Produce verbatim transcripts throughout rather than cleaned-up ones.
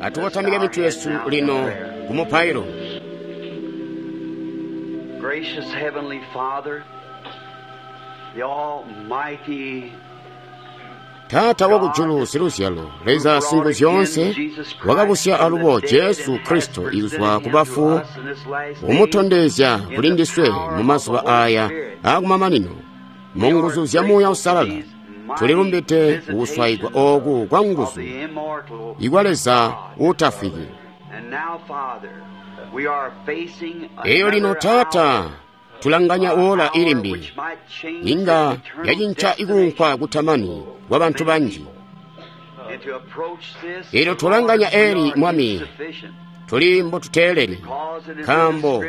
Atukotamike mitwe yesu lino ku mupailo. Gracious Heavenly Father, the Almighty Taata wakujulu siluzyalo, Leza Singuzyoonse, wakabusya alubo Jesu Kristo izwa kubafu, kumutondezya kuli ndiswe mu mazuba aya aakumamanino, mu nguzu zya Muuya Uusalala. Tulilumbide kukuswayigwa ooku kwa nguzu ikwa Leza uutafwiki. Eyo lino Taata, tulanganya ola ilimbi inga yacinca ikuunkwa kutamani kwa bantu banji. Elyo tulanganya eli, Mwami, tuli mbotuteeleli, nkaambo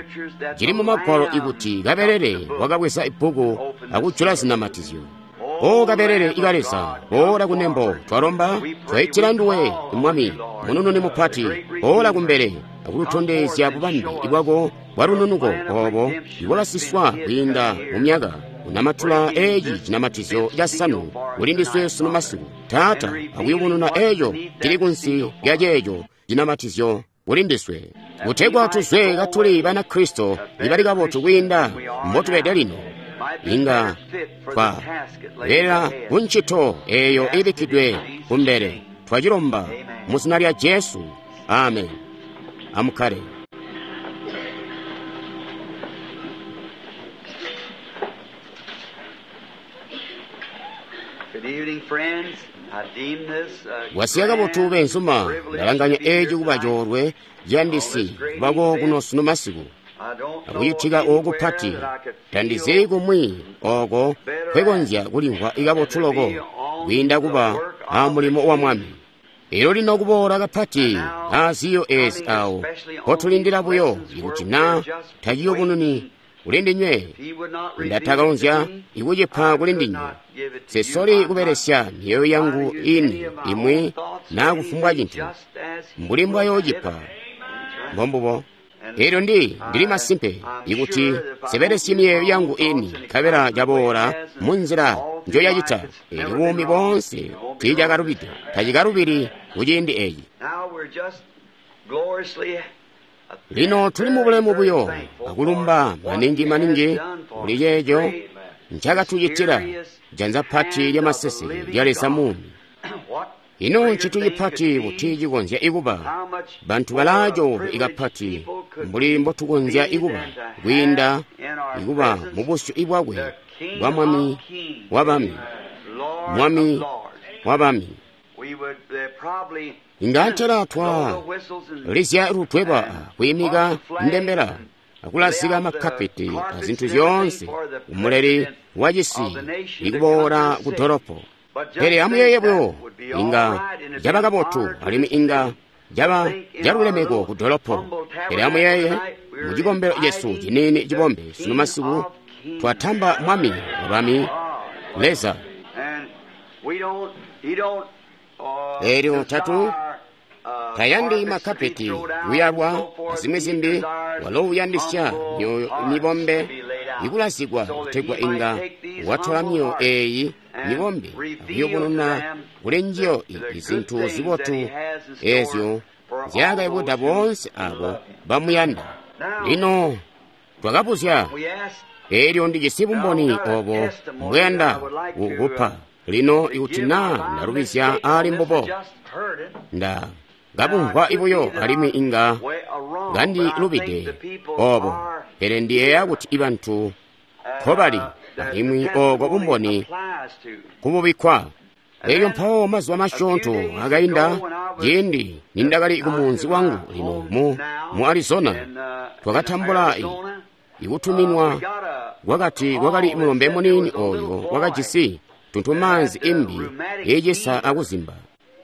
cili mu Magwalo ikuti kabelele wakabweza ibbuku akujula zinamatizyo. O kabelele ika Leza, boola kunembo, twalomba, twaitila nduwe, Mwami, munununi mupati, boola kumbele akututondezya bubambe bwako bwa lununuko obo ibwakasiswa kwiinda mu myaka unamatula eci cinamatizyo casanu kuli ndiswe sunu masiku. Taata, akuyubununa eco cili kunsi lya ceeco cinamatizyo kuli ndiswe, kutegwa tuzwe katuli Banakristo ibali kabotu kwiinda mbotubede lino. Inga twa lela kuncito eyo ibikkidwe kumbele. Twacilomba mu zina lya Jesu. Amen. Amukkale. Good evening, friends. I deem this a Wasiya kabotu beenzuma, ndalanganya eci kuba coolwe ciyandisi kubako kuno sunu masiku. Akucitika ooku pati, tandizi kumwi ooko nkwekonzya kulimvwa kabotu loko kwiinda kuba a mulimo wa Mwami. Elyo lino kuboola kapati aaziyo eezi awo nkotulindila buyo ikuti naa taciyubununi kuli ndinywe, ndatakakonzya ikucipa kuli ndinywe. Sesoli kubelesya myoyo yangu ini imwi naa kufumbwa cintu mbuli mbwayoocipa. Mbombubo. Elyo ndi ndili masimpe ikuti sibelesye miyeeyo yangu ini nkabela caboola munzila njoyacita, elyo buumi boonse tiicakalubide, tacikalubili kuciindi eci. Now we're just gloriously Lino tuli mu bulemu buyo akulumba maningi maningi kuli ceeco ncakatucitila janza pati lya maseseke lya Leza muumi. Ino ncintu cipati kuti cikonzya ikuba bantu balaacoolwe ikapati mbuli mbotukonzya ikuba kwiinda ikuba mu busyu bwakwe bwa Mwami wa bami, Mwami wa bami. Inga antela twa lizya lutweba kwiimika ndembela akulazika makkapeti azintu zyoonse umuleli wa cisi ikuboola ku dolopo. Pele amuyeeye buyo, inga caba kabotu alimwi inga caba calulemeko ku dolopo. Pele amuyeeye, mu cikombelo cesu ciniini cibombe sunu masiku twatamba Mwami wa bami, Leza. And we don't, he don't, uh, Elyo tatu desire, uh, tayandi carpets to be makapeti thrown out kuyalwa and so forth. azimwi He zimbi, desires walo uyandisya humble myoyo hearts mibombe to be laid out, ikulazikwa so that kutegwa he might inga take these watola humble myoyo hearts eyi and mibombe reveal to akuyubununa them kuli njiyo the, the good izintu things that zibotu he has in store ezyo for all zyakayibuda those who boonse abo love him. bamuyanda. Now, Lino twakabuzya, we asked, elyo ndijisi now I've bumboni got a obo testimony that I mbweyanda would like to, uh, kukupa. Lino to ikuti give. naa If I ndalubizya mistake on aali this, I mbubo, just heard it. nda Now, it kabumvwa could be ibuyo that alimwi I'm inga way uh, wrong, but I think ngandilubide the people obo. are Pele ndiyeeya here kuti ibantu uh, nkobali that the alimwi ooko testimony bumboni applies to. kububikkwa. And Elyo then mpawo mazuba a few masyoonto days akainda, ago, when I was ciindi nindakali uh, ku out munzi to my wangu lino home mu, now mu Arizona, in, uh, in twakatambula i- Arizona, uh, ikutuminwa we got a kwakati kwakali call that mulombe said there muniini was a little oyo boy wakajisi that tuntumaanzi had uh, imbi rheumatic iicisa fever, akuzimba.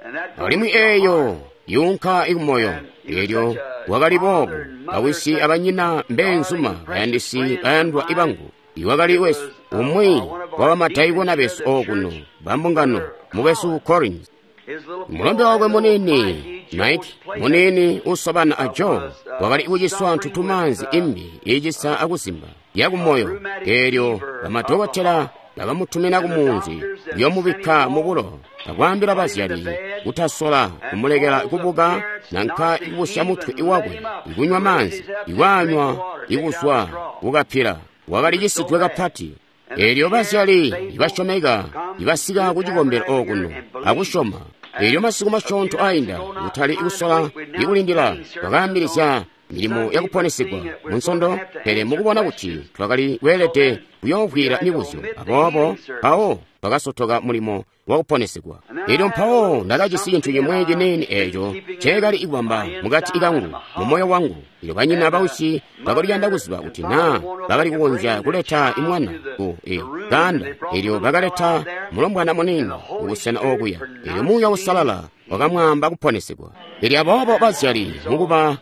and that goes Alimwi to the heart. eeyo yuunka ikumoyo. And he was Elyo such a wakali boobu, father and mother, bawisi such abanyina mbeenzuma darling, precious bayandisi friends of bayandwa mine. ibangu. Iwakali It wesu was uh, umwi uh, one of wa our bamadaikona deacons besu of the okuno church, bambungano Brother mukwesu Collins. Collins. His little Mulombe boy, wakwe little muniini Mikey Joe's Mike playmate, muniini usobana a uh, Joe was uh, wakali kuciswa suffering with ntutumaanzi uh, imbi iicisa akuzimba a yakumoyo. rheumatic Elyo fever of the bamadokotela heart. bakamutumina And ku the munzi doctors that sent him kuyomubikka mu home bulo akwaambila bazyali kutasola kumulekela kubuka nanka ikubusya mutwe wakwe, ikunywa maanzi, ikwaanywa, ikuzwa kukapila. Wakali cisidwe kapati. Eelyo bazyali ibasyomeka ibasika ku cikombelo okuno akusyoma. Eelyo masiku masyoonto ainda, kutali kusola ikulindila, twakaambilizya milimo yakuponesigwa mu Nsondo, pele mukubona kuti twakali kweelede kuyoovwiila mibuzyo, aboobo mpawo twakasotoka mulimo wakuponesigwa. Elyo mpawo ndakajisi cintu cimwe ciniini eeco nceekali kubamba mukati kangu, mu moyo wangu. Elyo banyina bausyi bakali kuyanda kuziba kuti naa bakali kukonzya kuleta imwana ku e kaanda. Elyo bakaleta mulombwana muniini kubusena okuya. Elyo Muuya Uusalala wakamwaamba kuponesigwa. Elyo aboobo bazyali mukuba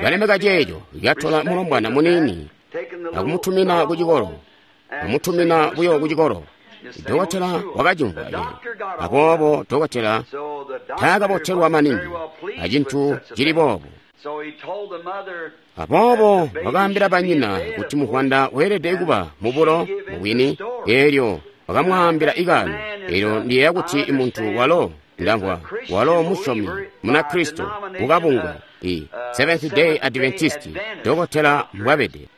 balemeka ceeco, katola mulombwana muniini akumutumina ku cikolo, kumutumina buyo ku cikolo. Dokotela wakacimvwa eco. Aboobo dokotela taakabotelwa maningi acintu cili boobo. Aboobo wakaambila banyina kuti muvwanda weelede kuba mubulo mubwini. Eelyo wakamwaambila ikaano. Eelyo ndiyeeya kuti muntu walo ndamvwa walo musyomi Munakristo mukabungwe i Seventh Day Adventist, dokotela mbwabede.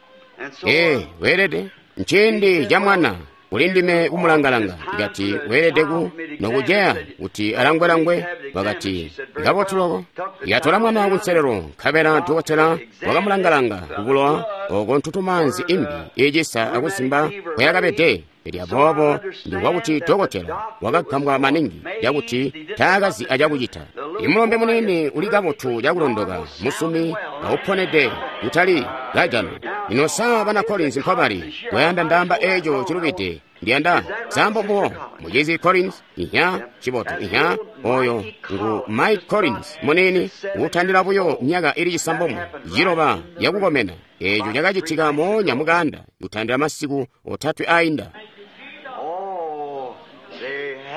Ee, weelede nciindi ca mwana kuli ndime kumulangalanga. Ikati weelede ku nokuceya kuti alangwe-langwe. Wakati kabotu loko. Ikatola mwana kunselelo, nkabela dokotela wakamulangalanga kubulowa oko ntutumaanzi imbi icisa akusimba kweyakabede. Elyo aboobo ndikwa kuti dokotela wakagambwa maningi cakuti taakazi acakucita. Imulombe muniini uli kabotu cakulondoka, musumi auponede kutali kajano. Lino sa bana Collins mpabali kwayanda ndaamba eeco cilubide? Ndiyanda sambo mbubo mucizi Collins ihya cibotu ihya oyo ngu Mike Collins muniini utandila buyo myaka ili cisambomwe ciloba yakukomena. Eeco cakacitika moonya mukanda kutandila masiku otatwe ainda.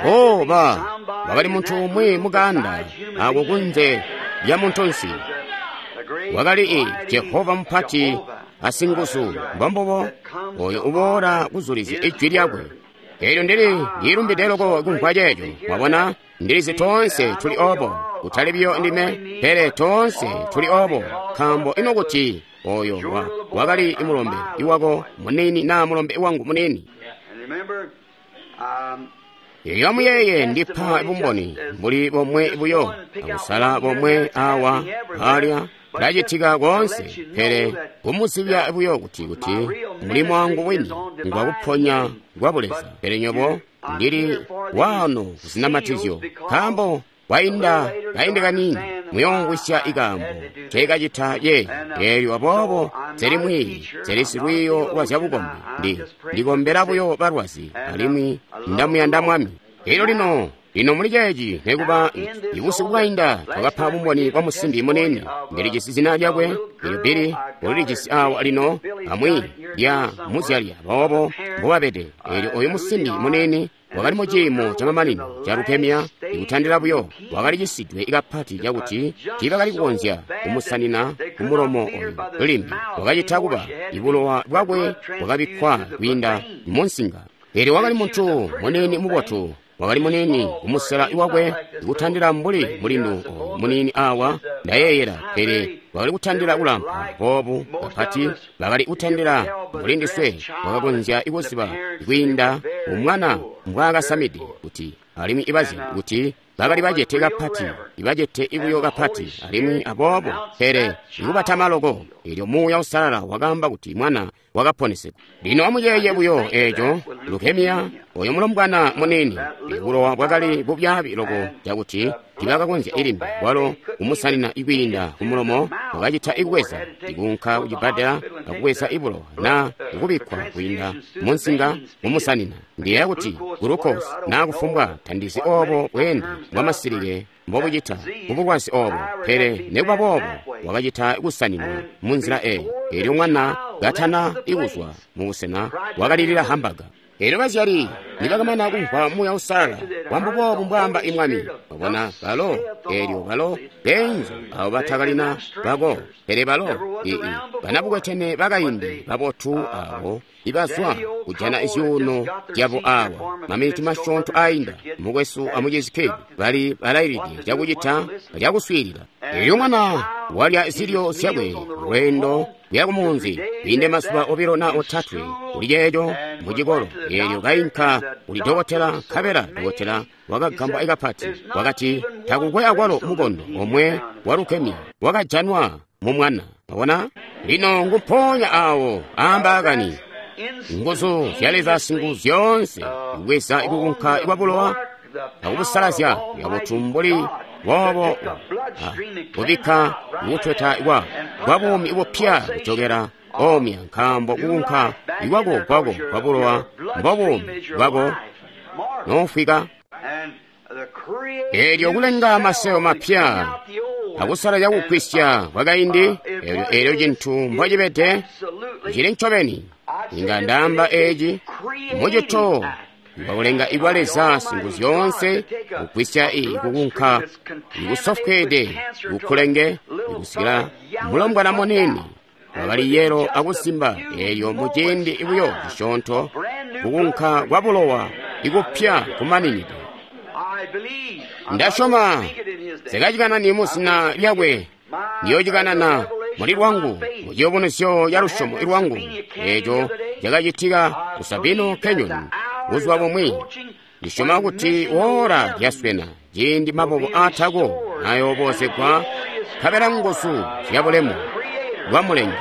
Oh, ba wakali muntu umwi mukanda ako kunze lya muntunsi. Wakali i Jehova mupati asinguzu, mbombubo oyo uboola kuzulizya ijwi lyakwe. Eelyo ndili ndilumbide loko kumvwa ceeco. Mwabona, ndilizi toonse tuli obo, kutali biyo ndime, pele toonse tuli obo, nkaambo ino kuti oyo wa, wakali imulombe iwako muniini naa mulombe wangu muniini. Elyo amuyeeye, ndipa bumboni mbuli bomwe buyo, akusala bomwe awa alya kulacitika koonse, pele kumuzibya buyo kuti kuti mulimo wangu wini ngwa kuponya kwa buleza. Pele nyobo ndili waano kuzinamatizyo, nkaambo kwainda kaindi kaniini muyoomvwisya ikaambo nceekacita yeeyi. Eelyo aboobo nseli mwiiyi, nseli silwiiyo lwa zyabukombi, ndi ndikombela buyo balwazi, alimwi ndamuyanda Mwami. Elyo lino lino muli ceeci nekuba ibusiku bwainda twakapa bumboni bwa musimbi muniini. Ndilijisi zina lyakwe, elyo Billy ulilijisi awa lino amwi lya muzyali, aboobo mbobabede. Elyo oyu musimbi muniini wakali mu ciimo camamanino ca leukemia, ikutandila buyo wakali cisidwe kapati cakuti tiibakali kukonzya kumusanina kumulomo oyu limbi. Wakacita kuba ibulowa bwakwe bwakabikkwa kwiinda munsinga. Elyo wakali muntu muniini mubotu, wakali muniini kumusela wakwe kutandila mbuli mulindu oyu muniini awa ndayeeyela, pele wakali kutandila kulampa boobu kapati, bakali kutandila mbuli ndiswe. Wakakonzya kuziba kwiinda umwana mbwaakasamide kuti, alimwi ibazyali kuti bakali bacete kapati, ibacete ibuyo kapati, alimwi aboobo pele ikubatama loko. Elyo Muuya Uusalala wakaamba kuti mwana wakaponesegwa. Lino amuyeeye buyo eeco, leukemia, oyo mulombwana muniini, bulowa bwakali bubyaabi loko cakuti tibakakonzya ilimbi bwalo kumusanina ikwiinda kumulomo. Wakacita ikubweza ikuunka kucibbadela akubweza ibulowa naa ikubikkwa kwiinda munsinga mumusanina. Ndiyeeya kuti gulukosi naa kufumbwa tandizi oobo bweende bwamasilike mbobucita kubulwazi oobo, pele nekuba boobo wakacita kusaninwa munzila eeyi. Elyo mwana katana ikuzwa mubusena wakalilila hambaga. Elyo bazyali Nibakamana kumvwa Muuya Uusalala, wambubobu mbwaamba imwami. Wabona balo, eelyo balo beenzu abo batakalina bako, pele balo ii banabukwetene bakaindi babotu abo ibazwa kujana zyuuno zyabo awa maminiti masyoonto ainda, mukwesu amucizi Kidd bali balailide cakucita cakuswiilila. Eelyo mwana walya zilyo zyakwe lweendo kuya kumunzi kwiinde mazuba obilo na otatwe kuli ceeco mucikolo. Eelyo kainka kuli dokotela, nkabela dokotela wakagambwa kapati, wakati takukwe akwalo mukondo omwe wa leukemia wakajanwa mu mwana. Wabona? Lino ngumponya awo ambaakani nguzu zya Leza singu zyoonse kubweza ikukunka kwa bulowa akubusalazya kabotu mbuli boobo, kubikka kutweta kwa kwa buumi bupya kujokera omya, nkaambo kukunka ikwako kwako kwa bulowa mbobuumi bwako nofwika. Eelyo kulenga maseo mapya akusalazya kugwisya kwakaindi, eelyo eelyo cintu mbocibede cili ncobeni. Inga ndaamba eci mucito wakulenga ikwa Leza singu zyoonse kugwisya i kukunka ikusofweede kukulenge ikusikila mulombwana munini wakali yelo akusimba. Eelyo muciindi buyo cisyoonto kukunka kwa bulowa ikupya kumaninide. Ndasyoma sekacikanani muzina lyakwe, ndiyocikanana muli lwangu muciyubunuzyo ca lusyomo lwangu. Eeco cakacitika ku Sabino Canyon buzuba bumwi. Ndisyoma kuti wora lyaswena ciindi maboko aatako nayoobozegwa nkabela nguzu zya bulemu bwa Mulengi.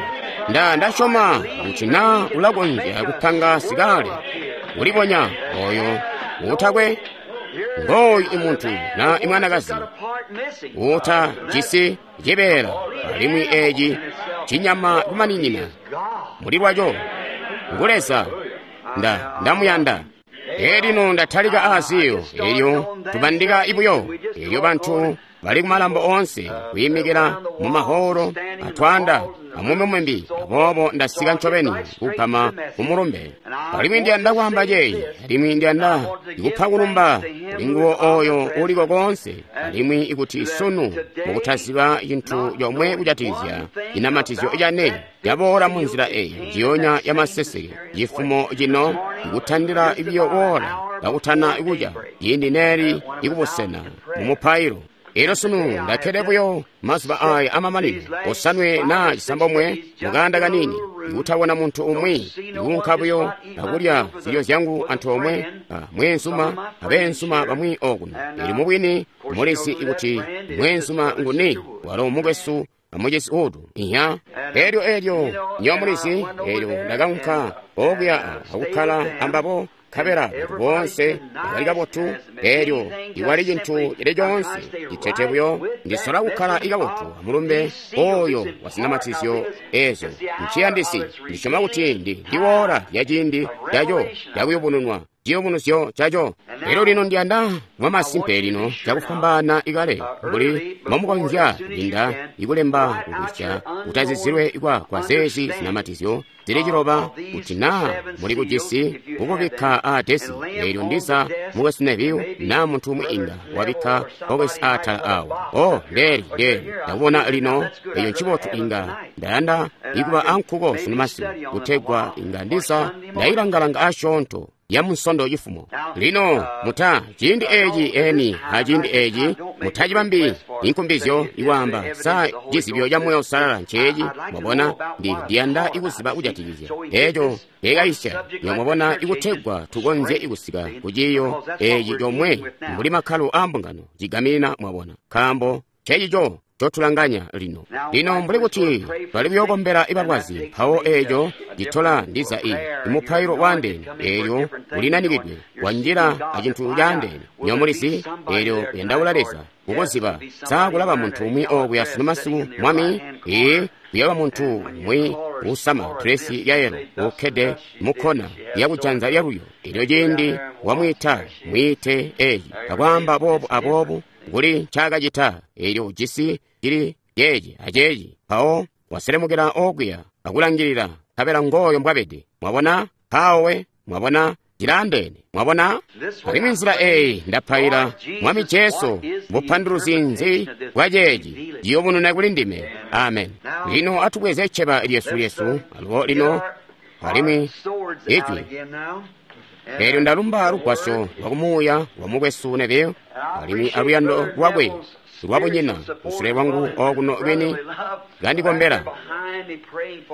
Nda ndasyoma kuti na ulakonzya kupanga sikale kulibonya oyo utakwe ngooyu imuntu na imwanakazi uta jisi cibeela, alimwi eci cinyama kumaninina muli lwaco ngu Leza. Nda ndamuyanda. Elino ndatalika aaziyo, elyo tubandika ibuyo, elyo bantu bali kumalambo oonse kuyimikila mu maholo atwaanda amumbi. Aboobo ndasika ncobeni kugama kumulumbe, alimwi ndiyanda kwaamba ceeci, alimwi ndiyanda ikupa kulumba kuli nguwo oyo uliko koonse, alimwi ikuti sunu mukutaziba cintu comwe kujatikizya cinamatizyo cane caboola mu nzila eyi njiyonya ya maseseke cifumo cino ikutandila ibiyo woola kakutana kuca ciindi neeli ikubusena mu mupailo. Elyo sunu ndakkede buyo mazuba aya amamanino osanwe na cisambomwe mukaanda kanini, ikutabona muntu umwi, ikuunka buyo akulya zilyo zyangu antoomwe mweenzuma abeenzuma bamwi okuno. Elyo mubwini mulizi ikuti mweenzuma nguni, walo mukwesu amucizi utu iya. Elyo elyo nyo mulizi, elyo ndakaunka okuya akukkala ambabo, nkabela bantu boonse bakali kabotu. Elyo iwali cintu cili coonse citete buyo, ndisola kukkala ikabotu amulumbe oyo wa zinamatizyo ezo nciyandisi. Ndisyoma kuti ndi ndiwoola lya ciindi caco cakuyubununwa ciyubunuzyo caco. Elyo lino ndiyanda mwamasimpe lino cakufwambaana ikale mbuli mbomukonzya kupinda ikulemba kugwisya kutazizilwe kwa kwa zeezi zinamatizyo zili ciloba, kuti naa muli kujisi kukubikka aadesi. Eelyo ndiza mukwesu Neville naa muntu umwi inga wabikka bokesi aatala awo. O ndeeli ndeeli ndakubona lino, eyo ncibotu. Inga ndayanda ikuba ankuko sunu masiku kutegwa inga ndiza ndayilangalanga asyoonto ya munsondo cifumo. Lino muta ciindi eci eni aciindi eci mutacibambi inkumbizyo ikwaamba sa cizibyo ca Muuya Uusalala nceeci. Mwabona, ndi ndiyanda ikuziba kujatikizya eco ekaisya nyo mwabona, ikutegwa tukonzye ikusika ku ciiyo eci comwe mbuli makkalo a mbungano cigaminina, mwabona, nkaambo cecico cotulanganya lino. Lino mbuli kuti bali kuyokombela ibalwazi, mpawo eco citola ndiza i imupailo waandeene, eelyo ulinanikidwe wanjila acintu caandeene nyomulizi, eelyo uyandaula Leza kukuziba sa kulaba muntu umwi okuya sunu masiku mwami. Ee, kuyaba muntu umwi usama dresi ya yelo ukkede mukkona yakujanza lyaluyo. Elyo ciindi wamwiita mwiite eci akwaamba boobu aboobu kuli ncaakacita, eelyo ujisi cili ceeci aceeci, mpawo waselemukila okuya akulangilila nkabela ngooyo mbwabede. Mwabona mpawo we, mwabona Cilaandeene. Mwabona? Alimwi nzila eyi ndapaila, Mwami Jesu, bupanduluzi nzi bwa ceeci? Ciyubununa kuli ndime. Amen. Lino atubweze cceba lyesu lyesu, alubo lino, alimwi Ijwi. Eelyo ndalumba lugwasyo lwa kumuuya lwa mukwesu Neville, alimwi aluyando lwakwe lwabunyina kusule lwangu okuno beni kandikombela,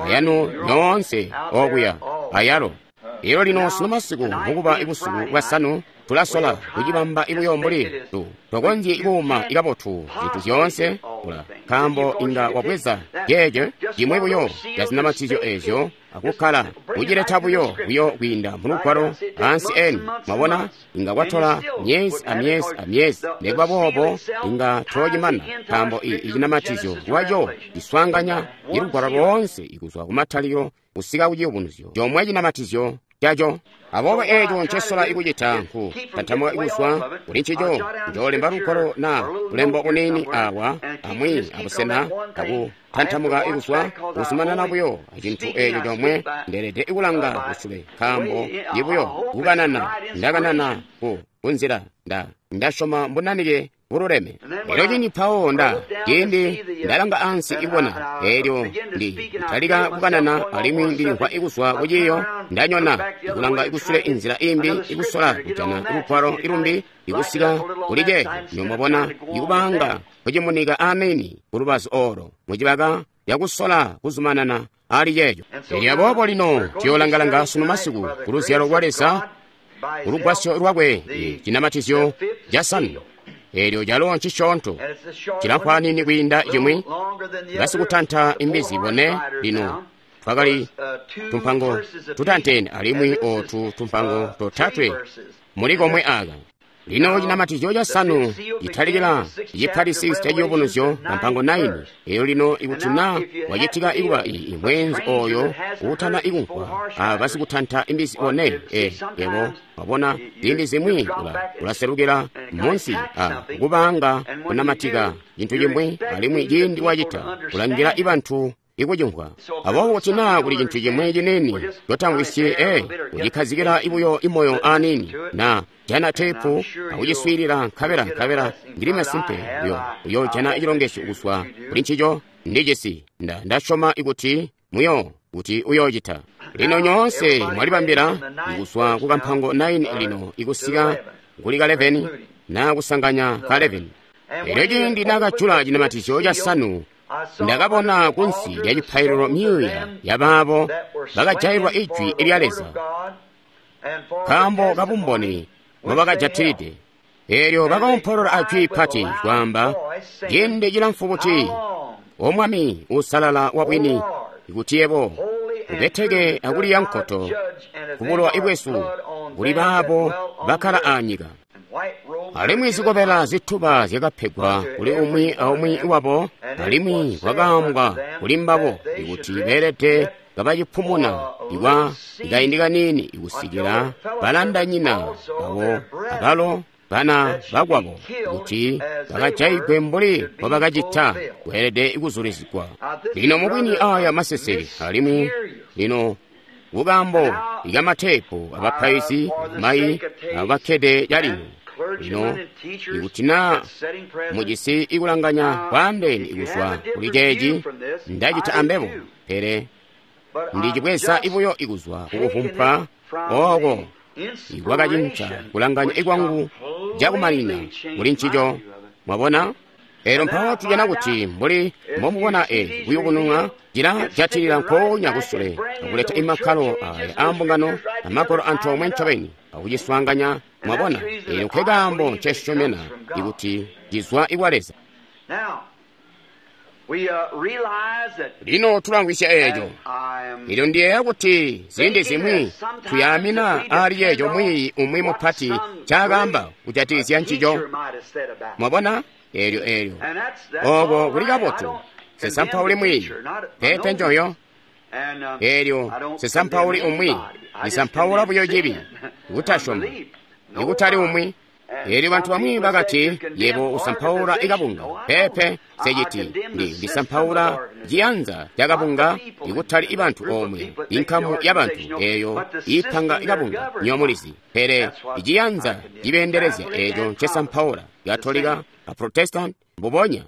ayanu nyoonse okuya ayalo. Elyo lino sunu masiku mukuba busiku bwasanu tulasola kucibamba buyo mbuli tu tokonzyi kuuma kabotu zintu zyoonse kula, nkaambo inga wabweza ceeco cimwi buyo ca zinamatizyo ezyo akukkala kucileta buyo buyo kwiinda mu lugwalo ansi eni. Mwabona, inga kwatola myezi a myezi a myezi, nekuba boobo inga toocimana, nkaambo i icinamatizyo lwaco ciswaanganya ilugwalo loonse ikuzwa kumatalikilo kusika ku ciyubunuzyo comwe cinamatizyo caco. Aboobo eeco ncesola ikucita nku tantamuka kuzwa kuli ncico. Njoolemba lugwalo na bulembo buniini awa amwi abusena aku tantamuka kuzwa kuzumanana buyo acintu eeco comwe. Ndeelede kulanga kusule, nkaambo ibuyo kukanana ndakanana ku kunzila nda ndasyoma mbunanike bululeme. Elyo cindi mpawo nda ciindi ndalanga ansi ibona, elyo ndi talika kukanana alimwi ndilimvwa ikuzwa kuciyo, ndanyona ikulanga ikusule inzila imbi, ikusola kujana lugwalo ilumbi ikusika kuli ceeco. Nyomwabona ikubanga kucimunika ameni kulubazu olo mucibaka yakusola kuzumanana ali ceeco. Elyo aboobo lino tuyoolanga-langa sunu masiku ku luzyalo lwa Leza, ku lugwasyo lwakwe, cinamatizyo casanu. Eelyo calo ncisyoonto, cilamfwanini kwiinda cimwi. Basikutanta imbizi bone lino twakali tumpango tutantene, alimwi otu tumpango totatwe muli komwe aka. Lino cinamatizyo casanu citalikila cipatisi ca ciyubunuzyo kampango naini. Elyo lino ikuti na wacitika ikuba i mwenzi oyo uutana ikumvwa a basikutanta imbizi bone, e yebo wabona ziindi zimwi ula ulaselukila munsi a kubanga kunamatika cintu cimwi, alimwi ciindi wacita kulangila ibantu ikucimvwa. Aboobo kuti naa kuli cintu cimwi ciniini cotamvwisyi, e kucikhazikila ibuyo imoyo aniini, na jana teepu akuciswiilila nkabela nkabela ndili masimpe uyo uyoojana cilongesyo kuzwa kuli ncico. Ndijisi nda ndasyoma ikuti muyo kuti uyoocita. Lino nyoonse mwalibambila kuzwa ku kampango naini lino ikusika kuli ka eleveni na kusanganya ka eleveni. Elyo ciindi nakajula cinamatizyo casanu, ndakabona kunsi lya cipaililo myuuya yabaabo bakajailwa ijwi lya Leza nkaambo kabumboni mbobakajatilide. Eelyo bakoompolola ajwi pati kwaamba, ciindi cilamfu buti, O Mwami uusalala wa bwini, kuti yebo ubeteke akuliya nkoto kubulowa bwesu kuli baabo bakkala anyika. Alimwi zikobela zituba zyakapegwa kuli umwi aumwi wabo, alimwi kwakaambwa kuli mbabo ikuti beelede kabacipumuna ikwa kaindi kaniini ikusikila balandanyina babo abalo bana bakwabo kuti bakajaigwe mbuli mbobakacita, kweelede kuzulizigwa. Lino mubwini aya maseseke, alimwi lino kukaambo ikamateepu abapaizi mayi abakkede calino. Lino ikuti naa mujisi ikulanganya kwaandeene ikuzwa kuli ceeci, ndacita ambebo, pele ndicibweza ibuyo ikuzwa kukuvumpwa ooko ikwakacinca kulanganya ikwangu cakumanina kuli ncico. Mwabona? Elyo mpawo tujana kuti mbuli mbomubona e kuyubununwa cilajatilila nkoonya kusule akuleta imakkalo aya aambungano amagwalo antoomwe ncobeni akuciswaanganya. Mwabona? Elyo nkekaambo ncesyomena ikuti cizwa ikwa Leza. Lino tulamvwisya eeco. Elyo ndiyeeya kuti ziindi zimwi tuyaamina ali ceeco mwiiyi umwi mupati ncaakaamba kujatikizya ncico. Mwabona? Eelyo eelyo oko kuli kabotu. Sisampauli mwiiyi pepe njoyo. Eelyo sisampauli umwi lisampaula buyo cibi, kutasyoma, ikutali umwi. Eelyo bantu bamwi bakati, yebo usampaula ikabunga. Peepe, nseciti. Ndi ndisampaula ciyanza ca kabunga, ikutali ibantu omwe, inkamu ya bantu eyo ipanga ikabunga, nywebo mulizi. Pele iciyanza cibeendelezya eco ncesampaula, Katolika, a Protestant, mbubonya.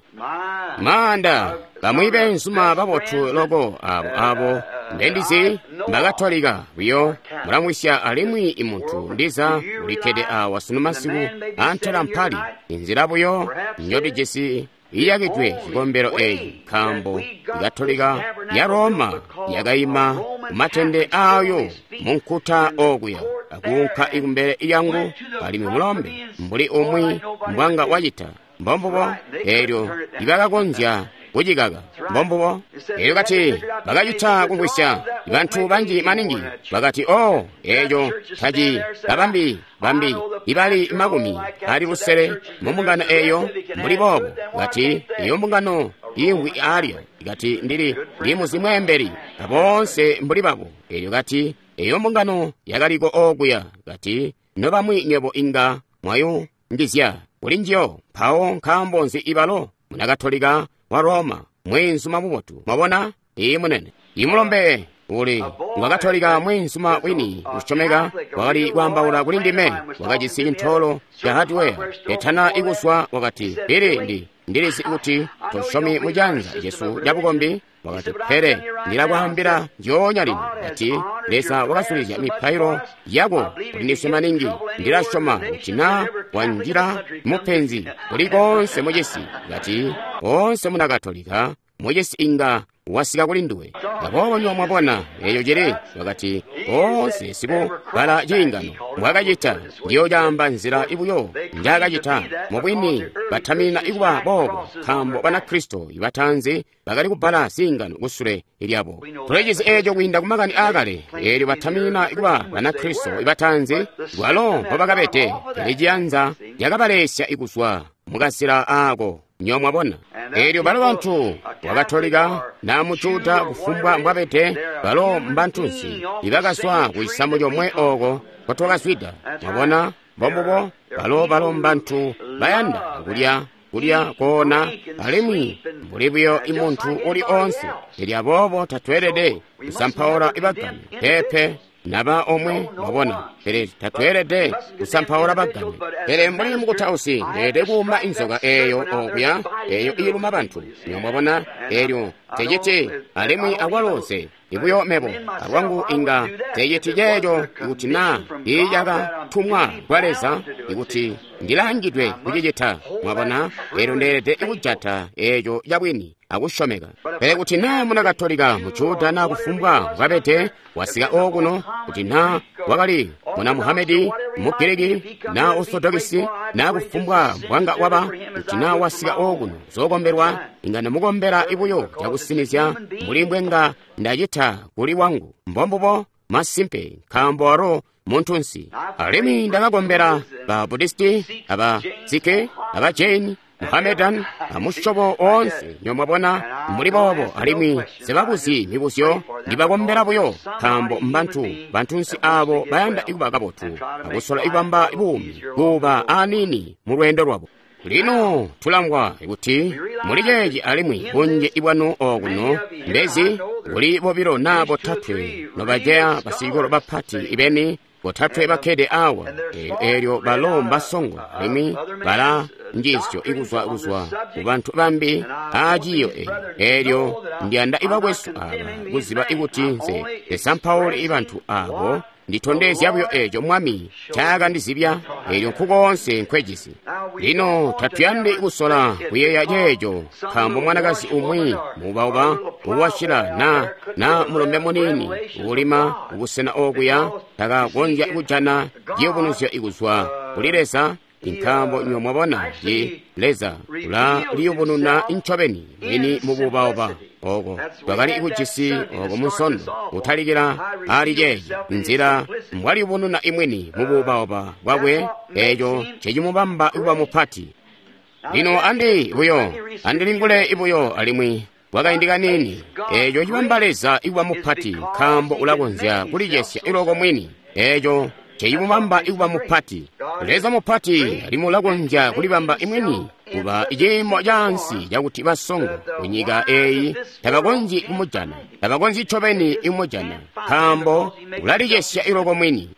Maanda, bamwi beenzuma babotu loko abo abo mbendizi mbakatolika buyo mulamwisya alimwi imuntu ndiza ulikkede awa sunu masiku antela mpali inzila buyo njotijisi iyakidwe cikombelo eyi nkaambo ikatolika ya Roma yakayima kumatende ayo munkuta okuya akuunka ikumbele yangu alimwi mulombe mbuli umwi mbwanga wacita. Mbombubo eelyo ibakakonzya kucikaka. Mbombubo eelyo kati bakacita kumvwisya bantu banji maningi bakati, o eeco taci babambi bambi ibali makumi ali lusele mu mbungano eeyo mbuli boobo. Kati iyo mbungano imwi alya kati ndili ndimuzi mweembeli aboonse mbuli babo. Eelyo kati eyo mbungano yakaliko okuya. Kati nobamwi nywebo inga mwayungizya kuli njiyo. Mpawo nkaambo nzi ibalo munakatolika wa Roma mweenzuma mubotu? Mwabona? Iyi munene. Imulombe uli ngwakatolika mweenzuma wini usyomeka wakali kwaambaula kuli ndime, wakajisi cintoolo ca hardware etana ikuswa. Wakati, Bili, ndi ndilizi kuti tosyomi mucanza cesu ca bukombi. Wakati, pele ndilakwaambila njoonya lino, kati Leza wakasulizya mipailo yako kuli ndiswe maningi. Ndilasyoma kuti na wanjila mupenzi kuli konse mucisi, kati onse munakatolika mucisi inga wasika kuli nduwe. Aboobo nywebo mwabona eyo cili. Wakati onse sikubala ciingano mbwakacita, ndiyo caamba nzila ibuyo njaakacita. Mubwini batamina ikuba boobo, nkaambo Banakristo ibatanzi bakali kubala ziingano kusule lyabo. Tulecizi eeco kwiinda kumakani aakale. Eelyo batamina ikuba Banakristo ibatanzi bwalo mbobakabede, pele ciyanza cakabalesya ikuzwa mukazila aako. Nywebo mwabona? Eelyo balo bantu wakatolika na mujuda kufumbwa mbwabede, balo mbantunsi ibakazwa kucisamu comwe oko nkotwakazwida. Mwabona? Mbombubo balo balo mbantu bayanda kulya kulya koona alimwi mbuli buyo imuntu uli onse. Elyo aboobo tatweelede kusampaula ibagame. Peepe, naba omwe, mwabona. Pele tatweelede kusampaula bagame. Pele mbuli mukutausi ndeelede kuuma inzoka eeyo okuya eeyo iiluma bantu. Nywebo mwabona? Eelyo teciti alimwi akwalo nse ibuyo mebo alwangu inga teciti ceeco ikuti na iicakatumwa kwa Leza ikuti ndilangidwe kucicita. Mwabona? Eelyo ndeelede kujata eeco cabwini akusyomeka. Pele kuti naa munakatolika mujuda naa kufumbwa mbwabede wasika okuno, kuti naa wakali muna Muhamedi, Mugiriki naa Orthodoxi naa kufumbwa mbwanga waba, kuti naa wasika okuno zokombelwa, inga ndamukombela ibuyo cakusinizya mbuli mbwenga ndacita kuli wangu. Mbombubo masimpe, nkaambo walo muntunsi. Alimwi ndakakombela ba Budisti, aba Sikh, aba Jain, Muhammedan, amusyobo oonse. Nywebo mwabona, mbuli boobo. Alimwi sibabuzyi mibuzyo, ndibakombela buyo, nkaambo mbantu bantunsi aabo bayanda ikuba kabotu akusola ikubamba buumi kuba aniini mu lweendo lwabo. Lino tulamvwa kuti muli ceeci alimwi bunji ibwanu okuno mbezi kuli bobilo naa botatwe nobaceya basicikolo bapati ibeni botatwe bakkede awa. Eelyo balo mbasongo alimwi bala njiisyo ikuzwa kuzwa kubantu bambi aaciiyo eyi. Eelyo ndiyanda ibakwesu aba kuziba ikuti nse nsesampauli ibantu abo nditondezya buyo eeco Mwami ncaakandizibya. Eelyo nkukoonse nkwejisi. Lino tatuyandi kusola kuyeeya ceeco, nkaambo mwanakazi umwi muubauba uwashila na na mulombe muniini uulima kubusena okuya takakonzya kujana ciyubunuzyo ikuzwa kuli Leza. Nkaambo nywebo mwabona, ci Leza ulaliyubununa ncobeni mwini mubuubauba oko twakali kujisi oko munsondo kutalikila ali ceeci, nzila mbwaliyubununa imwini mubuubauba bwakwe, eeco ncecimubamba kuba mupati. Lino andi buyo andilingule ibuyo alimwi kwakaindi kaniini. Eeco cibamba Leza ikuba mupati, nkaambo ulakonzya kulicesya iloko mwini. Eeco ncecimubamba ikuba mupati. Leza mupati alimwi ulakonzya kulibamba imwini kuba ciimo caansi cakuti basongo kunyika eyi tabakonzyi kumujana, tabakonzyi ncobeni ikumujana, nkaambo ulalicesya iloko mwini.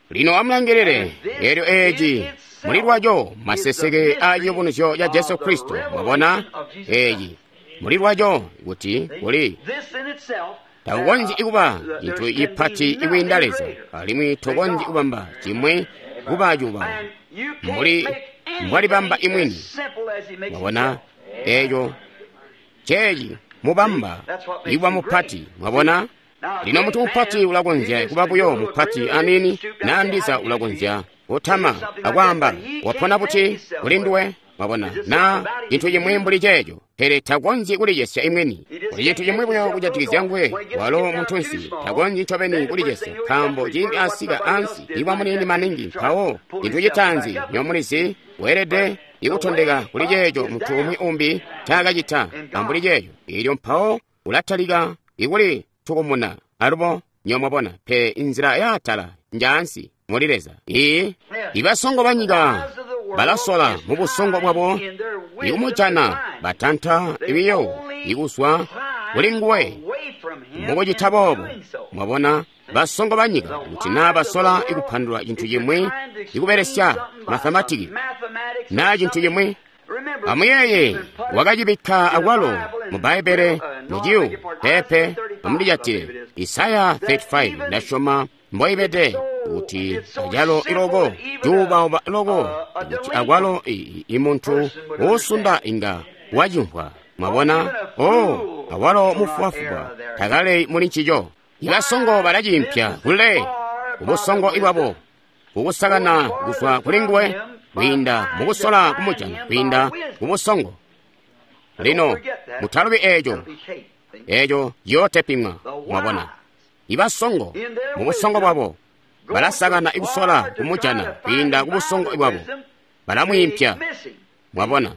Lino amulangilile, eelyo eeci muli lwaco maseseke a ciyubunuzyo ca Jesu Kristo. Mwabona eeci muli lwaco kuti kuli takukonzyi kuba cintu cipati ikwiinda Leza, alimwi tokonzyi kubamba cimwi kuba cuba mbuli mbwalibamba imwini. Mwabona eeco ceeci mubamba ikuba mupati. Mwabona lino muntu mupati ulakonzya kuba buyo mupati aniini, naa ndiza ulakonzya kutama akwaamba wapona buti kuli nduwe. Mwabona, naa cintu cimwi mbuli ceeco, pele takonzyi kulicesya imwini. Kuli cintu cimwi buyo kujatikizya nguwe, walo muntunsi takonzyi ncobeni kulicesya, nkaambo ciindi asika ansi iba muniini maningi, mpawo cintu citaanzi nyomulizi weelede ikutondeka kuli ceeco muntu umwi umbi ncaakacita ambuli ceeco, eelyo mpawo ulatalika ikuli tukumuna alubo nyomwabona. Pe inzila yaatala njaansi muli Leza. Ii ibasongo banyika balasola mu busongo bwabo ikumujana, batanta ibiyo ikuzwa kuli nguwe mukucita boobo. Mwabona basongo banyika kuti naa basola ikupandula cintu cimwi ikubelesya mathematiki naa cintu cimwi. Amuyeeye, wakacibikka akwalo mu Bbaibbele muciyu pepe amundijatile Isaya makumi aatatu amusanu, ndasyoma mboibede kuti acalo iloko cuubauba loko kuti akwalo imuntu uusunda inga wacimvwa. Mwabona, o awalo mufubafuba takale muli ncico. Ibasongo balaciimpya kule kubusongo ibwabo kukusakana kuzwa kuli nguwe kwiinda mukusola kumujana kwiinda kubusongo. Lino mutalubi eeco, eeco ciyootepimwa. Mwabona ibasongo mubusongo bwabo balasakana ikusola kumujana kwiinda kubusongo bwabo, balamwiimpya. Mwabona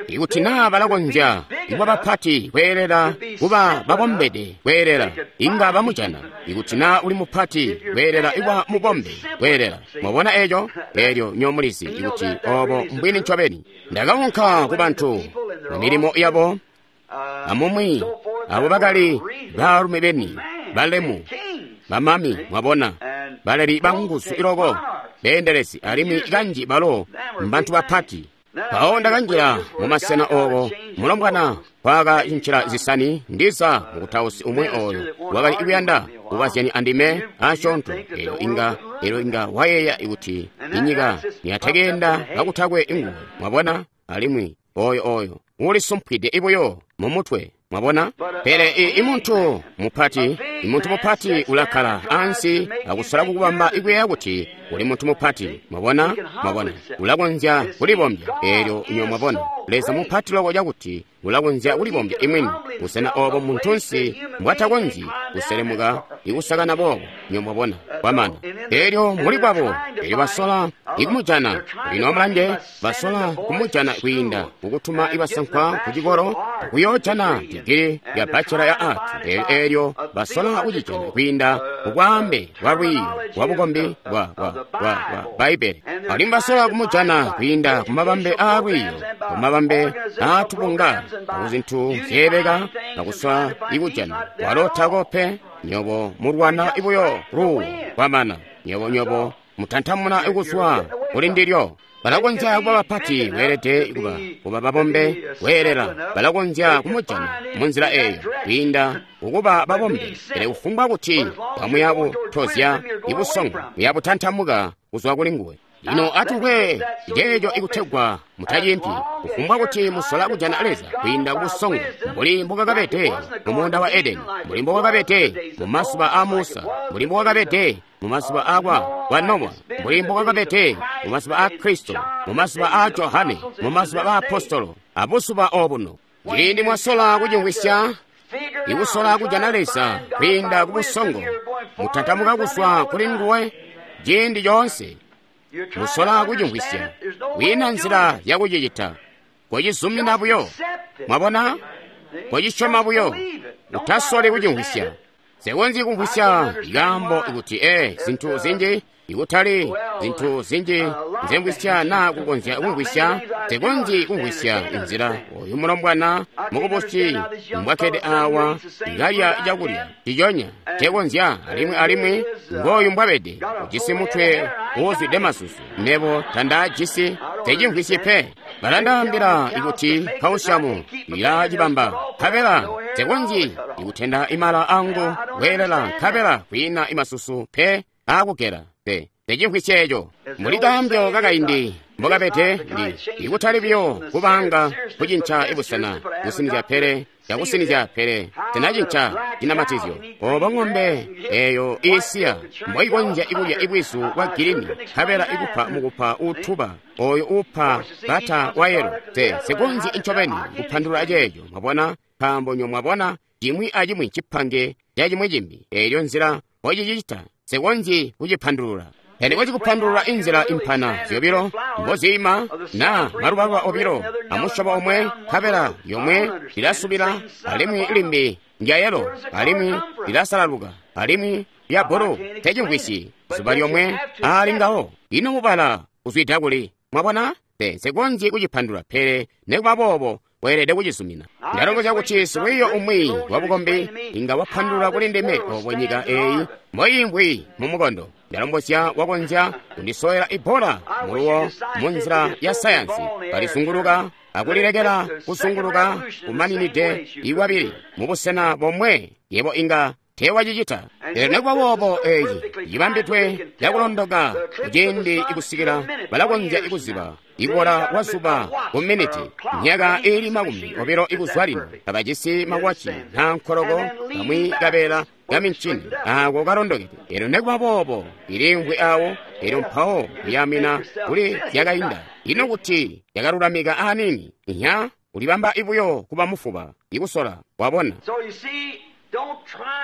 ikuti naa balakonzya kuba bapati kweelela kuba babombede kweelela inga bamujana. Ikuti naa uli mupati kweelela kuba mubombe kweelela. Mwabona eeco, eelyo nyomulizi ikuti oobo mbwini ncobeni. Ndakaunka ku bantu mu milimo yabo amumwi abo bakali baalumi beni balemu bamami, mwabona, baleli banguzu iloko, beendelezi, alimwi kanji balo mbantu bapati. Mpawo ndakanjila mumasena ooko mulombwana kwakacinjila zisani, ndiza mukutausi umwi ooyo wakali kuyanda kubazyani andime asyoonto. Eelyo inga eelyo inga wayeeya kuti inyika niyatekeenda kakutakwe nguwe. Mwabona, alimwi oyo oyo ulisumpwide ibuyo mumutwe. Mwabona, pele imuntu mupati, imuntu mupati ulakkala ansi akusola kukubamba ikuyeeya kuti uli muntu mupati. Mwabona, mwabona, ulakonzya kulibombya. Eelyo nyo mwabona, Leza mupati loko cakuti ulakonzya kulibombya imwini, busena oobo muntunsi mbwatakonzyi kuselemuka ikusakana boobo. Nyo mwabona, kwamana. Eelyo muli bwabo, eelyo basola ikumujana. Lino amulange, basola kumujana kwiinda kukutuma ibasankwa kucikolo kuyoojana digiri ya bachelor ya art. Eelyo basola kucijana kwiinda kukwaambe kwa lwiiyo lwa bukombi bwa bwa bwa bwa Bbaibbele. Alimwi basola kumujana kwiinda kumabambe aa lwiiyo, kumabambe aatubunga, akuzintu zyeebeka, akusola ikujana. Walo tako pe, nyobo mulwana ibuyo luuwo kwamana. Nyobo nyobo mutantamuna ikuzwa kuli ndilyo. Balakonzya kuba bapati beelede kuba kuba babombe kweelela. Balakonzya kumujana munzila eeyo kwiinda kukuba babombe, pele kufumbwa kuti kamuya butozya ibusongo, muya butantamuka kuzwa kuli nguwe. Lino atukwe ceeco ikutegwa mutaciimpi, kufumbwa kuti musola kujana Leza kwiinda kubusongo, mbuli mbokakabede mu muunda wa Edeni, mbuli mbokakabede mu mazuba aa Musa, mbuli mbokakabede mu mazuba akwa kwa Nowa, mbuli mbokakabede mu mazuba aa Kristo, mu mazuba aa Johane, mu mazuba aa Apostolo, abuzuba obuno. Ciindi mwasola kucimvwisya, ikusola kujana Leza kwiinda kubusongo, mutantamuka kuzwa kuli nguwe ciindi coonse. Musola kucimvwisya, kwiina nzila yakucicita. Kocizumina buyo. Mwabona? Kocisyoma buyo. Utasoli kucimvwisya. Nsekonzyi kumvwisya ikaambo kuti ee zintu zinji Ikutali zintu zinji nzemvwisya naa kukonzya kumvwisya, nsikonzyi kumvwisya inzila oyu mulombwana mukubusi mbwakkede awa kalya cakulya ciconya ncekonzya, alimwi alimwi ngooyu mbwabede, ujisi mutwe uuzwide masusu, mebo tandaajisi, nsecimvwisyi pe. Balandaambila ikuti kausiamu ilacibamba, nkabela nsikonzyi ikutenda imala angu kweelela, nkabela kwiina imasusu pe aakugela pe. Nsecimvwisyi eco. Mbuli kaambyo kakaindi mbokabede, ndi ikutali buyo kubanga kucinca ibusena kusinizya pele cakusinizya pele tinacinca cinamatizyo. Obo ng'ombe eyo iisiya mboikonzya ikulya ibwizu bwa gilini, nkabela ikupa mukupa uutuba oyo uupa bata wa yelo. Te nsikonzyi ncobeni kupandulula ceeco, mwabona, nkaambo nyo mwabona cimwi acimwi cipange ca cimwi cimbi. Eelyo nzila mbocicita nsikonzyi kucipandulula. Pele kwacikupandulula inzila impana zyobilo mboziima na malubaluba obilo amusyobo omwe, nkabela yomwe lilasubila alimwi limbi ndya yelo alimwi lilasalaluka alimwi lya bulu. Tecimvwisyi zuba lyomwe aali ngawo. Ino mubala uzwida kuli? Mwabona? Te nsikonzyi kucipandulula, pele nekuba boobo weelede kucizumina. Ndalombozya kuti silwiiyo umwi wabukombi inga wapandulula kuli ndime obo nyika eeyi mboiimvwi mu mukondo. Ndalombozya wakonzya kundisowela ibbola muluwo munzila ya sayansi, kalisunguluka akulilekela kusunguluka kumaninide iwabili mubusena bomwe, yebo inga teewacicita. Pele nekuba boobo eeci cibambidwe cakulondoka kuciindi ikusikila balakonzya ikuziba ikubola kwa zuba ku miniti myaka iili makumi obilo ikuzwa lino. Kabajisi mawaci naa nkoloko kamwi kabeela kamincini aako kalondokede. Elyo nekuba boobo iliimvwi awo, elyo mpawo kuyamina kuli zyakainda. Ino kuti yakalulamika aaniini, inya ulibamba ibuyo kuba mufuba ikusola, wabona.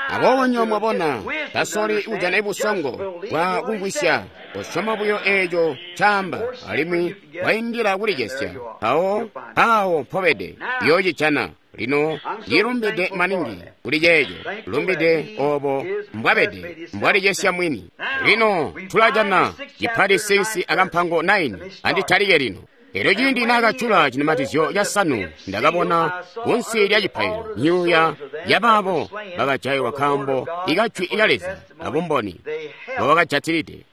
Aboobo nyo mwabona, tasoli kujana ibusongo bwa kumvwisya, kosyoma buyo eeco caamba, alimwi waindila kulicesya. Mpawo awo mpobede yoocijana. Lino ndilumbide maningi kuli ceeco, lumbide obo mbwabede, mbwalicesya mwini. Lino tulajana cipati six akampango nine, anditalike lino. Elyo ciindi naakajula cinamatizyo casanu, ndakabona kunsi lya cipaililo myuuya yabaabo bakajayilwa nkaambo ikajwi lya Leza abumboni mbobakajatilide.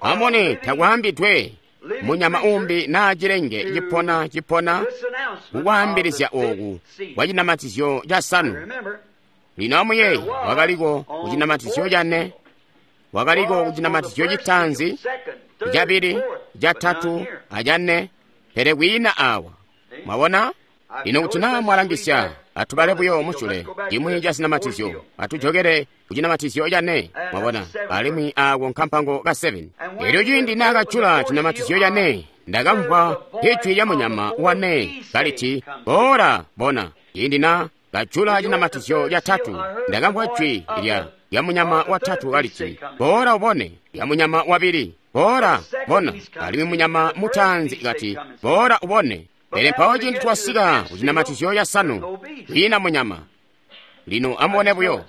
Amone takwaambidwe munyama umbi naa cilenge cipona cipona kukwaambilizya ooku kwa cinamatizyo casanu. Lino amuyeeye, wakaliko kucinamatizyo cane, wakaliko kucinamatizyo citaanzi, cabili, catatu acane, pele kwiina awa. Mwabona? Lino kuti naa mwalangisya, atubale buyo musyule cimwi ca zinamatizyo, atujokele kucinamatizyo cane. Mwabona? Alimwi aako nkampango ka seven. Elyo ciindi naakajula cinamatizyo cane, ndakamvwa ijwi lya munyama wane kaliti, "Boola, bona." Ciindi na kajula cinamatizyo catatu, ndakamvwa jwi lya lya munyama watatu kaliti, "Boola ubone." Lya munyama wabili, "Boola, bona." Alimwi munyama mutaanzi kati, "Boola ubone." Pele mpawo ciindi twasika kucinamatizyo casanu, kwiina munyama. Lino amubone buyo.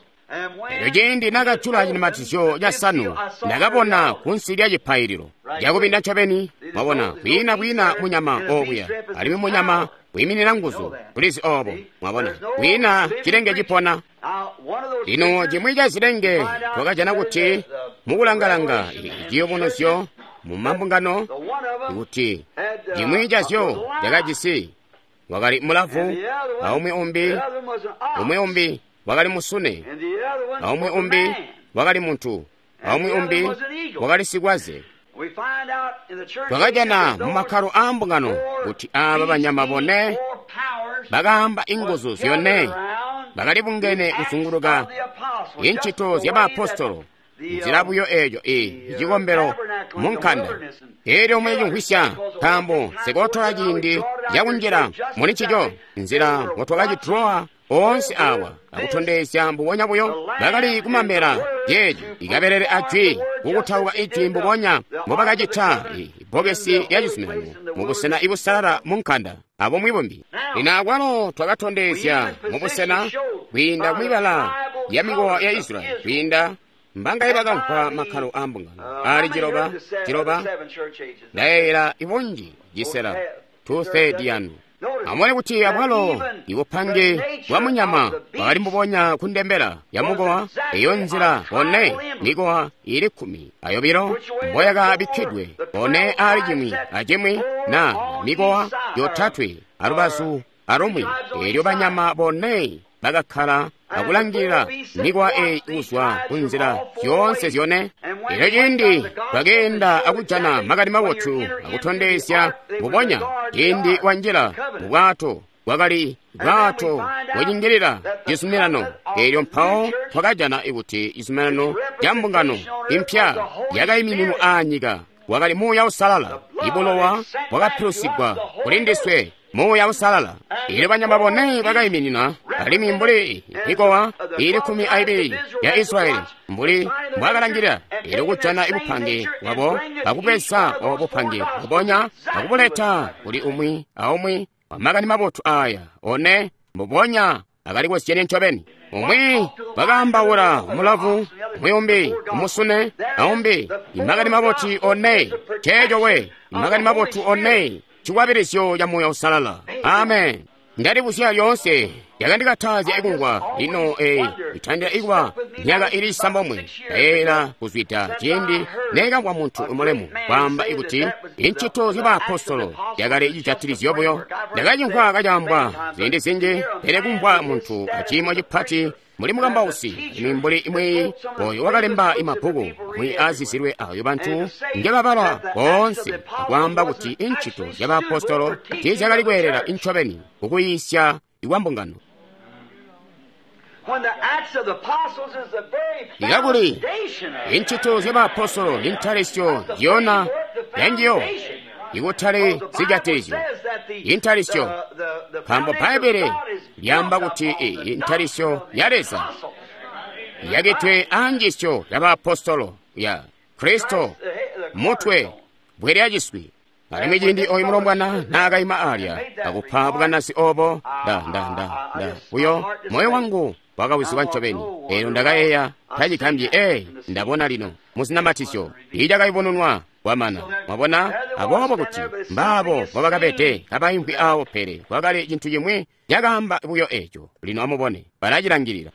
Elyo ciindi nakajula cinamatizyo casanu, ndakabona kunsi lya cipaililo cakubinda ncobeni. Mwabona, kwiina kwiina munyama okuya, alimwi munyama wiiminina nguzu. Tulizi obo. Mwabona, kwiina cilenge cipona. Lino cimwi ca zilenge twakajana kuti mukulangalanga ciyubunuzyo mu mambungano, kuti cimwi cazyo cakajisi wakali mulavu, aumwi umbi umwi umbi wakali musune, aumwi umbi wakali muntu, aumwi umbi wakali sikwaze. Twakajana mu makkalo aambungano kuti aaba banyama bone bakaamba inguzu zyone bakali bungene kuzunguluka incito zya baapostolo, nzila buyo eeco i cikombelo mu nkanda. Elyo mwecimvwisya, nkaambo nsikootola ciindi cakunjila muli ncico, nzila mbotwakacidrowa oonse awa akutondezya mbubonya buyo bakali kumamela yeeci ikabelele ajwi kukutauka ijwi mbubonya mbobakacita ibbokesi lya cizuminano mubusena ibusalala mu nkanda abumwi bumbi. Lino akwalo twakatondezya mubusena kwiinda mwibala ya mikowa ya Israyeli kwiinda mbangaye bakamvwa makkalo a mbungano ali ciloba ciloba ndayeeyela ibunji cisela two-thirds yanu. Amubone kuti abwalo ibupange bwa munyama bwakali mbubonya kundembela ya mukowa eyo nzila one mikowa ili kkumi ayobilo mboyakabikkidwe one ali cimwi acimwi na mikowa yotatwe alubazu alumwi. Eelyo banyama bone bakakkala akulangilila mikowa eyi kuzwa ku nzila zyoonse zyone. Elyo ciindi bakeenda akujana makani mabotu akutondezya mbubonya ciindi wanjila mu bwato bwakali bwato bwacingilila cizuminano. Elyo mpawo twakajana kuti cizuminano ca mbungano impya yakaimininwa aanyika wakali Muuya Uusalala. Ibulowa bwakapilusigwa kuli ndiswe Muuya Uusalala. Elyo banyama bone bakaiminina alimwi mbuli mikowa ili kkumi aibili ya Israyeli mbuli mbwakalangilila. Elyo kujana ibupange bwabo akubweza obo bupange mbubonya akubuleta kuli umwi aumwi wa makani mabotu aya one mbubonya akali kozyene ncobeni. Umwi bakaambaula mulavu, umwi umbi umusune, aumbi imakani mabotu one. Ceeco we imakani mabotu one cikwabilizyo ca Muuya Uusalala. Amen. Ndalibuzya lyoonse yakandikatazya ikumvwa lino eyi itandila ikuba myaka ili isambomwe ndayeeyela kuzwida ciindi nekamvwa muntu mulemu kwaamba ikuti incito zya baapostolo yakali cijatilizyo buyo. Ndakacimvwa kacaambwa ziindi zinji, pele kumvwa muntu aciimo cipati muli mukambausi alimwi mbuli imwi oyo wakalemba imabbuku amwi aazizilwe ayo bantu ngebabala boonse akwaamba kuti incito zya baapostolo tiizyakali kweelela incobeni kukuyiisya ikwa mbungano. Ikakuli incito zya baapostolo intalisyo nziyona yanjiyo ikutali zijatilizyo intalisyo, nkaambo Bbaibbele lyaamba kuti intalisyo ya Leza yakitwe anjisyo ya baapostolo ya Kristo mutwe bwe lyaciswi. Alimwi ciindi oyu mulombwana naakaima alya akupa bukanasi obo, nda nda nda nda buyo moyo wangu wakawizibwa ncobeni. Eelyo ndakayeeya tacigambyi, ee ndabona lino muzinamatizyo icakayubununwa kwamana. Mwabona, aboobo kuti mbaabo mbobakabede kabaimvwi awo, pele kwakali cintu cimwi cakaamba buyo eco. Lino amubone, balacilangilila.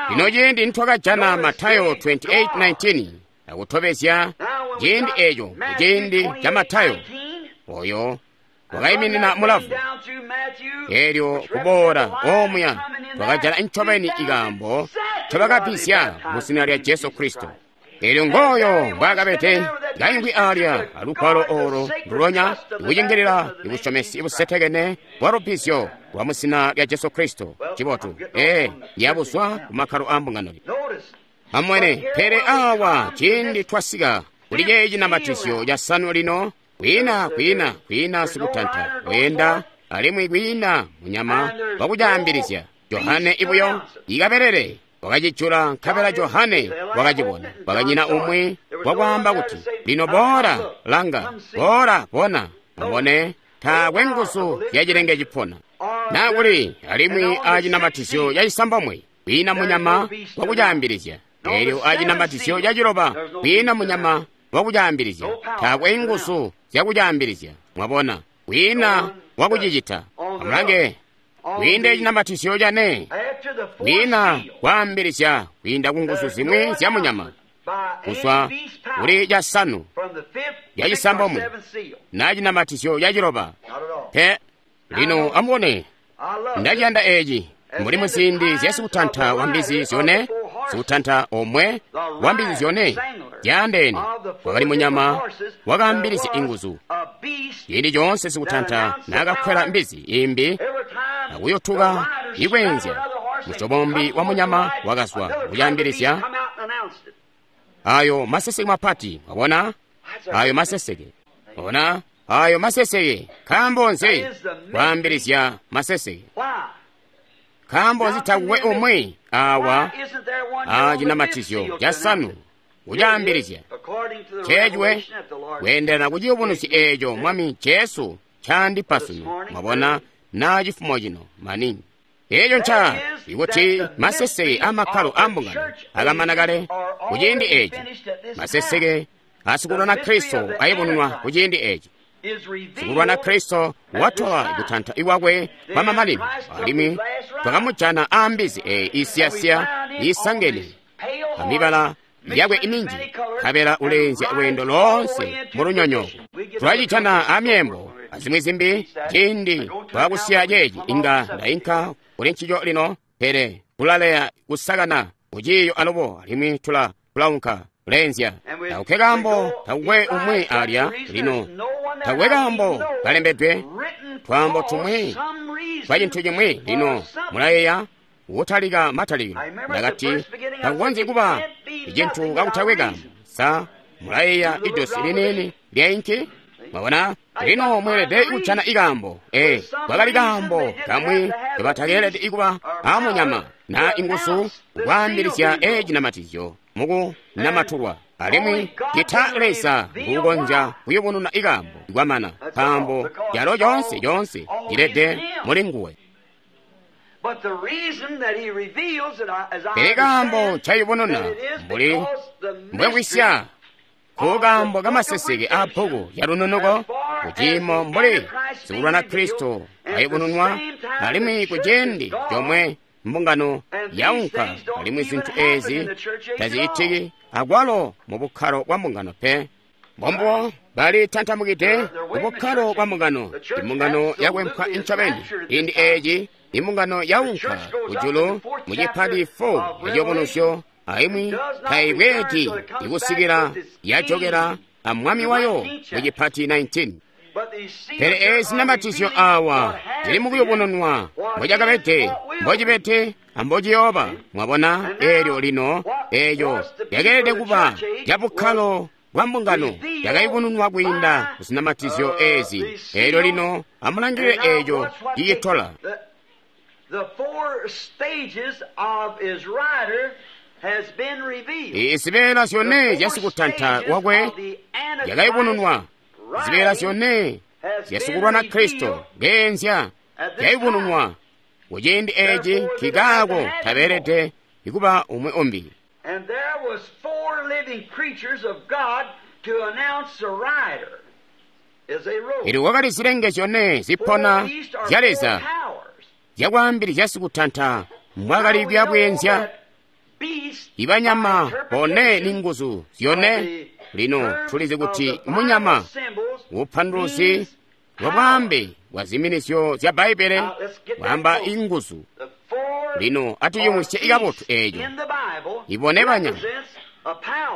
Lino ciindi nitwakajana Matayo twenty-eight nineteen akutobezya ciindi eco kuciindi ca Matayo oyo wakaiminina mulavu. Elyo kuboola omuya twakajana ncobeni ikaambo ncobakabisya mu zina lya Jesu Kristo. Elyo ngooyo mbwaakabede kaimvwi alya alugwalo olo ndulonya ikucingilila ibusyomesi ibusetekene bwa lubbizyo lwa mu zina lya Jesu Kristo. Cibotu, ee yabuzwa ku makkalo a mbungano. Amwene, pele awa ciindi twasika kuli ceeci cinamatizyo casanu lino, kwiina kwiina kwiina sikutanta weenda alimwi kwiina munyama wakucaambilizya. Johane ibuyo ikabelele wakacijula, nkabela Johane wakacibona. Kwakanyina umwi wakwaamba kuti lino boola langa, boola bona. Amubone, taakwe nguzu ya cilenge cipona nakuli alimwi acinamatizyo cacisambomwe kwiina munyama wakucaambilizya. Elyo acinamatizyo caciloba kwiina munyama wakucaambilizya, taakwe nguzu zyakucaambilizya. Mwabona, kwiina wakucicita. Amulange, kwiinda ecinamatizyo cane kwiina kwaambilizya kwiinda ku nguzu zimwi zya munyama kuzwa kuli casanu cacisambomwe na cinamatizyo caciloba pe. Lino amubone, ndaciyanda eci mbuli muziindi zya sikutanta wa mbizi zyone, sikutanta omwe wa mbizi zyone zyaandeene wakali munyama wakaambilizya inguzu. Ciindi coonse sikutanta naakakwela mbizi imbi akuyotuka ikweenzya, musyobo wa munyama wakazwa kucaambilizya ayo maseseke mapati. Wabona ayo maseseke, ona ayo maseseke. Nkaambo nzi kwaambilizya maseseke? Nkaambo nzi takukwe umwi awa a cinamatizyo casanu kucaambilizya? Ceecwe kweendelana ku ciyubunuzyo eeco Mwami Jesu ncaandipa sunu. Mwabona, na cifumo cino maningi. Eeco nca ikuti maseseke amakkalo ambungano akamana kale kuciindi eci, maseseke asikulwana Kristo ayubununwa kuciindi eci. Sikulwana Kristo watola kutanta ikwakwe kwa mamanino, alimwi twakamujana aambizi eyi isiyasiya isangene amibala yakwe iminji, nkabela uleenzya lweendo loonse mulunyonyooko. Tulacitana amyeembo azimwi zimbi ciindi twakusiya ceeci inga ndainka kuli ncico lino, pele kulaleya kusakana kuciiyo alubo alimwi tula tulaunka kuleenzya. Takukwe kaambo, takukwe umwi alya lino, takukwe kaambo kalembedwe twaambo tumwi twa cintu cimwi. Lino mulayeeya kutalika matalikilo ndakati takukonzyi kuba icintu kakutakwe kaambo. Sa mulayeeya idosi liniini lya inki? Mwabona, lino mweelede kujana ikaambo. Ee, kwakali kaambo kamwi kebatakeelede kuba amunyama na inguzu kwaambilizya ecinamatizyo mukunamatulwa, alimwi cita Leza nguukonzya kuyubununa ikaambo kwamana, nkaambo calo coonse coonse cilede muli nguwe. Pele kaambo ncayubununa mbuli mbwekwisya kukaambo kamaseseke a bbuku lya lununuko kuciimo mbuli sikulwana Kristo ayubununwa, alimwi kuciindi comwe mbungano yaunka, alimwi zintu ezi tazicitiki akwalo mu bukkalo bwa mbungano pe. Mbombo bali tantamukide mu bukkalo bwa mbungano. Imbungano yakwempwa incobeni. Ciindi eci imbungano yaunka kujulu mu cipati four eciyubunuzyo, aimwi taibweedi ikusikila yajokela amwami wayo mu cipati nineteen. Pele ezi namatizyo awa zili mukuyubununwa mbocakabede, mbocibede, ambociyooba. Mwabona, eelyo lino eeyo yakeelede kuba yabukkalo bwa mbungano yakayubununwa kwiinda kuzinamatizyo ezi. Eelyo lino amulangilile eeco cicitola. Izibeela zyone zyasikutanta kwakwe yakayubununwa. Zibeela zyone zyasikulwana Kristo ngeenzya zyayubununwa kuciindi eci, nkikaako tabeelede ikuba umwi umbi. Elyo kwakali zilenge zyone zipona zya Leza zyakwaambilizya sikutanta mbwakali kuyabweenzya. Ibanyama bone ni nguzu zyone. Lino tulizi kuti munyama upanduluzi bwa bwaambe bwa ziminizyo zya Bbaibbele bwaamba inguzu. Lino atuyumwisye ikabotu eeco. Ibone banyama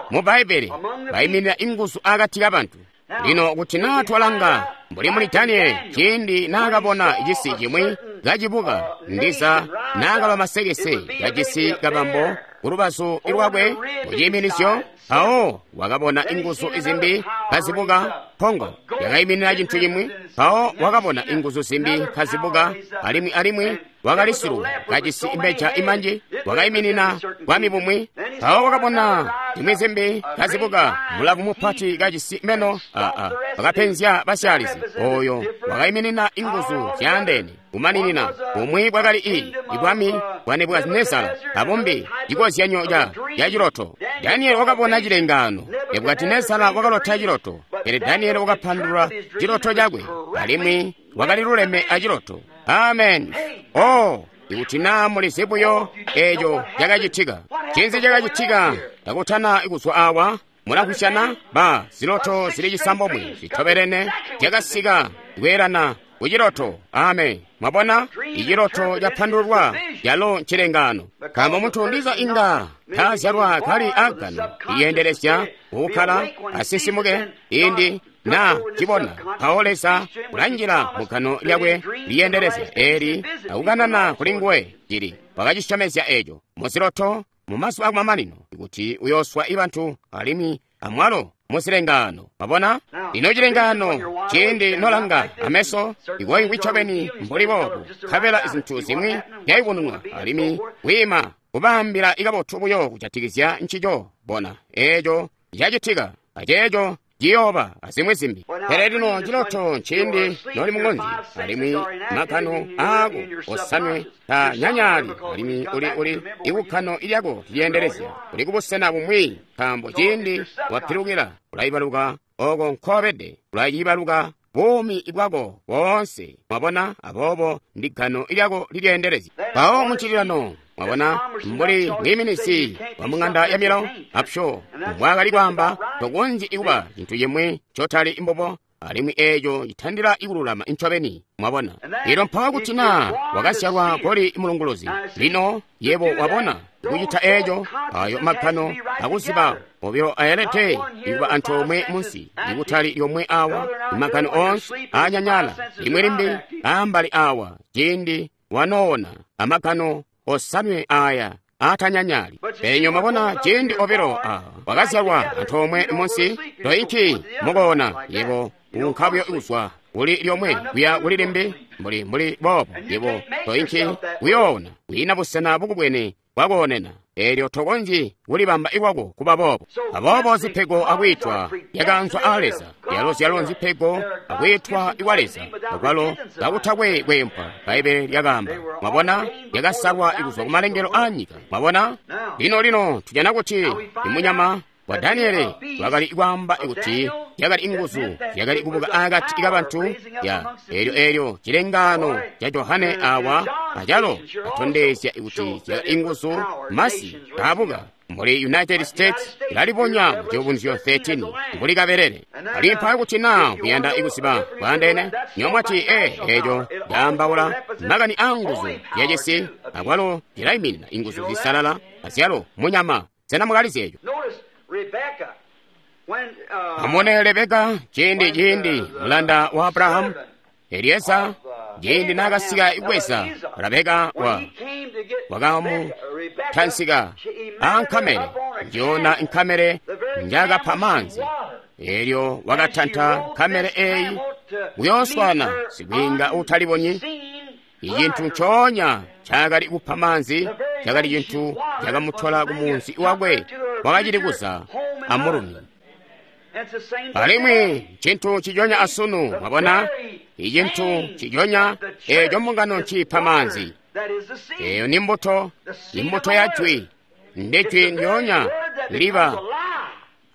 mu Bbaibbele baiminina inguzu akati kabantu. Lino kuti naa twalanga mbuli muli Daniele ciindi naakabona cisi cimwi kacibuka, ndiza naakaba masekese kajisi kabambo kulubazu lwakwe muciiminizyo, mpawo wakabona inguzu zimbi kazibuka, mpongo yakaiminina cintu cimwi, mpawo wakabona inguzu zimbi kazibuka, alimwi alimwi wakali siluwe kajisi imbeja imanji, wakaiminina bwami bumwi, mpawo wakabona zimwi zimbi kazibuka, mulavu mupati kajisi meno aa wakapenzya basyaalizi, oyo wakaiminina inguzu zyaandeene kumaninina. Bumwi bwakali i ibwami bwa Nebukadinezara, abumbi cikozyanyo ca ciloto. Daniele wakabona cilengaano. Nebukadinezara wakalota ciloto, pele Daniele wakapandulula ciloto cakwe, alimwi wakali luleme aciloto. Amen. Oh, ikuti naa mulizi buyo eeco cakacitika. Cinzi cakacitika takutana kuzwa awa? Mulakusyana ba ziloto zili cisambomwe zitobelene zyakasika kweelana kuciloto. Amen. Mwabona, iciloto capandululwa yalo ncilengaano. Nkaambo muntu ndiza inga tazyalwa kali agano iyendelezya kukkala asisimuke indi na cibona, mpawo Leza ulanjila mugano lyakwe liyendelezya eli akukanana kuli nguwe cili wakacisyomezya eco muziloto mumazuba akumamanino kuti uyooswa ibantu alimwi amwalo muzilengaano. Mwabona, lino cilengaano ciindi nolanga ameso ikoingwi ncobeni mbuli boobu, nkabela zintu zimwi zyayubununwa alimwi kwiima kubaambila ikabotu buyo kujatikizya ncico. Bona eeco cacitika aceeco ciyooba azimwi zimbi. Pele lino ciloto nciindi noli muŋonzi, alimwi magano aako osanwe tanyanyaali, alimwi uli uli ikukkano lyako lyeendelezya uli kubusena bumwi, nkaambo ciindi wapilukila ulaibaluka oko nkobede, ulayibaluka buumi bwako boonse. Mwabona? Aboobo ndi gano lyako lilyeendelezya. Mpawo muncililano, mwabona, mbuli mwiiminisi wa mung'anda ya milawo apsho mbwaakali kwaamba, tokonzyi kuba cintu cimwi ncotali mbubo, alimwi eeco citandila ikululama ncobeni. Mwabona? Lino mpawo kuti naa wakazyalwa koli mulunguluzi, lino yebo wabona kucita eeco, ayo magano akuziba obilo ayelede ikuba antoomwe munsi, ikutali lyomwe awa, imagano oonse anyanyala, limwi limbi ambali awa, ciindi wanoona amagano osanwe aya atanyanyali. Pele mwabona, ciindi obilo a wakazyalwa antoomwe munsi, toinki mukoona, yebo unka buyo kuzwa kuli lyomwe kuya kuli limbi, mbuli mbuli boobo, yebo toinki kuyoona, kwiina busena bukubwene bwakoonena, eelyo tokonzyi kulibamba ikwako kuba boobo. Aboobo zipego akwiitwa yakaanzwa a Leza, zyalo zyalo nzipego akwiitwa kwa Leza, akwalo kakutakwe kweempwa, Bbaibbele lyakaamba. Mwabona, yakasalwa kuzwa kumalengelo a nyika. Mwabona? Lino lino tujana kuti imunyama wa Daniele wakali kwaamba kuti yakali inguzu yakali kubuka akati kabantu ya eelyo eelyo cilengaano ca Johane awa acalo atondezya kuti zyakali inguzu masi kaabuka mbuli United States ilalibonya mu Ciyubunuzyo thirteen mbuli kabelele. Alimwi mpawo kuti naa kuyanda kuziba bwaandeene, nyomwati e eeco caambaula makani a nguzu yacisi, akwalo cilaiminina inguzu zisalala azyalo munyama. Sena mukalizi eeco? Amone Rebeka ciindi ciindi mulanda wa Abrahamu Elieza ciindi naakasika kubweza Rebeka wa wakamutantsika ankamele, njoona nkamele njakapha maanzi, eelyo wakatanta nkamele eeyi kuyooswana sikwiinga utalibonyi. Icintu ncoonya cakali kupha maanzi cakali cintu cakamutola kumunzi wakwe wakacili kuza amulumi. Alimwi cintu cijonya asunu, mwabona, icintu cijonya eeco mbungano nciipha maanzi. Eeyo ni mbuto, imbuto ya jwi, ndi jwi ndyoonya liba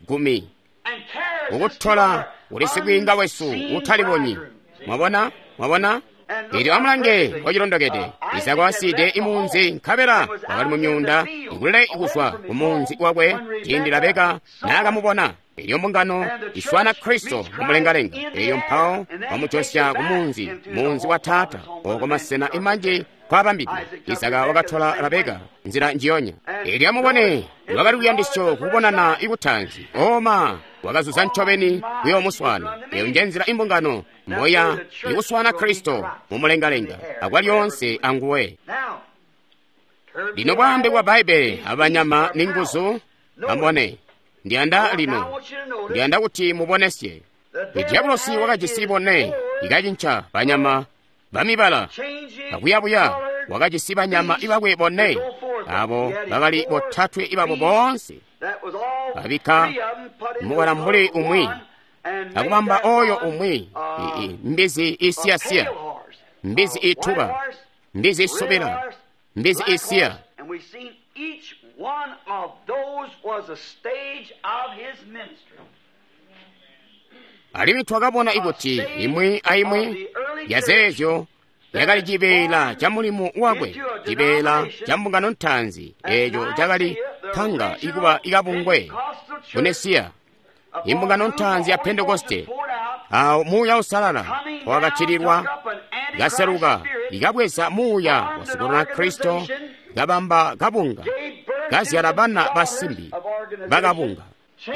gumi kukutola kuli sikwiinga wesu utalibonyi. Mwabona? Mwabona? Eelyo amulange wacilondokede Isaka wasiide imunzi, nkabela wakali mumyuunda ikulele kuzwa kumunzi wakwe ciindi Rebeka naakamubona. Eelyo mbungano iswana Kristo mumulengalenga, eelyo mpawo wamujosya kumunzi, munzi wa Taata, oko masena imanji kwabambidwe. Isaka wakatola Rebeka nzila njiyonya. Eelyo amubone lwakali luyandisyo kubonana ikutanzi, oma wakazuza ncobeni kuyoomuswana. Eyo nje nzila imbungano moya ikuswana Kristo mumulengalenga akwalyoonse anguwe. Lino bwaambe bwa Bbaibbele abanyama ni nguzu. Amubone, ndiyanda lino, ndiyanda kuti mubonesye. Diabolosi wakajisi bone ikacinca banyama bamibala akuyabuya, wakajisi banyama ibakwe bone, abo bakali botatwe ibabo boonse babika mubala mbuli umwi akubamba oyo umwi mbizi isiyasiya, mbizi ituba, mbizi isubila, mbizi isiya. Alimwi twakabona ikuti imwi aimwi yazeezyo yakali cibeela ca mulimu wakwe, cibeela ca mbungano ntaanzi eeco cakali panga ikuba ikabungwe kunesiya, imbungano ntaanzi ya Pentekoste, awo Muuya Uusalala wakatililwa, kaseluka ikabweza muuya wa sikulwana Kristo, kabamba kabunga, kazyala bana basimbi bakabunga.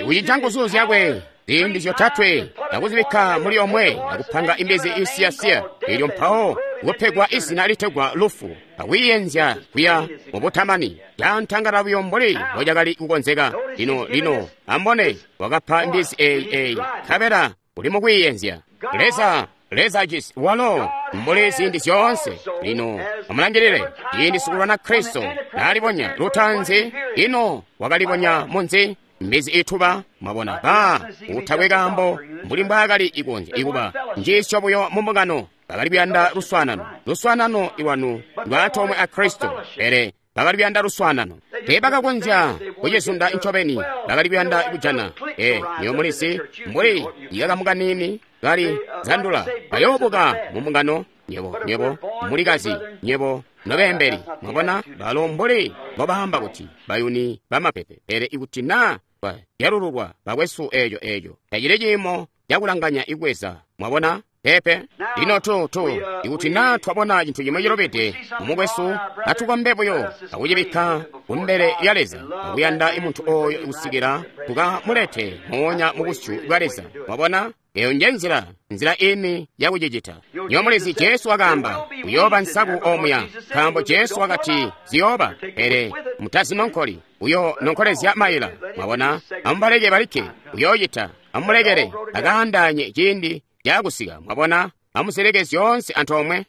Ikucinca nguzu zyakwe ziindi zyotatwe akuzibikka muli omwe akupanga imbizi isiyasiya, eelyo mpawo kupegwa izina litegwa lufu, akwiiyenzya kuya mubutamani. Cantangala buyo mbuli mbocakali kukonzeka. Lino lino ambone wakapha mbizi eyi eyi, nkabela uli mukwiiyenzya. Leza Leza jisi walo mbuli ziindi zyoonse. Lino amulangilile ciindi sikulwana Kristo naalibonya lutanzi, ino wakalibonya munzi Mbizi ituba, mwabona, ba utakwe kaambo mbuli mbwaakali ikonzya ikuba njiisyo buyo mu mbungano. Bakali kuyanda luswaanano, luswaanano iwanu lwaantoomwe a Kristo, pele bakali kuyanda luswaanano. Teebakakonzya kucizunda ncobeni, bakali kuyanda kujana. E, niyo mulisi mbuli ikakamu kaniini kali zandula, bayoobuka mu mbungano. Nyebo, nyebo mulikazi, nyebo nobeembeli, mwabona, balo mbuli mbobaamba kuti bayuni bamapepe. Pele ikuti na bazyalululwa bakwesu, eeco eeco tacili ciimo cakulanganya ikweza, mwabona. Pepe lino tu tu ikuti na twabona cintu cimwe cilobede mumukwesu, atukombe buyo akucibikka kumbele lya Leza akuyanda muntu oyo kusikila tukamulete moonya mu busyu bwa Leza, mwabona. Eyo nje nzila, nzila ini yakucicita. Nyo mulizi Jesu wakaamba kuyooba nsaku omuya, nkaambo Jesu wakati ziyooba, pele mutazinonkoli, uyo nonkolezya maila, mwabona. Amubaleke balikke, uyoocita, amulekele akaandaanye ciindi cakusika, mwabona. Amuzeleke zyoonse antoomwe.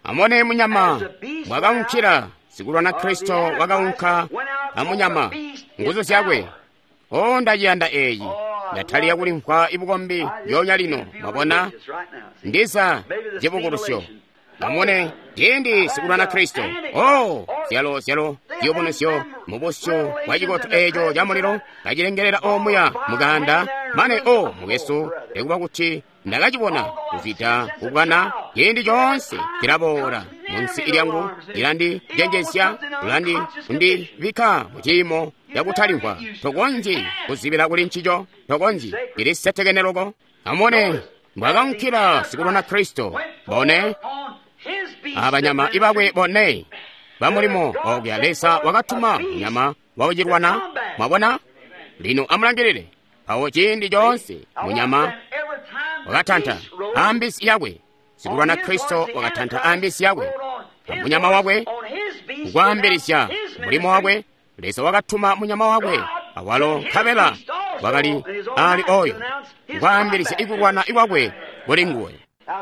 Amone munyama mwakaunkila sikulwana Kristo wakaunka amunyama nguzu zyakwe. O, ndaciyanda eyi, ndatalika kulimvwa ibukombi lyoonya lino, mwabona, ndiza cibukulusyo. Amone ciindi sikulwana Kristo, o zyalo zyalo ziyubunuzyo mu busyu bwa cikoto eco ca mulilo kacilengelela omuya mukanda mane o mukwesu, nikuba kuti ndakacibona kuzwida kubwana, ciindi coonse cilaboola munsi lyangu, cilandicenjezya, kulandi kundibikka mu ciimo cakutalimvwa. Tokonzyi kuzibila kuli ncico, tokonzyi, cili setekene loko. Amone mbwakaunkila sikulwana Kristo, bone abanyama ibakwe bone bamulimo okuya Leza wakatuma munyama wakucilwana, mwabona. Lino amulangilile awo ciindi coonse munyama wakatanta ambisi yakwe, sikulwana Kristo wakatanta ambisi yakwe amunyama wakwe kukwaambilizya mulimo wakwe. Leza wakatuma munyama wakwe awalo nkabela wakali ali oyo kukwaambilizya ikulwana ikwakwe kuli nguwe.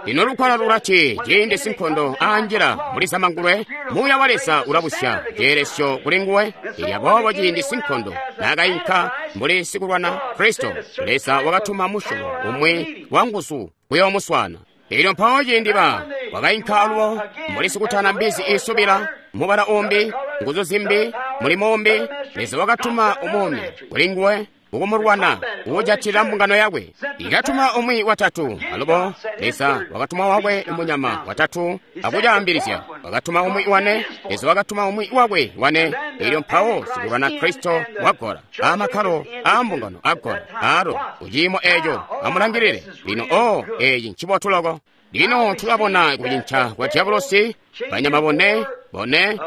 Lino lukwala lulati ciindi sinkondo anjila muli zamangulwe, Muuya wa Leza ulabusya ceelesyo kuli nguwe. Ilya boobo ciindi sinkondo naakainka mbuli sikulwana Kristo, Leza wakatuma musyobo umwi wa nguzu kuyoomuswaana. Elyo mpawo ciindi ba wakainka alubo mbuli sikutana mbizi iisubila, mubala umbi, nguzu zimbi, mulimo umbi, Leza wakatuma umumi kuli nguwe kukumulwana kukujatila mbungano yakwe. Ikatuma umwi watatu alubo, Leza wakatuma wakwe munyama watatu akucaambilizya. Wakatuma umwi wane, Leza wakatuma umwi wakwe wane. Elyo mpawo sikulwana Kristo wagola amakkalo a mbungano agola alo kuciimo eco. Amulangilile lino. O, eci ncibotu loko. Lino tulabona kucinca kwa diabolosi, banyama bone bone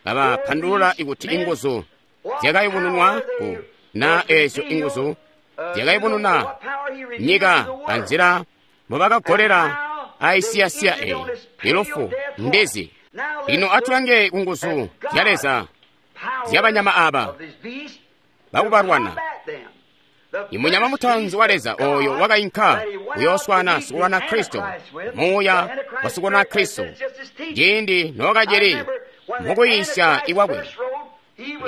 babapandulula ikuti inguzu zyakayubununwa ku na ezyo inguzu zyakayubununa nyika anzila mbobakagolela aisiyasiya eyi ilufu mbizi. Lino atulange ku nguzu zya Leza zyabanyama aba bakubalwana. Imunyama mutaanzi wa Leza oyo wakainka kuyooswana sikulwana Kristo, muuya wa sikulwana Kristo, ciindi nookacili mukuyiisya ikwakwe.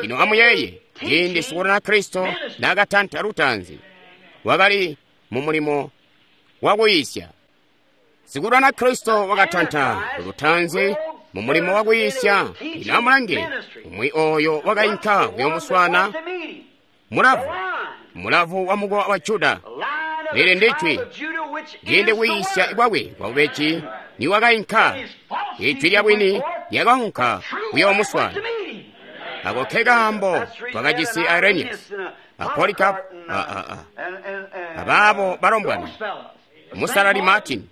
Lino amuyeeye, ciindi sikulwana Kristo naakatanta lutaanzi, wakali mu mulimo wakuyiisya. Sikulwana Kristo wakatanta lutaanzi mu mulimo wakuyiisya. Lino amulange umwi oyo wakainka kuyoomuswana, mulavu, mulavu wa mukowa wa Juda. Lili ndijwi, ciindi kuyiisya kwakwe kwabubeji niwakainka, ijwi lya bwini lyakaunka kuyoomuswana. Ako ke kaambo twakajisi Irenaeus, a Polycarp, abaabo balombwana, Musalali Martin.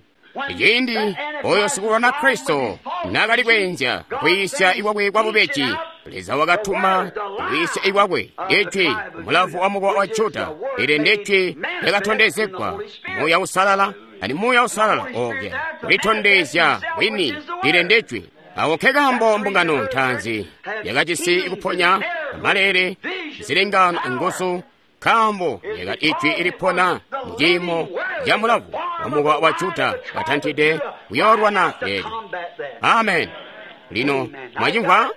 Ciindi oyo sikulwana Kristo naakali kweenzya kwiisya ikwakwe kwa bubeji, Leza wakatuma kwiisya ikwakwe ijwi mulavu wa mukowa wa Juda. Ili ndijwi lyakatondezegwa Muuya Usalala, ani Muuya Usalala okya kulitondezya bwini. Ili ndijwi. Awo ke kaambo mbungano ntaanzi yakajisi kuponya amalele, zilengano nguzu, nkaambo lyakali ijwi ilipona muciimo ca mulavu wa mukowa wa Juda watantide kuyoolwana eelyo. Amen. Lino mwacimvwa?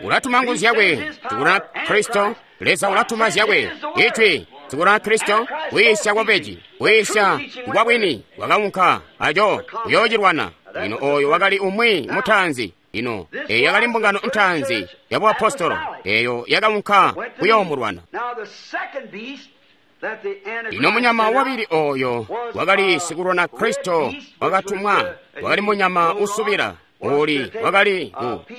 Ulatuma nguzu zyakwe, sikulwana Kristo. Leza ulatuma zyakwe, Ijwi, sikulwana Kristo, kwiisya kwabeji, kwiisya kwa bwini, wakaunka aco kuyoocilwana. Lino oyo wakali umwi mutaanzi. Ino eyo yakali mbungano ntaanzi ya buapostolo, eyo yakaunka kuyoomulwana. Lino munyama wabili oyo wakali sikulwana Kristo wakatumwa, wakali munyama usubila uli wakali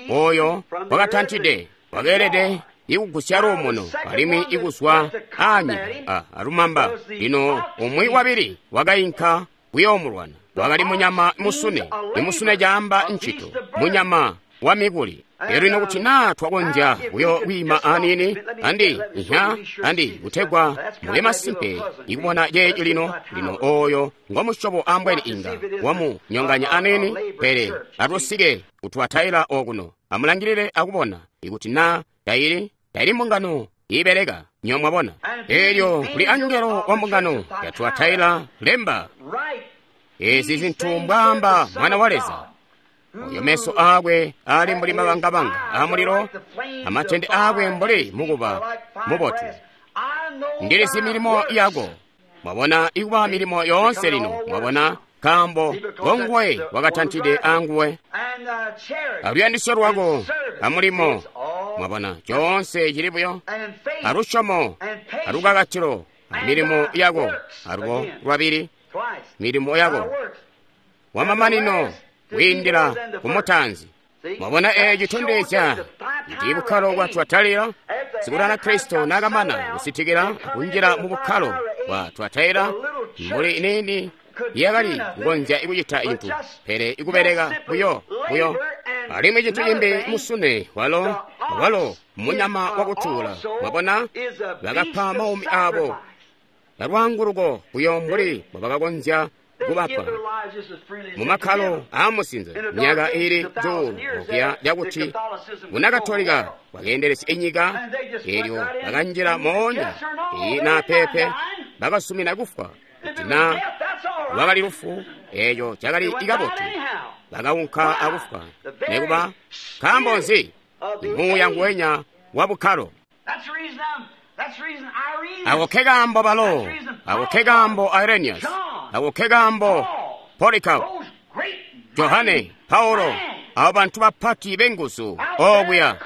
oyo wakatantide, wakeelede ikugusya luumuno alimwi ikuzwa aanyika alumamba. Lino umwi wabili wakainka kuyoomulwana, wakali munyama musune. Imusune caamba ncito, munyama wa mikuli. Elyo lino kuti naa twakonzya buyo kwiima aniini andi nya andi kutegwa mube masimpe ikubona ceeci lino. Lino oyo ngomusyobo ambweni inga wamunyonganya aniini, pele atusike kutwataila okuno. Amulangilile akubona ikuti naa taili taili mbungano iibeleka, nyo mwabona. Elyo kuli angelo wa mbungano ya Tuataila lemba ezi zintu mbwaamba Mwana wa Leza, oyo meso aakwe ali mbuli mabangabanga amulilo, amatende aakwe mbuli mukuba mubotu. Ndilizi milimo yako. Mwabona ikuba milimo yoonse lino, mwabona, nkaambo ngonguwe wakatantide anguwe aluyandisyo lwako amulimo. Mwabona coonse cili buyo alusyomo alukakatilo amilimo yako alubo lwabili milimo yako wamamanino kwiindila kumutaanzi. Mwabona eeci citondezya kuti bukkalo bwa Tuataila, sikulwana Kristo naakamana kusitikila kunjila mu bukkalo bwa Tuataila, mbuli iniini yakali kukonzya ikucita cintu pele ikubeleka buyo buyo. Alimwi cintu cimbi musune walo walo munyama wakutuula. Mwabona bakapa maumi aabo alwaanguluko buyo mbuli mbobakakonzya kubapa mumakkalo aamusinze myaka iili cuulu okuya lyakuti bunakatolika bwakeendelesya inyika. Eelyo bakanjila moonya iyi naa pepe, bakasumina kufwa kuti naa lwakali lufu, eeco cakali ikabotu. Bakaunka akufwa nekuba. Nkaambo nzi? Muuya nguwenya wa bukkalo. Ako ke kaambo balo, ako ke kaambo Irenaeus, ako ke kaambo Polycarp, Johane, Paulo, abo bantu bapati b'enguzu okuya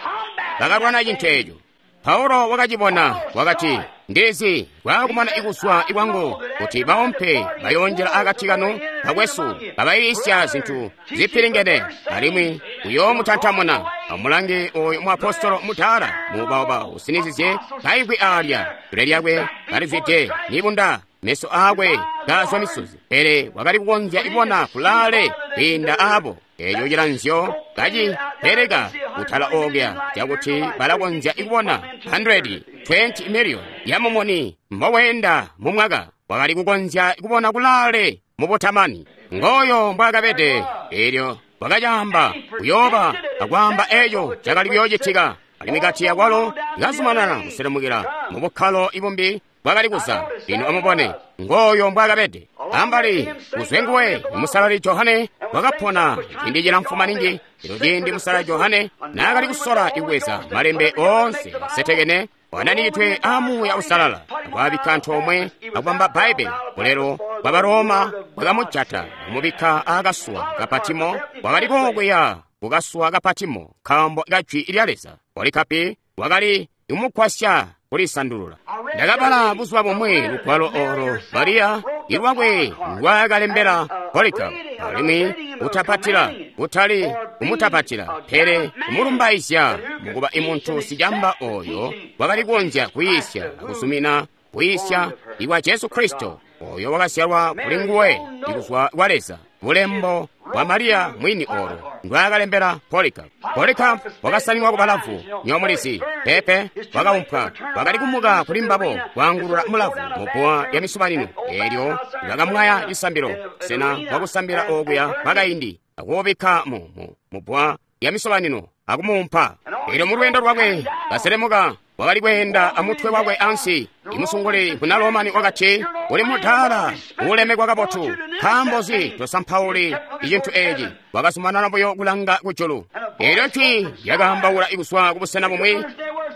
bakalwana cintu eco. Paulo wakacibona, wakati, Ndizi kwakumana ikuswa ikwangu kuti baompe bayoonjela akati kanu bakwesu babayiisya zintu zipilingene alimwi kuyoomutantamuna. Amulange oyu muapostolo mudaala muubaoba usinizizye kaimvwi aalya, dule lyakwe kalizwide nibunda, meso aakwe kaazwa misozi, pele wakali kukonzya kubona kulaale kwiinda aabo. Eeco cilanzyo kacipereka kutala okuya cakuti balakonzya kubona one hundred twenty million ya mumuni mboweenda mu mwaka. Wakali kukonzya kubona kulaale mubutamani. Ngoyo mbwaakabede. Eelyo wakacaamba kuyooba akwaamba eeco cakali kuyoocitika, alimwi kati akwalo ikazumanana kuselemukila mu bukkalo ibumbi bwakali kuza. Lino amubone ngoyo mbwaakabede. Ambali kuzwe nguwe musalali Johane wakapona ciindi cilamfu maningi. Elo ciindi musalali Johane naakali kusola ikubweza malembe oonse asetekene wananikidwe a Muuya Usalala akwaabikka antoomwe akubamba Bbaibbele, bulelo bwa Baroma bwakamujata kumubikka aakasuwa ka Patimo. Wakali kookwiya kukasuwa ka Patimo nkaambo ka jwi lya Leza. Polikapi wakali kumugwasya kulisandulula. Ndakabala buzuba bumwi lugwalo olo Mariya ilwakwe ndwaakalembela Polycarp, alimwi kutapatila, kutali kumutapatila, pele kumulumbaizya mukuba imuntu sicamba oyo wakali kukonzya kuyiisya akusumina kuyiisya ikwa Jesu Kristo, oyo wakazyalwa kuli nguwe ikuzwa kwa Leza. Bulembo bwa Mariya mwini olo ndwaakalembela Polycarp. Polycarp wakasaninwa ku balavu, nyomulizi pepe wakaumpwa, wakali kumuka kuli mbabo kwaangulula mulavu mubbuwa lya misubanino. Eelyo bakamwaya cisambilo, sena bwakusambila okuya kwakaindi, akuubikka mu mubbuwa lya misobanino akumuumpa. Eelyo mu lweendo lwakwe kaselemuka wakali kweenda amutwe wakwe ansi. Imusunguli muna Romani wakati, uli mudaala uulemekwa kabotu, nkaambo nzi tosampauli icintu eeci? Wakazumanana buyo kulanga kujulu. Eelyo jwi lyakaambaula kuzwa kubusena bumwi,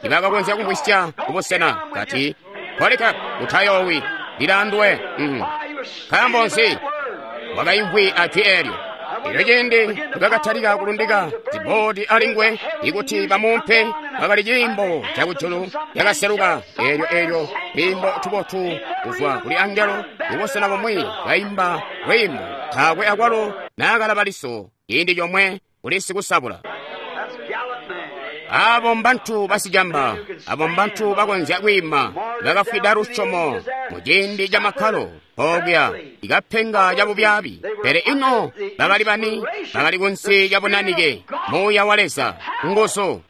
tibakakonzya kumvwisya kubusena, kati, Polycarp, utayoowi, lilaanduwe. Mm. Nkaambo nzi? Wakaimvwi ajwi eelyo. Elyo ciindi nibakatalika kulundika ziboodi alinguwe ikuti bamuumpe, kwakali ciimbo cakujulu cakaseluka. Eelyo eelyo twiimbo tubotu kuzwa kuli angelo kubusena bumwi kaimba lwiimbo, taakwe akwalo naakalaba liso ciindi comwe kuli sikusabula. That's gallant man. Abo mbantu basicamba, abo mbantu bakonzya kwiima, bakafwida lusyomo mu ciindi ca makkalo okuya ikapenga ca bubyaabi. Pele ino bakali bani? Bakali kunsi lya bunanike, Muuya wa Leza, nguzu.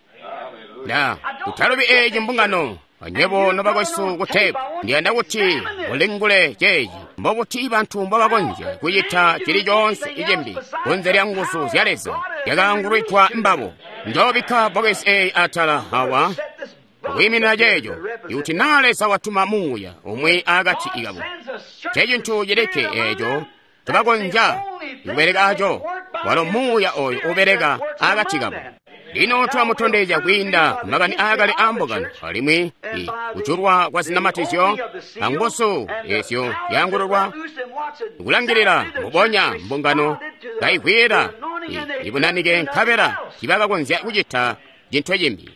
Nda kutalubi eeci mbungano, anywebo nobakwesu ku teepu, ndiyanda kuti mulingule ceeci. Mbobuti bantu mbobakonzya kucita cili coonse icimbi kunze lya nguzu zya Leza zyakaangulwidwa mbabo? Njoobikka bbokesi eeyi atala awa Set this box kwiiminina ceeco, to represent ikuti naa Leza watuma muuya umwi akati kabo, sends a certain cecintu cilikke spirit among eeco them. tubakonzya kubeleka aco, walo muuya oyo ubeleka akati kabo. Lino twamutondezya kwiinda kumakani aakale aambungano alimwi i kujulwa kwa zinamatizyo anguzu ezyo zyaangululwa kulangilila mubonya mbungano kaivwiila i- ibunanike, nkabela tibakakonzya kucita cintu cimbi.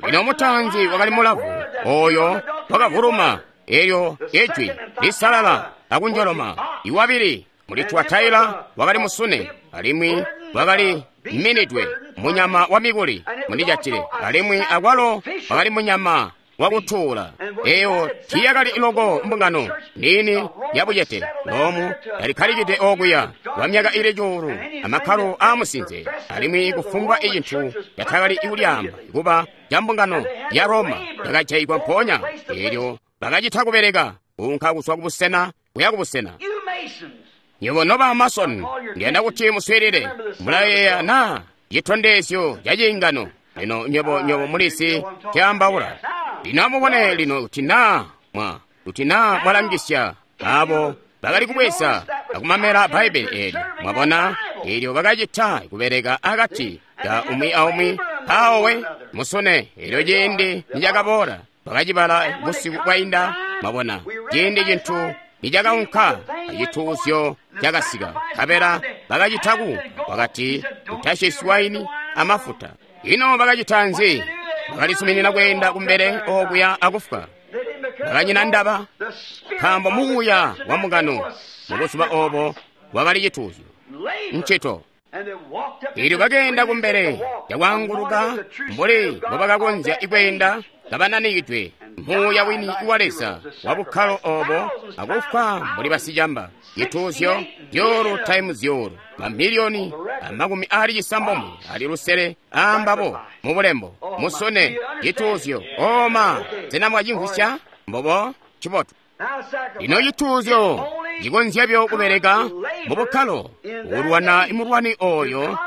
Lino mutaanzi wakali mulavu oyo wakavuluma, elyo ejwi lisalala akunjoloma. Iwabili muli Tuataila wakali musune, alimwi wakali minidwe munyama wa mikuli mundijatile, alimwi akwalo wakali munyama wakutuula. Eyo tiyakali loko mbungano niini yabucete Lomu yalikkalikide okuya kwa myaka ili cuulu amakkalo aamusinze, alimwi kufumbwa icintu catakali kulyaamba kuba ca mbungano ya Roma yakajaigwa mpoonya. Eelyo bakacita kubeleka kuunka kuzwa kubusena kuya kubusena. You Masons, Nywebo noba Mason, ndiyanda kuti muswiilile. Mulayeeya na citondezyo ca ciingano? Lino nywebo nywebo mulisi caambaula. Lino amubone lino kuti naa mwa kuti naa mwalangisya abo bakali kubweza akumamela Bbaibbele eelyo, mwabona, eelyo bakacita kubeleka akati ka umwi aumwi mpawo musune. Eelyo ciindi nicakaboola bakacibala busiku bwainda, mwabona, ciindi cintu nicakaunka acituuzyo cakasika, nkabela bakacita ku wakati utashiswi waini amafuta. Ino bakacita nzi? Bakalizuminina kweenda kumbele okuya akufwa. they didn't because Bakanyina ndaba, the spirit nkaambo of the muuya church wa mbungano was mu buzuba obo wakali cituuzyo labor. ncito. And they walked up Eelyo bakeenda kumbele cakwaanguluka mbuli mbobakakonzya ikweenda kabananikidwe muuya wini wa Leza wa bukkalo obo akufwa mbuli basicamba. Cituuzyo zyuulu taimu zyuulu mamiliyoni amakumi aali cisambomwe ali lusele aambabo mu bulembo musune cituuzyo oma. Sena mwacimvwisya? Mbobo cibotu. Now sacrifice. Lino cituuzyo cikonzyabyo kubeleka mu bukkalo kulwana imulwani oyo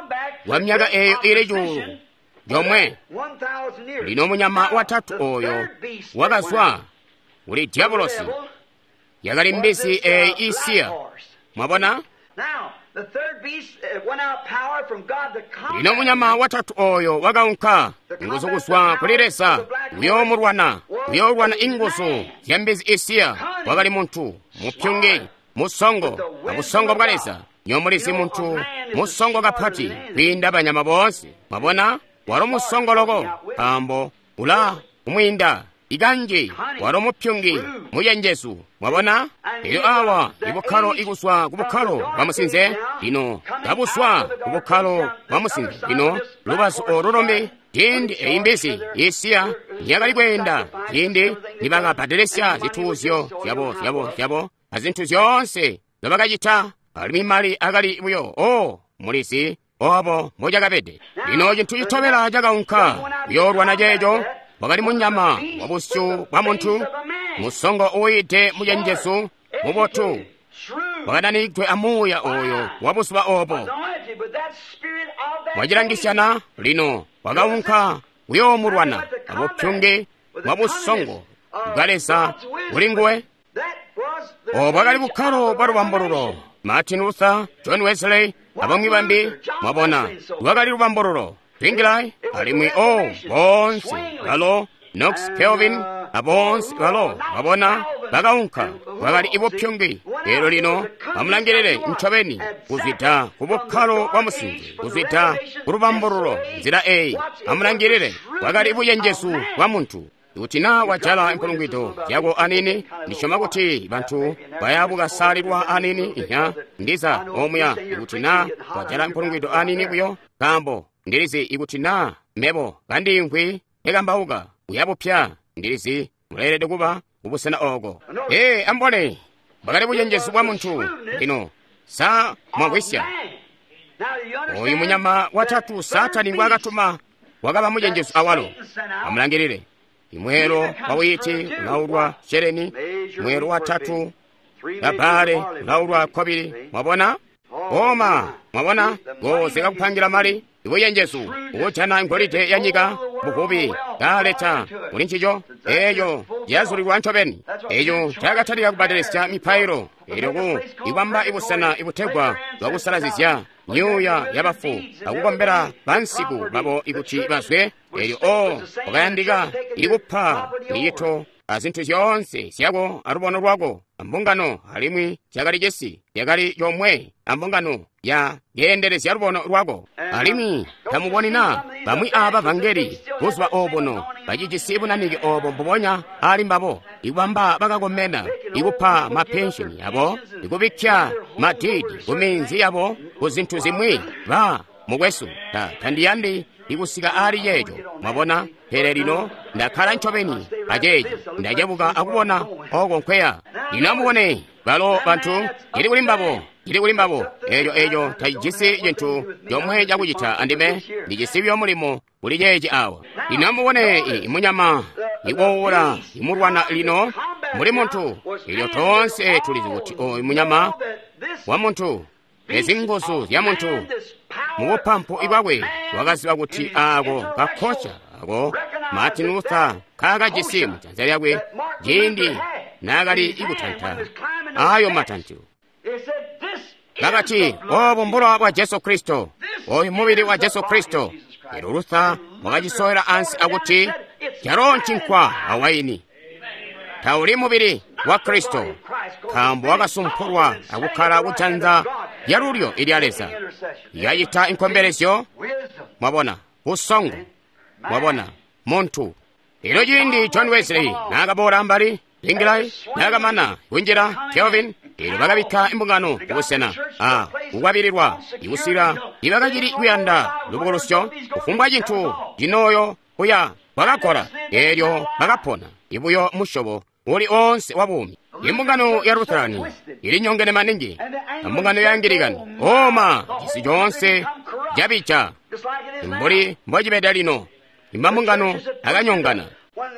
wa myaka eyo ili cuulu yomwe. One thousand years. Lino munyama Now, watatu the oyo third beast that wakazwa went out, kuli diabolosi, the devil, yakali was mbisi this, uh, eyi black isiya. horse. Mwabona? Now, the third beast uh, went out power from God to combat Lino munyama watatu oyo wakaunka nguzu kuzwa kuli Leza kuyoomulwana, kuyoolwana inguzu zya mbizi isiya. Wakali muntu mupyungi, musongo, abusongo bwa Leza. Nyomulizi muntu musongo kapati kwiinda banyama boonse. Mwabona? Walo musongo loko, nkaambo ula kumwiinda ikanji walo mupyungi mucenjezu. Mwabona? Elyo awa ibukkalo ikuzwa ku bukkalo bwa musinze, lino kabuzwa ku bukkalo bwa musinze, lino lubazu olu lumbi. Ciindi eyi mbizi isiya niyakali kweenda, ciindi nibakabbadelesya zituuzyo zyabo zyabo zyabo azintu zyoonse nzobakacita, alimwi mali akali buyo o mulizi obo mbocakabede. Lino cintu citobela cakaunka kuyoolwana ceeco wakali munyama wa busyu bwa muntu musongo uwiide mucenjezu mubotu, wakananikidwe amuuya oyo wa buzuba obo. Mwacilangisyana lino wakaunka kuyoomulwana abupyungi bwa busongo bwa Leza kuli nguwe. Obo bwakali bukkalo bwa lubambululo Martin Luther, John Wesley, abamwi bambi, mwabona, lwakali lubambululo. Zwingli, alimwi oh, boonse balo Knox, Calvin, aboonse balo, mwabona, bakaunka, bwakali ibupyungi. Lero lino amulangilile ncobeni kuzwida ku bukkalo bwa musinze, kuzwida ku lubambululo nzila eyi. Amulangilile, bwakali buyenjezu bwa muntu. Kuti na wajala impulungwido yako anini, ndisyoma kuti bantu baya bukasalilwa anini inya ndiza omuya. Kuti na wajala impulungwido anini buyo, nkaambo ndilizi ikuti na mebo kandimvwi ekambauka uyabupya, ndilizi muleelede kuba kubusena oko. Ee, ambone bwakali bucenjezu bwa muntu. Lino sa mwamvwisya oyu munyama watatu Satani ngwaakatuma wakaba mucenjezu awalo. Amulangilile, imwelo wa wiiti ulaulwa sheleni, mwelo watatu labale ulaulwa kobili. Mwabona oma, mwabona ngozeka kupangira mali ibuyenjezu ukujana ngolide ya nyika buvubi kaleta muli ncico eyo yazulilwa ncobeni. Eyo cakatalika kubbadelesya mipailo elyo ku ibamba ibusena ibutegwa bwakusalazizya myuuya yabafu akukombela bansiku babo ikuti bazwe. Elyo o wakayandika ikupa miyito azintu zyoonse zyako alubono lwako ambungano, alimwi zyakali cisi yakali yomwe ambungano ya yeendelezya lubono lwako. Alimwi tamuboni na bamwi aba vangeli buzuba obuno bacijisi bunanike obo mbubonya ali mbabo, ikubamba bakakomena, ikupa mapensheni yabo, ikubikya madidi ku minzi yabo, ku zintu zimwi. Ba mukwesu, ta tandiyandi ikusika ali yeeco, mwabona. Pele lino ndakkala ncobeni aceeci, ndacebuka akubona oko nkweya. Lino amubone balo bantu, cili kuli mbabo, cili kuli mbabo. Eeco eeco tacijisi cintu comwe cakucita andime, ndijisi buyo mulimo kuli ceeci awa. Lino amubone imunyama iwowola imulwana lino muli muntu. Elyo toonse tulizi kuti oyu munyama wa muntu, ezi nguzu zya muntu mubupampu bwakwe wakaziba kuti ako kakkoca ako Martin Luther kaakajisi mujanza lyakwe ciindi naakali ikutanta ayo matantu. Bakati, obu mbulowa bwa Jesu Kristo, oyu mubili wa Jesu Kristo. Elyo Luther wakacisowela ansi akuti calo ncinkwa awaini, tauli mubili wa Kristo, nkaambo wakasumpulwa akukkala kujanza lyalulyo ilya Leza. Yacita inkombelezyo, mwabona, busongo, mwabona, muntu. Elyo ciindi John Wesley naakaboola ambali, Zwingli naakamana kunjila, Calvin, elyo bakabikka imbungano kubusena a kukwabililwa ikusila ibakacili kuyanda lubukulusyo, kufumbwa cintu cinooyo kuya bakakola. Elyo bakapona ibuyo musyobo uli onse wa buumi. Imbungano ya Lutherani ilinyongene maningi, ambungano ya Angilikani oma cisi coonse cabija mbuli mbocibeda lino. Imambungano akanyongana.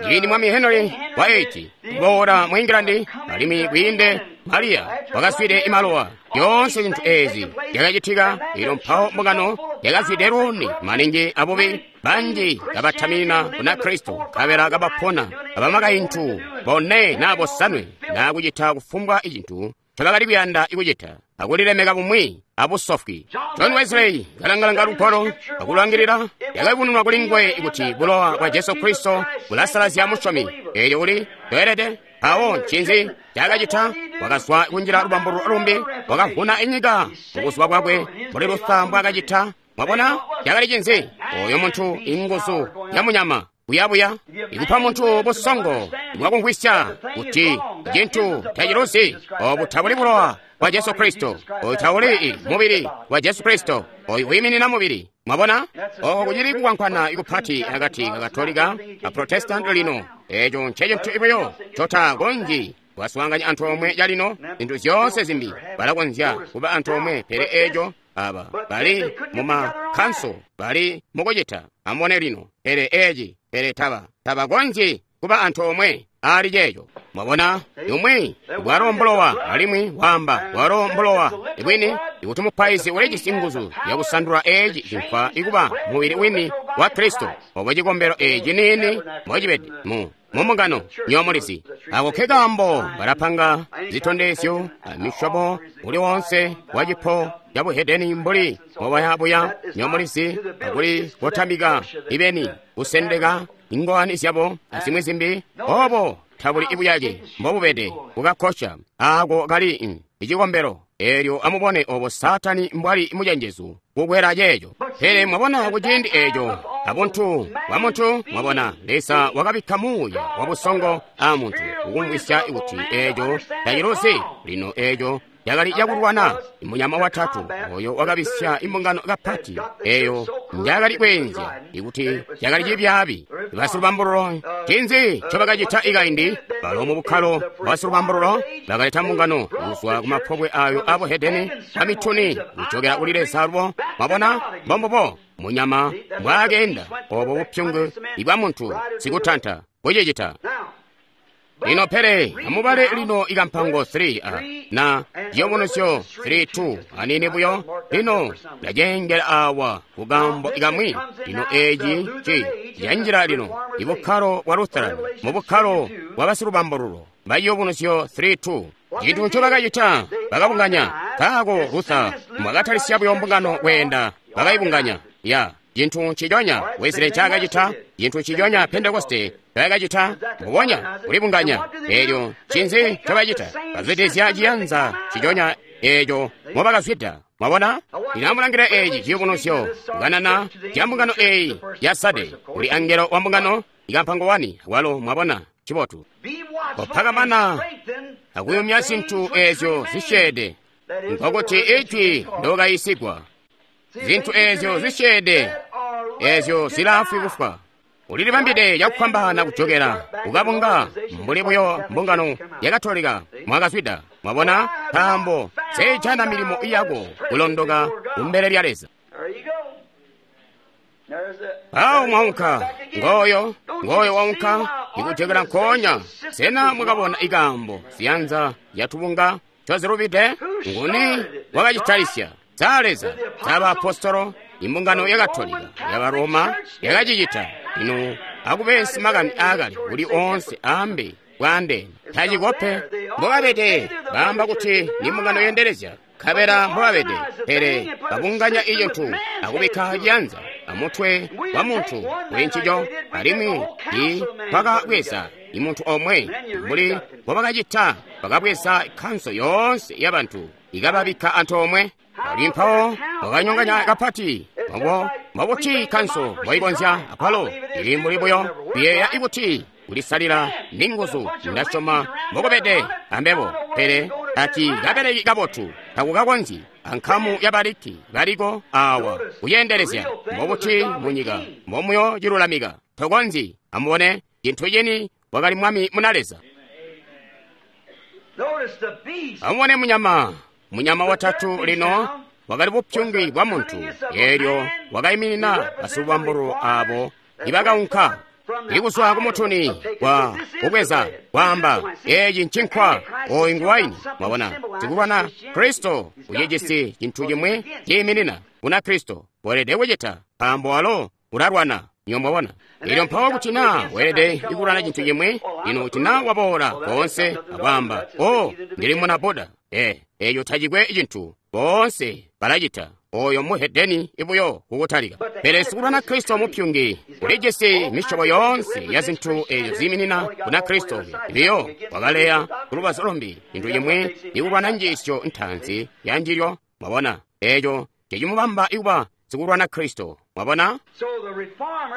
Ciindi Mwami Henry wa eight kuboola mu England, alimwi kwiinde Maria wakaswide imalowa, yoonse zintu ezi zyakacitika. Elyo mpawo mbungano yakazwide luuni maningi abubi, banji kabatamina kuna Kristo, nkabela kabapona abamakaintu bone naa bosanwe, naa kucita kufumbwa icintu ncobakali kuyanda ikucita, akulilemeka bumwi abusofwi. John Wesley kalangalanga lugwalo akulangilila, yakayubununwa kuli nguwe kuti bulowa bwa Jesu Kristo bulasalazya musyomi. Elyo uli toelede. Mpawo ncinzi cakacita? Wakazwa kunjila lubambululo lumbi, wakavuna inyika mubuzuba bwakwe mbuli Luther mbwaakacita. Mwabona cakali cinzi? Oyo muntu inguzu ya munyama buyabuya ikupa muntu busongo bwakumvwisya kuti cintu taciluzi. Obu tabuli bulowa bwa Jesu Kristo, oyu tauli mubili wa Jesu Kristo, oyu wiiminina mubili. Mwabona oko kucili kukwankwana ikupati akati ka Katolika a Protestant lino. Eco ncecintu ibuyo cotakonzyi kwaswaanganya antoomwe calino. Zintu zyoonse zimbi balakonzya kuba antoomwe, pele eco aba bali mumakanso bali mukucita. Amubone lino, pele eci, pele taba tabakonzyi kuba antoomwe ali ceeco. Mwabona, umwi bwalo mbulowa, alimwi waamba bwalo mbulowa bwini, ikuti mupaizi ulijisi nguzu yakusandula eci cinkwa ikuba mubili wini wa Kristo, obo cikombelo eci niini mbocibede mu mu mbungano, nywebo mulizi. Ako ke kaambo balapanga zitondezyo a misyobo uli wonse wa cipo ca buhedeni mbuli mbobayabuya, nywebo mulizi, akuli kotamika ibeni, kusendeka ingowani zyabo azimwi zimbi. Obo tabuli ibuyake mbobubede kukakkosha ako kali icikombelo. Eelyo amubone obo Saatani mbwali mucenjezu kukwela ceeco. Pele mwabona kuciindi eeco abuntu bwa muntu, mwabona Leza wakabikka muuya wa busongo a muntu kukumvwisya kuti eeco taciluzi. Lino eeco cakali cakulwana munyama watatu oyo wakabisya imbungano kapati eyo njakali kweenzya ikuti cakali cibyaabi. Basilubambululo ncinzi ncobakacita ikaindi? Balo mu bukkalo basilubambululo bakaleta mbungano kuzwa kumapobwe ayo abuhedeni amituni kujokela kuli Leza alubo. Mwabona mbombubo munyama mbwaakeenda obo bupyungu ibwa muntu sikutanta kucicita. Lino pele amubale lino ikampango three a na ciyubunuzyo three two anini buyo. Lino ndacengela awa kukambo ikamwi. Lino eeci ci canjila lino ibukkalo bwa Lutheran mu bukkalo bwa basilubambululo ba ciyubunuzyo three two. Cintu ncobakacita bakabunganya kaako Luther mwakatalisya buyo mbungano kweenda bakayibunganya ya cintu nciconya Wesley ncaakacita, cintu nciconya Pentekoste ncaakacita, mbubonya kulibunganya. Eelyo ncinzi ncobacita? Bazwidizya ciyanza nciconya eeco mobakazwida. Mwabona? Lino amulangile eeci ciyubunuzyo kukanana ca mbungano eeyi ya Sade kuli angelo wa mbungano ikampango wani walo. Mwabona? Cibotu. Kopakamana akuyumya zintu eezyo zisyeede, nkokuti ijwi ndokayisigwa. Zintu eezyo zisyeede eezyo zilaafwi kufwa. Ulilibambide cakufwambaana kujokela kukabunga mbuli buyo mbungano ya Katolika mwakazwida. Mwabona? Nkaambo seijana milimo yako kulondoka kumbele lya Leza. Awo mwaunka ngoyo ngoyo waunka ikujokela nkoonya. Sena mwakabona ikambo ziyanza yatubunga ncozilubide? Nguni wakacitalisya? Za Leza, za baapostolo, imbungano ya Katolika ya Roma yakacicita. Lino akubesi makani aakale kuli oonse aambe bwaandeene tacikope. Mbobabede baamba kuti ni mbungano yendelezya, nkabela mbobabede, pele babunganya icintu akubikka ciyanza amutwe wa muntu kuli ncico, alimwi i bakabweza imuntu omwe mbuli mbobakacita, bakabweza kanso yoonse yabantu ikababikka antoomwe. Ali mpawo wakanyonganya kapati mbo mbobuti kanso mboikonzya akwalo ili mbuli buyo kuyeeya ikuti kulisalila ni nguzu. Ndasyoma mbokubede ambebo, pele ati kabeleki kabotu takukakonzyi ankamu yabaliki baliko awa kuyendelezya mbobuti munyika mbomuyo cilulamika tokonzyi. Amubone cintu cini wakali mwami muna Leza. Amubone munyama munyama watatu lino wakali bupyungi bwa muntu, eelyo wakaiminina basilubambululo abo ibakaunka ikuzwa kumutuni kwa kubweza kwaamba eeci ncinkwa oyu ngu waini. Mwabona sikulwana Kristo ucijisi cintu cimwi ciiminina kuna Kristo weelede kucita nkaambo walo ulalwana. Niyo mwabona elyo mpawo kuti naa weelede ikulwana cintu cimwi. Lino kuti naa waboola koonse akwaamba o ndili muna Buda, ee eeyo tacikwe cintu boonse balacita oyo muhedeni ibuyo kukutalika. Pele sikulwana Kristo mupyungi ulijisi misyobo yoonse ya zintu eezo ziiminina kuna Kristo biyo wakaleya kulubazu lumbi cintu cimwi ikulwana njiisyo ntaanzi ya njilyo. Mwabona eeco cecimubamba ikuba sikulwana Kristo. Mwabona?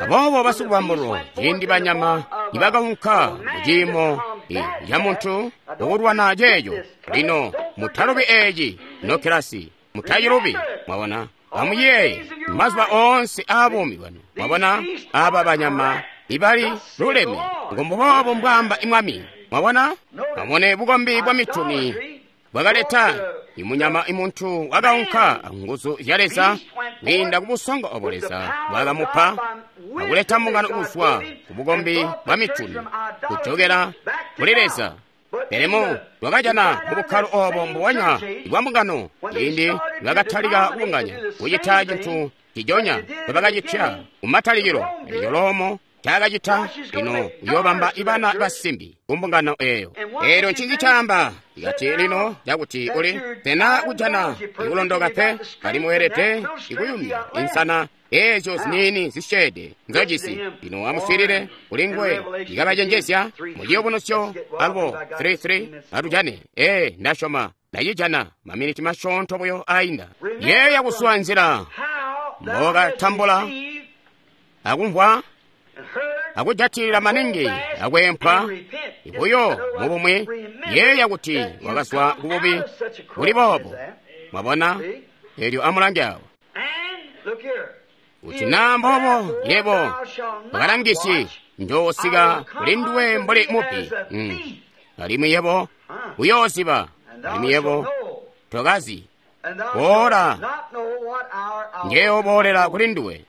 Aboobo basikubambululo ciindi banyama nibakaunka muciimo ca muntu ukulwana ceeco. Lino mutalubi eeci nokilasi, mutacilubi. Mwabona? Amuyeeye mazuba oonse aabuumi bwanu. Mwabona? Aba banyama ibali luleme ngombuboobo mbwaamba imwami. Mwabona? Amubone bukombi bwa mituni bwakaleta imunyama imuntu wakaunka nguzu zya Leza kwiinda ku busongo obo Leza bwakamupa akuleta mbungano kuzwa ku bukombi bwa mituni kujokela kuli Leza. Pele mu lwakajana mu bukkalo obo mbubonya bwa mbungano ciindi bakatalika kubunganya kucita cintu cijonya bwebakacitya kumatalikilo. Eco Lomo ncaakacita? Lino uyoobamba ibana basimbi ku mbungano eyo. Eelyo ncinzi caamba? Ikati lino cakuti uli tena kujana ikulondoka pe, alimwi weelede ikuyumya insana eezyo ziniini zisyeede nzojisi. Lino amuswiilile kuli nguwe ikabacenjezya mu Ciyubunuzyo alubo three three atujane. Ee, ndasyoma ndacijana maminiti masyoonto buyo ainda. Yeeya kusuwa nzila mbokatambula akumvwa akujatilila maningi akweempwa ibuyo mubumwi. Yeeya kuti wakazwa kububi buli boobo. Mwabona? Eelyo amulange awo kuti naa mboobo yebo ukalangisi njoosika kuli nduwe mbuli mubbi. Mm. Alimwi yebo uyooziba, alimwi yebo tokazi boola njeyooboolela kuli nduwe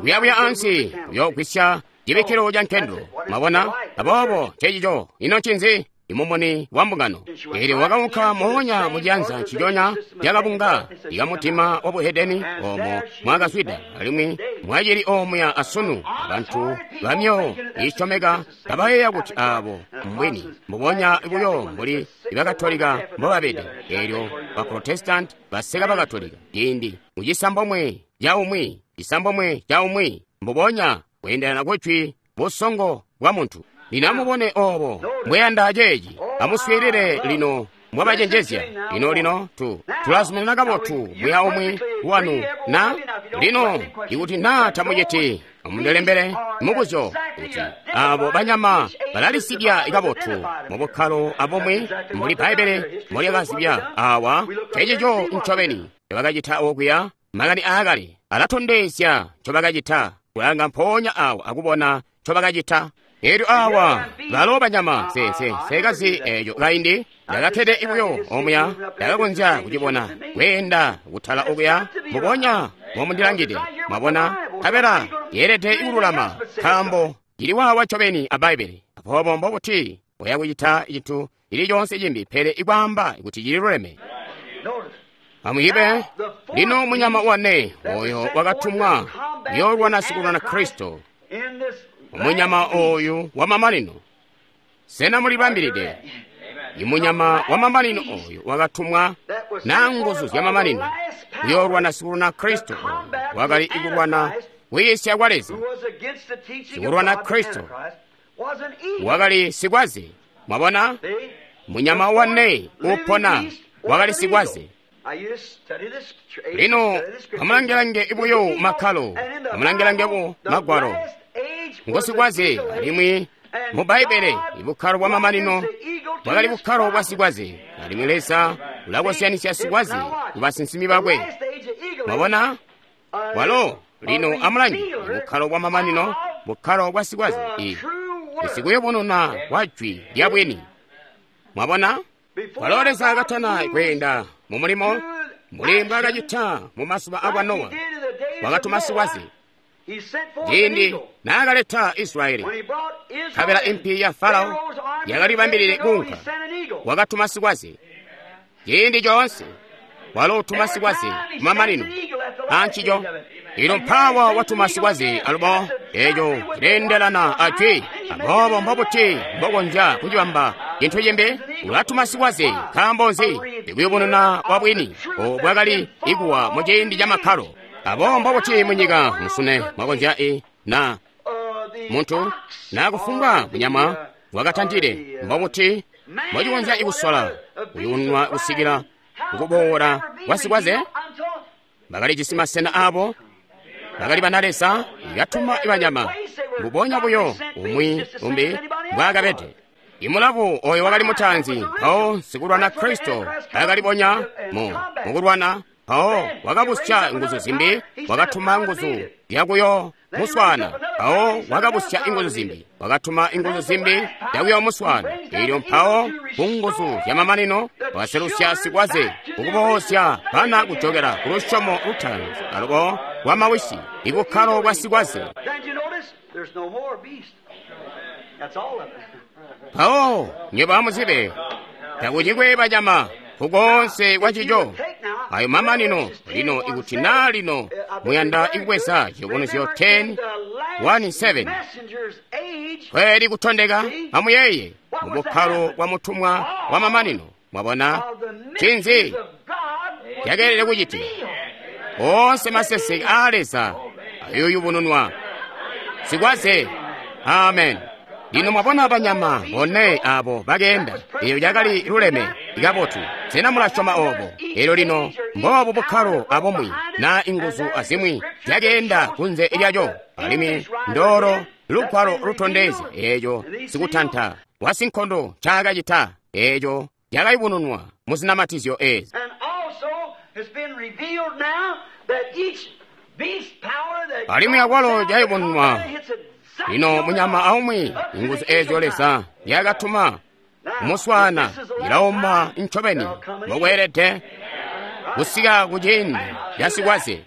kuyabuya ansi uyoogwisya cibikkilo ca nkendelo. Mwabona? Aboobo ncecico. Ino ncinzi? Imumuni wa mbungano. Eelyo wakaunka moonya mu cianza nciconya cakabunga ikamutima wa buhedeni oomo mwakazwida, alimwi mwacili oomuya asunu. Abantu bamyoyo iisyomeka kabayeeya kuti aabo mbwini, mbubonya buyo mbuli Ibakatolika mbobabede. Eelyo ba Protestant baseka Bakatolika ciindi mucisambomwe caumwi, cisambomwe caumwi, mbubonya kweendelana kujwi busongo bwa muntu. Lino amubone oobo mbweyanda ceeci. Amuswiilile lino mwabacenjezya. Lino lino tu tulazuminana kabotu muya umwi wanu na lino ikuti naa tamuciti amundilembele mubuzyo kuti abo banyama balalisibya kabotu mubukkalo abumwi mbuli Bbaibbele mbolyakazibya awa. Cecico ncobeni ncobakacita okuya. Makani aakale alatondezya ncobakacita. Kulanga mpoonya awa akubona ncobakacita. Eelyo awa balo banyama se se sekazi eeco kaindi ndakakkede buyo omuya, ndakakonzya kucibona kweenda kutala okuya mbubonya mbomundilangide. Mwabona? Nkabela yeelede kululama nkaambo cili waawa ncobeni a Bbaibbele. Aboobo mbobuti boya kucita cintu cili coonse cimbi pele ikwaamba kuti cililuleme? Amuyibe lino munyama wane oyo wakatumwa kuyoolwana sikulwana Kristo. Munyama oyu wamamanino. Sena mulibambilide? Imunyama wamamanino oyu wakatumwa na nguzu zyamamanino kuyoolwana sikulwana Kristo. Oyu wakali ikulwana kwiisya kwa Leza. Sikulwana Kristo wakali sikwaze. Mwabona? Munyama wane upona wakali sikwaze. Lino amulangelange buyo makkalo, amulangelange bu magwalo. Ngosikwaze, alimwi mu Bbaibbele ibukkalo bwa mamanino bwakali bukkalo bwa sikwaze, alimwi Leza ulakozyanisya sikwaze ku basinsimi bakwe. Mwabona? Walo lino amulange bukkalo bwa mamanino, bukkalo bwa sikwaze, isikuyubununa kwa jwi lya bwini. Mwabona? Walo Leza akatana kweenda mu mulimo mbuli mbwaakacita mu mazuba akwa Nowa, wakatuma sikwaze. Ciindi naakaleta Israyeli, nkabela impi ya Farao yakalibambilile kuunka, wakatuma sikwaze. Ciindi coonse walo utuma sikwaze kumamanino ancico. Ilo mpawa watuma sikwaze alubo, eeco cileendelana ajwi. Aboobo mbobuti mbokonzya kucibamba cintu cimbi? Ulatuma sikwaze. Nkaambo nzi? Ikuyubununa kwa bwini obo bwakali ikuwa mu ciindi ca makkalo. Aboobo mbobuti munyika musune mwakonzya i na muntu na kufumbwa munyama wakatantile, mbobuti mbocikonzya ikusola kuyunwa kusikila kukuboola kwa sikwaze? Bakalijisi masena abo, bakali bana Leza ikatuma ibanyama mbubonya buyo umwi umbi mbwaakabede. Imulavu oyo wakali mutaanzi, mpawo sikulwana Kristo akalibonya mu mukulwana, mpawo wakabusya nguzu zimbi, wakatuma nguzu zyakuyo muswana, mpawo wakabusya inguzu zimbi, wakatuma inguzu zimbi zyakuyo muswana. Elyo mpawo ku nguzu zyamamanino wakaselusya sikwaze kukuboosya bana kujokela ku lusyomo lutaanzi alubo lwa mawisi, ibukkalo bwa sikwaze. Mpawo nywebo amuzibe takucikwe banyama kukoonse kwa cico. Ayo mamanino. Lino ikuti naa lino muyanda ikubweza Ciyubunuzyo ten one seven. Kweli kutondeka, amuyeeye mu bukkalo bwa mutumwa wa mamanino. Mwabona ncinzi cakeelede kucitika? Oonse maseseke aa Leza ayoyubununwa. Sikwaze. Amen. Lino mwabona banyama bone abo bakeenda, eyo yakali luleme ikabotu. Sena mulasyoma obo? Elyo lino mboobu bukkalo abumwi na inguzu azimwi zyakeenda kunze lyaco, alimwi ndoolo lugwalo lutondezya eeco sikutanta wasinkondo ncaakacita, eeco cakayubununwa mu zinamatizyo eezi. Alimwi akwalo cayubununwa lino munyama aumwi, inguzu eezyo Leza yakatuma kumuswaana ilauma ncobeni mbokweelede kusika kuciindi ca sikwaze.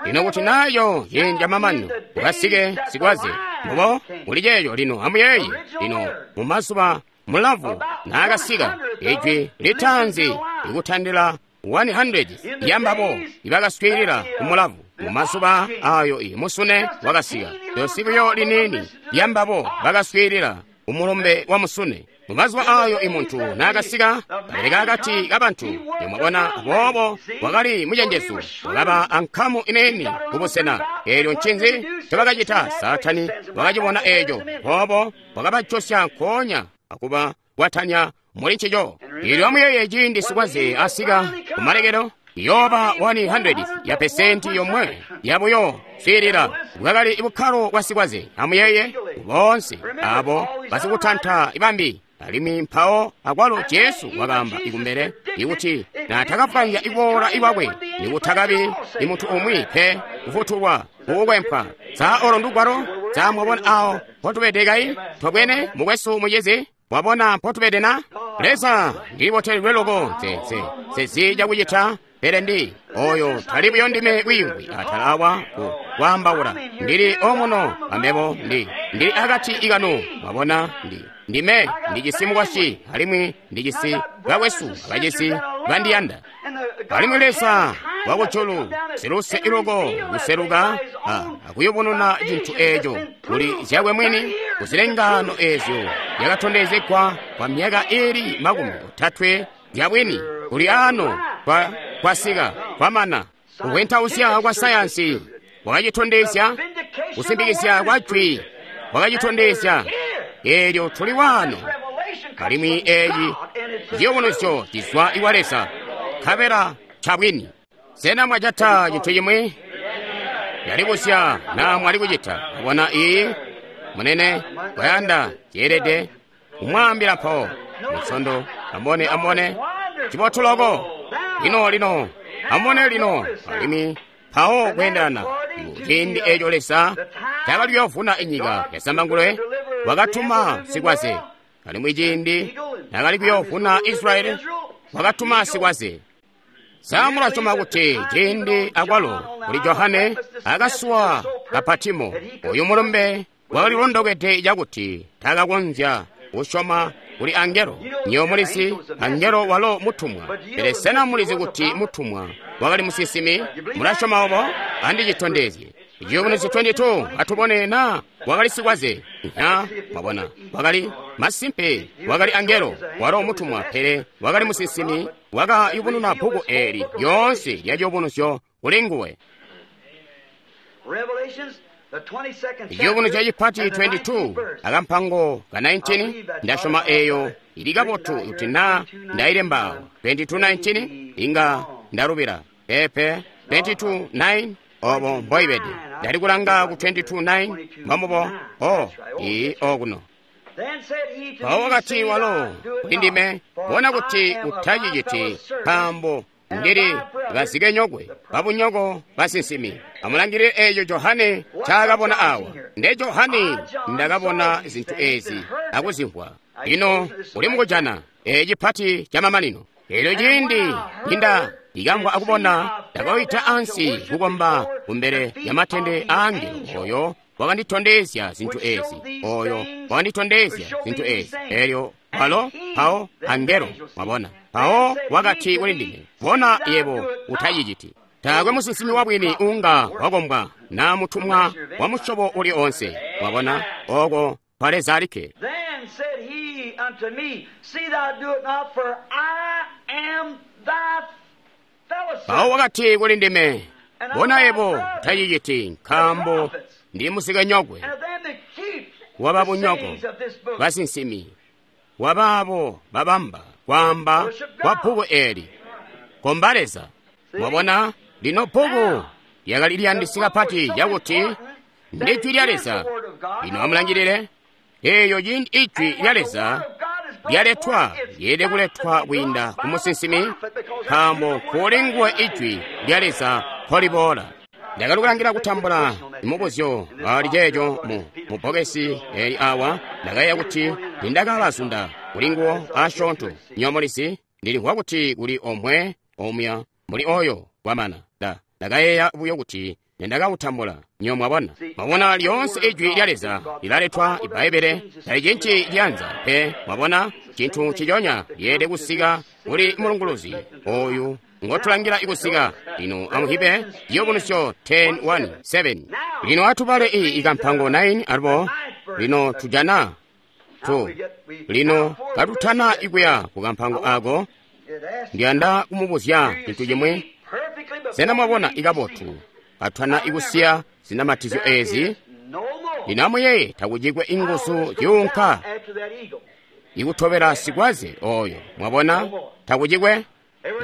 Lino kuti nayo ciindi camamanino kukasike sikwaze, mbubo kuli ceeco. Lino amuyeeye, lino mumazuba mulavu naakasika, ijwi litaanzi likutandila one hundred yambabo ibakaswiilila kumulavu. Mumazuba ayo musune wakasika, dosi buyo liniini lyambabo bakaswiilila umulumbe wa musune. Mumazuba ayo imuntu naakasika kabeleka akati kabantu, mwabona, aboobo wakali mucenjezu, wakaba ankamu ineeni kubusena. Eelyo ncinzi ncobakacita? Saatani wakacibona eeco, boobo wakabajosya nkoonya akuba kwatanya muli ncico. Eelyo amuyeeye, ciindi sikwaze asika kumalekelo, yoba one hundred ya pesenti yomwe yabuyo swiilila bwakali bukkalo bwa sikwaze. Amuyeeye boonse abo basikutanta ibambi. Alimwi mpawo akwalo Jesu wakaamba ikumbele ikuti naatakapwanya iboola iwakwe nikutakabi imuntu umwi pe kufutulwa kukukwempwa. Sa olo ndugwalo? Sa mwabona awo mpotubede kai? Tobwene mukwesu mucizi, wabona mpotubede na? Leza ndibotelwe loko nze nze cakucita, pele ndi oyo tali buyo ndime wiimvwi atala awa ku kwaambaula. Ndili omuno ambebo, ndi ndili akati ikanu. Mwabona, ndi ndime ndijisi mukwasyi, alimwi ndijisi bakwesu abacisi bandiyanda. Alimwi Leza wakujulu siluse iloko kuseluka akuyubununa cintu eeco kuli zyakwe mwini kuzilengano eezyo zyakatondezegwa kwa myaka ili makumi otatwe zyabwini kuli ano kwa kwasika kwamana. Kuvwentausya kwa sayansi kwakacitondezya, kusimbikizya kwa jwi kwakacitondezya. Eelyo tuli waano, alimwi eeci ciyubunuzyo cizwa iwa Leza, nkabela ncabwini. Sena mwajata cintu cimwi? Ndalibusya naa mwali kucita. Mwabona, iyi munene kwayanda ceelede kumwaambila mpawo musondo. Amubone, amubone cibotu loko. Lino, lino amubone lino, alimwi mpawo kweendelana ciindi eeco Leza cakali kuyoovuna inyika ya Zambangulwe, wakatuma sikwaze. Alimwi ciindi nakali kuyoovuna Israyeli, wakatuma sikwaze. Sa mulasyoma kuti ciindi akwalo kuli Johane akasuwa ka Patimo, oyu mulumbe wakalilondokede cakuti takakonzya kusyoma kuli angelo? Nywebo mulizi angelo walo mutumwa, pele sena mulizi kuti mutumwa wakali musinsimi? Mulasyoma obo? Andicitondezye. Ciyubunuzyo twenty-two, atubone naa wakali sikwaze. Na mwabona, wakali masimpe wakali angelo walo mutumwa, pele wakali musinsimi wakayubununa bbuku eeli lyoonse lya ciyubunuzyo kuli nguwe. Ciyubunuzyo cipati twenty-two akampango ka nineteen. Ndasyoma eeyo ili kabotu kuti naa ndailemba twenty-two nineteen inga ndalubila. Pepe, twenty-two nine, obo mboibede. Ndali kulanga ku twenty-two nine mbamubo o ii okuno. Mpawo wakati walo kuli ndime, bona kuti utaciciti, nkaambo ndili bazikenyokwe babunyoko basinsimi. Amulangilile eeco Johane ncaakabona awa. Nde Johane ndakabona zintu ezi akuzimvwa. Lino uli mukujana eci pati camamanino. Eelyo ciindi ninda ikamvwa akubona, ndakawida ansi kukomba kumbele ya matende aangelo oyo wakanditondezya zintu ezi, oyo wakanditondezya zintu ezi. Eelyo walo mpawo angelo, mwabona, mpawo wakati kuli ndime, bona yebo utaciciti. Taakwe musinsimi wabwini unga wakombwa na mutumwa wa musyobo uli onse. Mwabona, oko kwa Leza alikke. Then said he unto me, See thou do it not, for I am thy fellow Mpawo servant. wakati kuli ndime, bona yebo taciciti, nkaambo ndi muzikenyokwe And of them that keep wa the babunyoko sayings of this book. basinsimi, wa baabo babamba kwaamba kwa bbuku eli. Komba Leza. Mwabona, lino bbuku lyakali liyandisi kapati lyakuti ndi jwi lya Leza. Lino amulangilile, eyo ciindi ijwi lya Leza lyaletwa lyeelede kuletwa kwiinda ku musinsimi, nkaambo kuli nguwe ijwi lya Leza nkoliboola. Ndakali kulangila kutambula mubuzyo ali ceeco mu mu bbokesi eli awa. Ndakayeeya kuti nindakabazunda kuli nguwo asyoonto. Nywebo mulizi, ndilimvwa kuti kuli omwe omuya muli oyo kwamana. Nda ndakayeeya buyo kuti nindakawutambula. Nywebo mwabona, mwabona lyoonse ijwi lya Leza lilaletwa. Ibbaibele tali cinci lyanza pe. Mwabona, cintu nciconya lyeelede kusika kuli mulunguluzi oyu ngotulangila ikusika. Lino amuhipe Chivumbulutso ten one seven. Lino atubale iyi ikampango nine alubo. Lino tujana two. Lino katutana ikuya ku kampango ako, ndiyanda kumubuzya cintu chimwe. Sena mwabona ikabotu katwana ikusiya zinamatizyo ezi? Lino amuyeye takucikwe inguzu zyuunka ikutobela sikwaze oyo. Mwabona, takucikwe.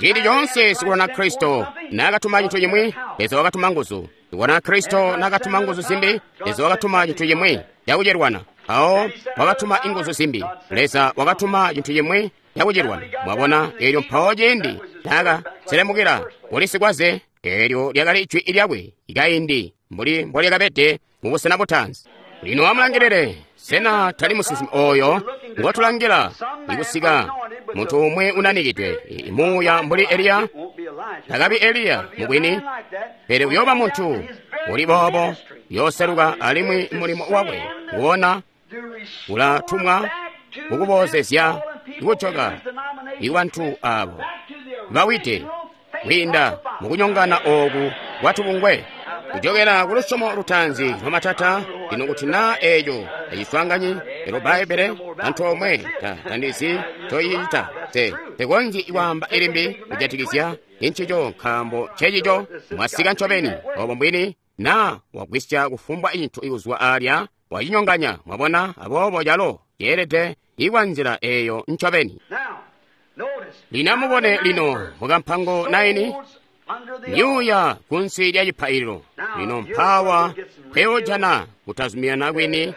Ciindi coonse sikulwana Kristo naakatuma cintu cimwi, Leza wakatuma nguzu. Sikulwana Kristo naakatuma nguzu zimbi, Leza wakatuma cintu cimwi cakucilwana. Awo wakatuma inguzu zimbi, Leza wakatuma cintu cimwi cakucilwana. Mwabona, eelyo mpawo ciindi naakaselemukila kuli sikwaze, eelyo lyakali ijwi lyakwe ikaindi mbuli mbolyakabede mu busena butaanzi. Lino amulangilile, sena tali musinsimi oyo ngotulangila ikusika, muntu umwe unanikidwe muuya mbuli Eliya? Takabi Eliya mubwini, pele uyooba muntu uli boobo yooseluka, alimwi mulimo wakwe nguwona ulatumwa kukuboozezya ikujoka ibantu abo bawide kwiinda mukunyongana ooku kwatubungwe, kujokera ku lusyomo lutaanzi lwamatata. Lino kuti naa eeco taciswaanganyi elo Bbaibbele antoomwe, ta tandizi ncoyicita. Te tekonzyi kwaamba ilimbi kujatikizya incico, nkaambo ncecico mwasika ncobeni obo mbwini. Naa wagwisya kufumbwa cintu ikuzwa alya, wacinyonganya. Mwabona, aboobo calo ceelede ikwa nzila eeyo ncobeni. Now, notice. Lino amubone lino mukampango nine, myuuya kunsi lya cipaililo. Lino mpawa peyojana kutazuminana kwini,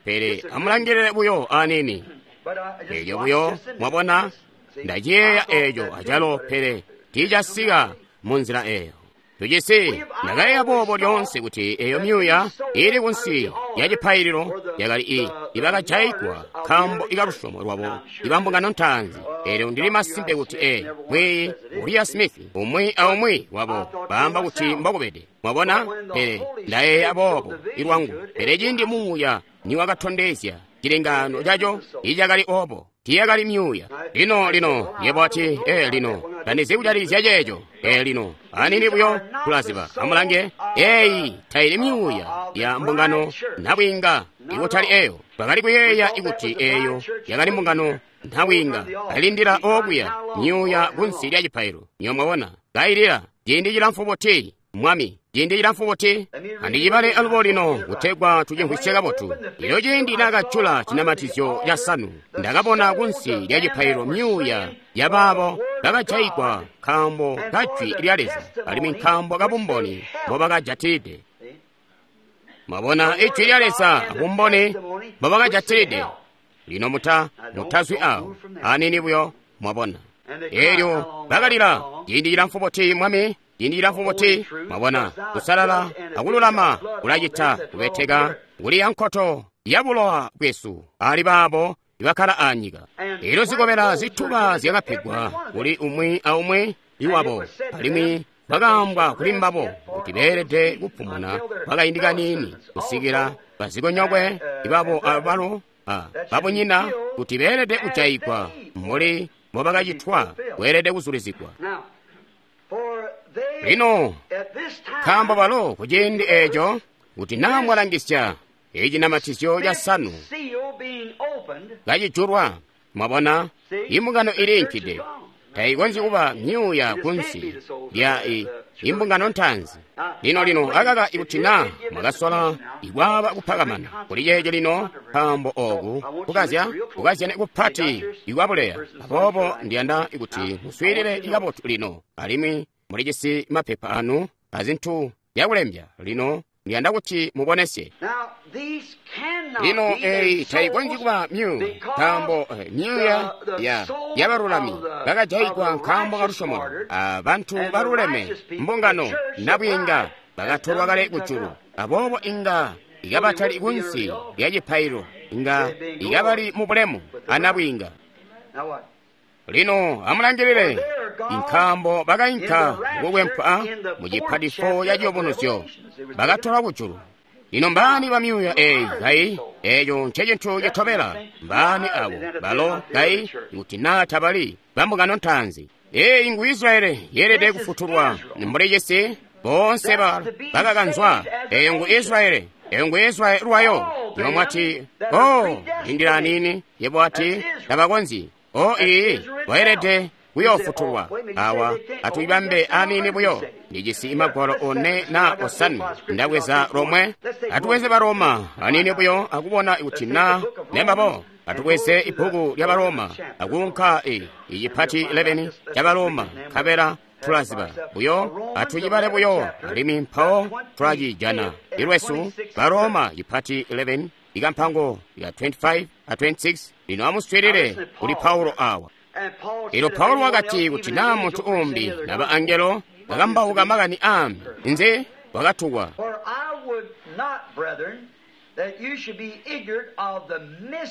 pele amulangilile buyo anini. But I just Eelyo watch buyo this and mwabona, see. ndaciyeeya eeco acalo, pele tiicasika mu nzila eeyo. Tucisi ndakayeeya boobo lyoonse kuti eyo myuuya ili kunsi ya cipaililo yakali i ibakajayigwa nkaambo ikalusyomo lwabo ibambungano ntaanzi. Eelyo ndili masimpe kuti e mwiiyi Uriah Smith umwi aumwi wabo baamba kuti mbokubede. Mwabona, pele ndayeeya boobo ilwangu. Pele ciindi muuya niwakatondezya cilengaano caco, icakali obo, tiyakali myuuya. Lino lino yebo ati, e lino tandizi kujatikizya ceeco. E lino anini buyo tulaziba. Amulange, eyi taili myuuya ya mbungano nabwiinga ikutali eyo. Twakali kuyeeya ikuti eyo yakali mbungano nabwiinga alindila okuya myuuya kunsi lya cipailo. Nyo mwabona, kailila ciindi cilamfu buti, Mwami, ciindi cilamfu buti? Andicibale alubo lino kutegwa tucimvwisye kabotu. Elyo ciindi naakajula cinamatizyo casanu, ndakabona kunsi lya cipaililo myuuya yabaabo bakajayigwa nkaambo ka jwi lya Leza, alimwi nkaambo ka bumboni mbobakajatilide. Mwabona, ijwi lya Leza abumboni mbobakajatilide. Lino muta mutazwi awo anini buyo, mwabona. Elyo bakalila, ciindi cilamfu buti, Mwami, ciindi cilamfu buti? Mwabona, kusalala akululama kulacita kubeteka kuli yankoto ya bulowa bwesu ali baabo ibakkala anyika. Elyo zikobela zituba zyakapegwa kuli umwi aumwi iwabo, alimwi bakaambwa kuli mbabo kuti beelede kupumuna kwakaindi kaniini kusikila bazikonyokwe ibabo abalo babunyina kuti beelede kujayigwa mbuli mbobakacitwa kweelede kuzulizigwa. Now, for Lino nkaambo balo kuciindi eeco kuti naa mwalangisya icinamatizyo casanu kacijulwa, mwabona imbungano iliinkide. Taikonzyi kuba myuuya kunsi lya imbungano ntaanzi. Lino lino akaka ikuti naa mwakasola ikwaaba kupakamana kuli ceeco lino, nkaambo ooku kukazya kukazyane kupati ikwabuleya. Aboobo ndiyanda kuti muswiilile kabotu lino, alimwi mulijisi mapepa anu azintu zyakulembya. Lino ndiyanda kuti mubonesye. Lino eyi taikonzyi kuba myuuya, nkaambo myuuya ya yabalulami bakajayigwa nkaambo kalusyomo, abantu baluleme mbungano nabwiinga bakatolwa kale kujulu. Aboobo inga ikabatali kunsi lya cipailo, inga ikabali mu bulemu anabwiinga. Lino amulangilile, nkaambo bakainka kukwempwa mu cipadifo ya ciyubunuzyo, bakatolwa kujulu. Lino mbaani ba myuuya eyi kayi? Eeco ncecintu citobela. Mbaani abo balo kayi kuti naa tabali bambungano ntaanzi? Eyi ngu Israyeli yeelede kufutulwa mbuli cisi boonse bakakanzwa. Eyo ngu Israyeli, eyo ngu Israyeli lwayo. Yebo mwati, o lindila aniini. Yebo ati tabakonzyi. O iyi bayelede kuyoofutulwa. Awa atuyibambe aniini buyo. Ndijisi imagwalo one na osanwe. Ndabweza lomwe. Atubweze Baroma aniini buyo akubona kuti na nembabo. Atubweze ibbuku lya Baroma akuunka i icipati eleven ca Baroma nkabela tulaziba buyo. Atucibale buyo alimwi mpawo tulacijana ilwesu. Baroma cipati eleven ikampango ya twenty-five a twenty-six. Lino amuswiilile kuli Paulo awa. Elyo Paulo wakati kuti naa muntu umbi naba angelo bakambauka makani aambi, nze wakatukwa.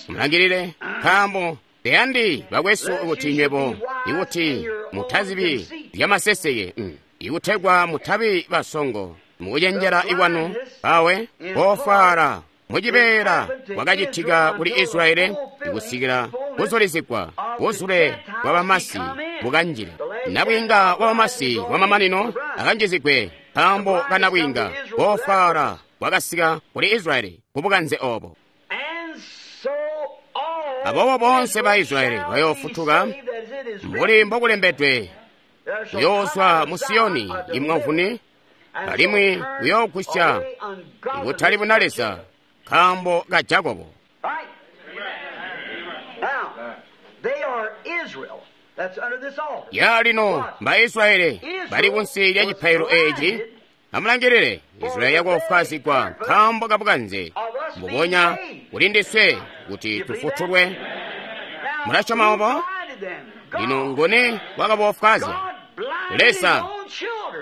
Mulangilile, nkaambo teyandi bakwesu kuti nywebo ikuti mutazibi zyamaseseke, ikutegwa mutabi basongo mukucenjela ikwanu awe kofwala mucibeela kwakacitika kuli Israyeli ikusikila kuzulizigwa buzule bwa bamasi bukanjile. Nabwiinga wa bamasi wamamanino akanjizigwe nkaambo kanabwiinga kofwala kwakasika kuli Israyeli kubukanze obo. Aboobo boonse ba Israyeli bayoofutuka mbuli mbokulembedwe, kuyoozwa mu Siyoni imwavuni, alimwi kuyoogwisya ikutali buna Leza nkaambo ka Jakobo. Ya lino mba Israyeli bali kunsi lya cipailo eeci. Amulangilile, Israyeli yakoofwaazigwa nkaambo kabukanze mbubonya kuli ndiswe kuti tufutulwe. Mulasyoma obo? Lino nguni wakaboofwaazya? Leza.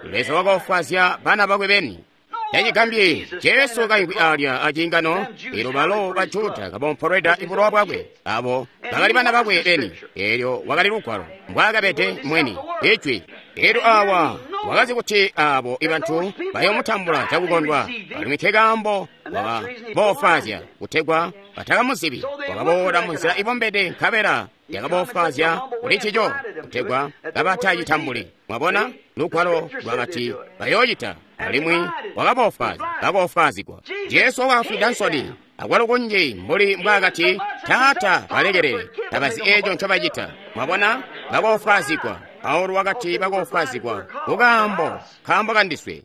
Leza wakaofwaazya bana bakwe beni. Tacigambyi Jesu kaimvwi alya aciingano, eelyo balo ba Juda kabompolweda ibulowa bwakwe, abo bakali bana bakwe beni. Eelyo wakali lugwalo mbwaakabede mweni ijwi. Eelyo awa wakazi kuti abo ibantu bayoomutambula cakukondwa, alimwi nkekaambo wakaboofwaazya kutegwa batakamuzibi. Wakaboola munzila ibombede nkabela yakaboofwaazya kuli ncico kutegwa kabatacitambuli. Mwabona, lugwalo lwakati bayoocita, alimwi wakaboofwaazya, bakoofwaazigwa. Jesu wakafwida nsoni akwalo kunji mbuli mbwaakati, Taata balekelele, tabazi eeco ncobacita. Mwabona, bakoofwaazigwa. Paulo wakati bakoofwaazigwa kukaambo nkaambo kandiswe.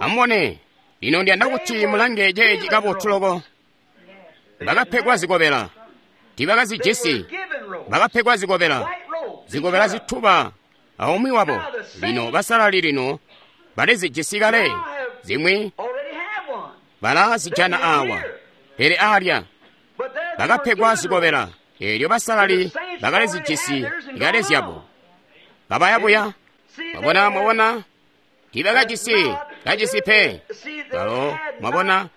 Amubone, lino ndiyanda kuti mulange ceeci kabotu loko. Bakapegwa zikobela, tiibakazijisi. Bakapegwa zikobela, zikobela zituba aumwi wabo. Lino basalali lino balizijisi kale, zimwi balazijana awa, pele alya bakapegwa zikobela. Eelyo basalali bakalizijisi kale zyabo, kabaya buya. Mwabona, mwabona, tiibakajisi kajisi pe balo. Mwabona,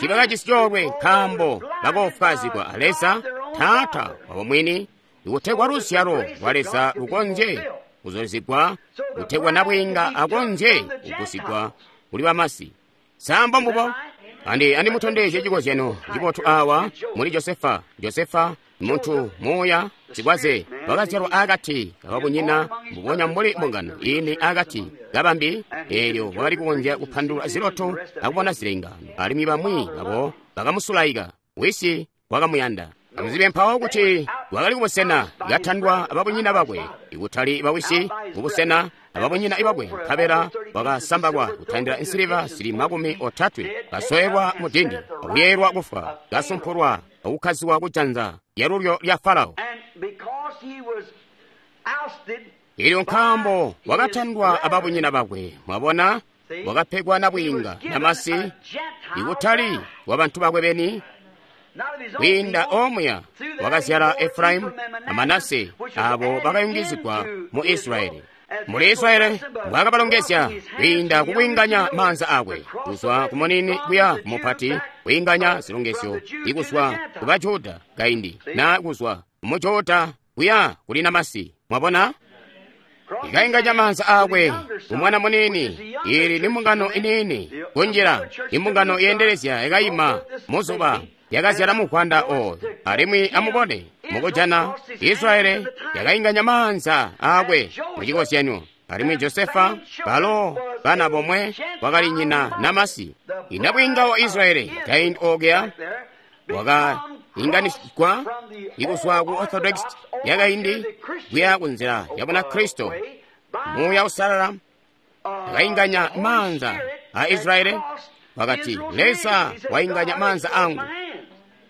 tiibakajisi coolwe nkaambo bakoofwaazigwa a Leza Taata wabo mwini, ikutegwa luzyalo lwa Leza lukonzye kuzulizigwa, kutegwa nabwiinga akonzye kugusigwa kuli bamasi. Sambo mbubo. Andi andimutondezye cikozyano cibotu awa muli Josefa. Josefa muntu muuya Sikwaze wakazyalwa akati kababunyina mbubonya mbuli mbungano ini akati kabambi, eelyo wakali kukonzya kupandulula ziloto akubona zilengaano, alimwi bamwi babo bakamusulaika. Wisi wakamuyanda. Amuzibe mpawo kuti wakali kubusena katandwa ababunyina bakwe, ikutali bawisi, kubusena ababunyina bakwe, nkabela wakasambakwa kutandila nsiliva zili makumi otatwe, kasoelwa mu dindi, akuyeelwa kufwa, kasumpulwa akukkaziwa kujanza lyalulyo lya Farao. Elyo nkaambo wakatandwa ababunyina bakwe, mwabona, wakapegwa nabwiinga namasi, ikutali wa bantu bakwe beni. Kwiinda omuya wakazyala Efraimu na Manase, abo bakayungizigwa mu Israyeli. Muli Israyeli mbwakabalongezya kwiinda kukwiinganya maanza akwe kuzwa ku munini kuya ku mupati, kwiinganya zilongezyo ikuzwa ku Bajuda kaindi na kuzwa ku Mujuda kuya kuli namasi. Mwabona, ikainganya maanza akwe kumwana munini. Ili ni mbungano inini kunjila, imbungano yendelezya ikayima muzuba yakazyala muvwanda oyo. Alimwi amubone mukujana Israyeli yakainganya maanza akwe mucikozyanyo, alimwi Josefa balo bana bomwe wakali nyina namasi. Inabwinga wa Israyeli kaindi okuya wakainganisigwa ikuzwa ku Orthodox yakaindi kuya kunzila ya Bunakristo. Muuya Usalala yakainganya maanza a Israyeli, wakati, Leza wainganya maanza angu.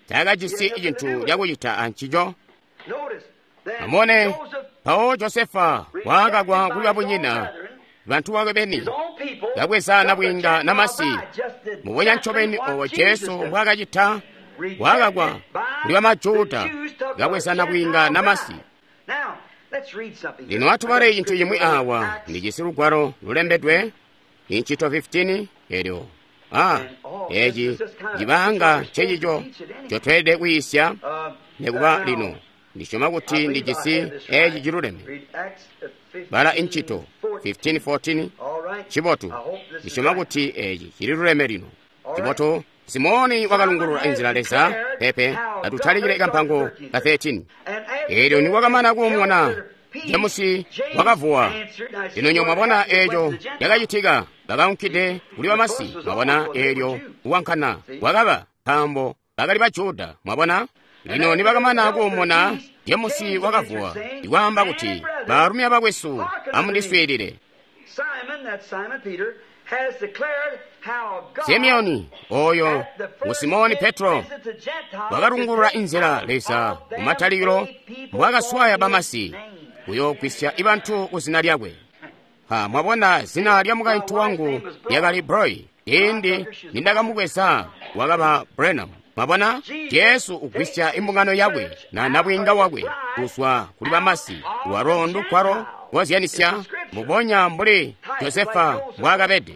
Takajisi cintu cakucita ancico. Amone mpawo Josefa wakakwa kuli babunyina bantu bakwe beni, kabweza nabwiinga namasi. Mubonya ncobeni obo Jesu mbwakacita, wakakwa kuli bamajuda, kabweza nabwiinga namasi. Lino atubale cintu cimwi awa. Ndijisi lugwalo lulembedwe incito fifteen elyo ah eci cibanga ncecico ncotweelede kwiisya nekuba lino. Ndisyoma kuti ndijisi eci ciluleme. Bala incito fifteen fourteen. Cibotu. Ndisyoma kuti eci cililuleme lino. Cibotu. Simoni wakalungulula inzila Leza pepe atutalikile kampango ka thirteen. Elyo niwakamana kuumona Jemusi wakavuwa. Lino nyo mwabona eco cakacitika, bakaunkide kuli bamasi. Mwabona elyo kuwankana wakaba nkaambo bakali Bajuda. Mwabona lino nibakamana kuumona Jemusi wakavuwa ikwaamba kuti, baalumi abakwesu amundiswiilile. Simeoni oyo ngu Simoni Petro wakalungulula inzila Leza kumatalikilo mbwakaswaya bamasi kuyoogwisya ibantu ku zina lyakwe. Ha, mwabona zina lya mukaintu wangu lyakali Broy, ciindi nindakamubweza wakaba Brenham. Mwabona Jesu ugwisya imbungano yakwe na nabwiinga wakwe kuzwa kuli bamasi, lwalo ndukwalo kozyanisya mbubonya mbuli Josefa mbwaakabede.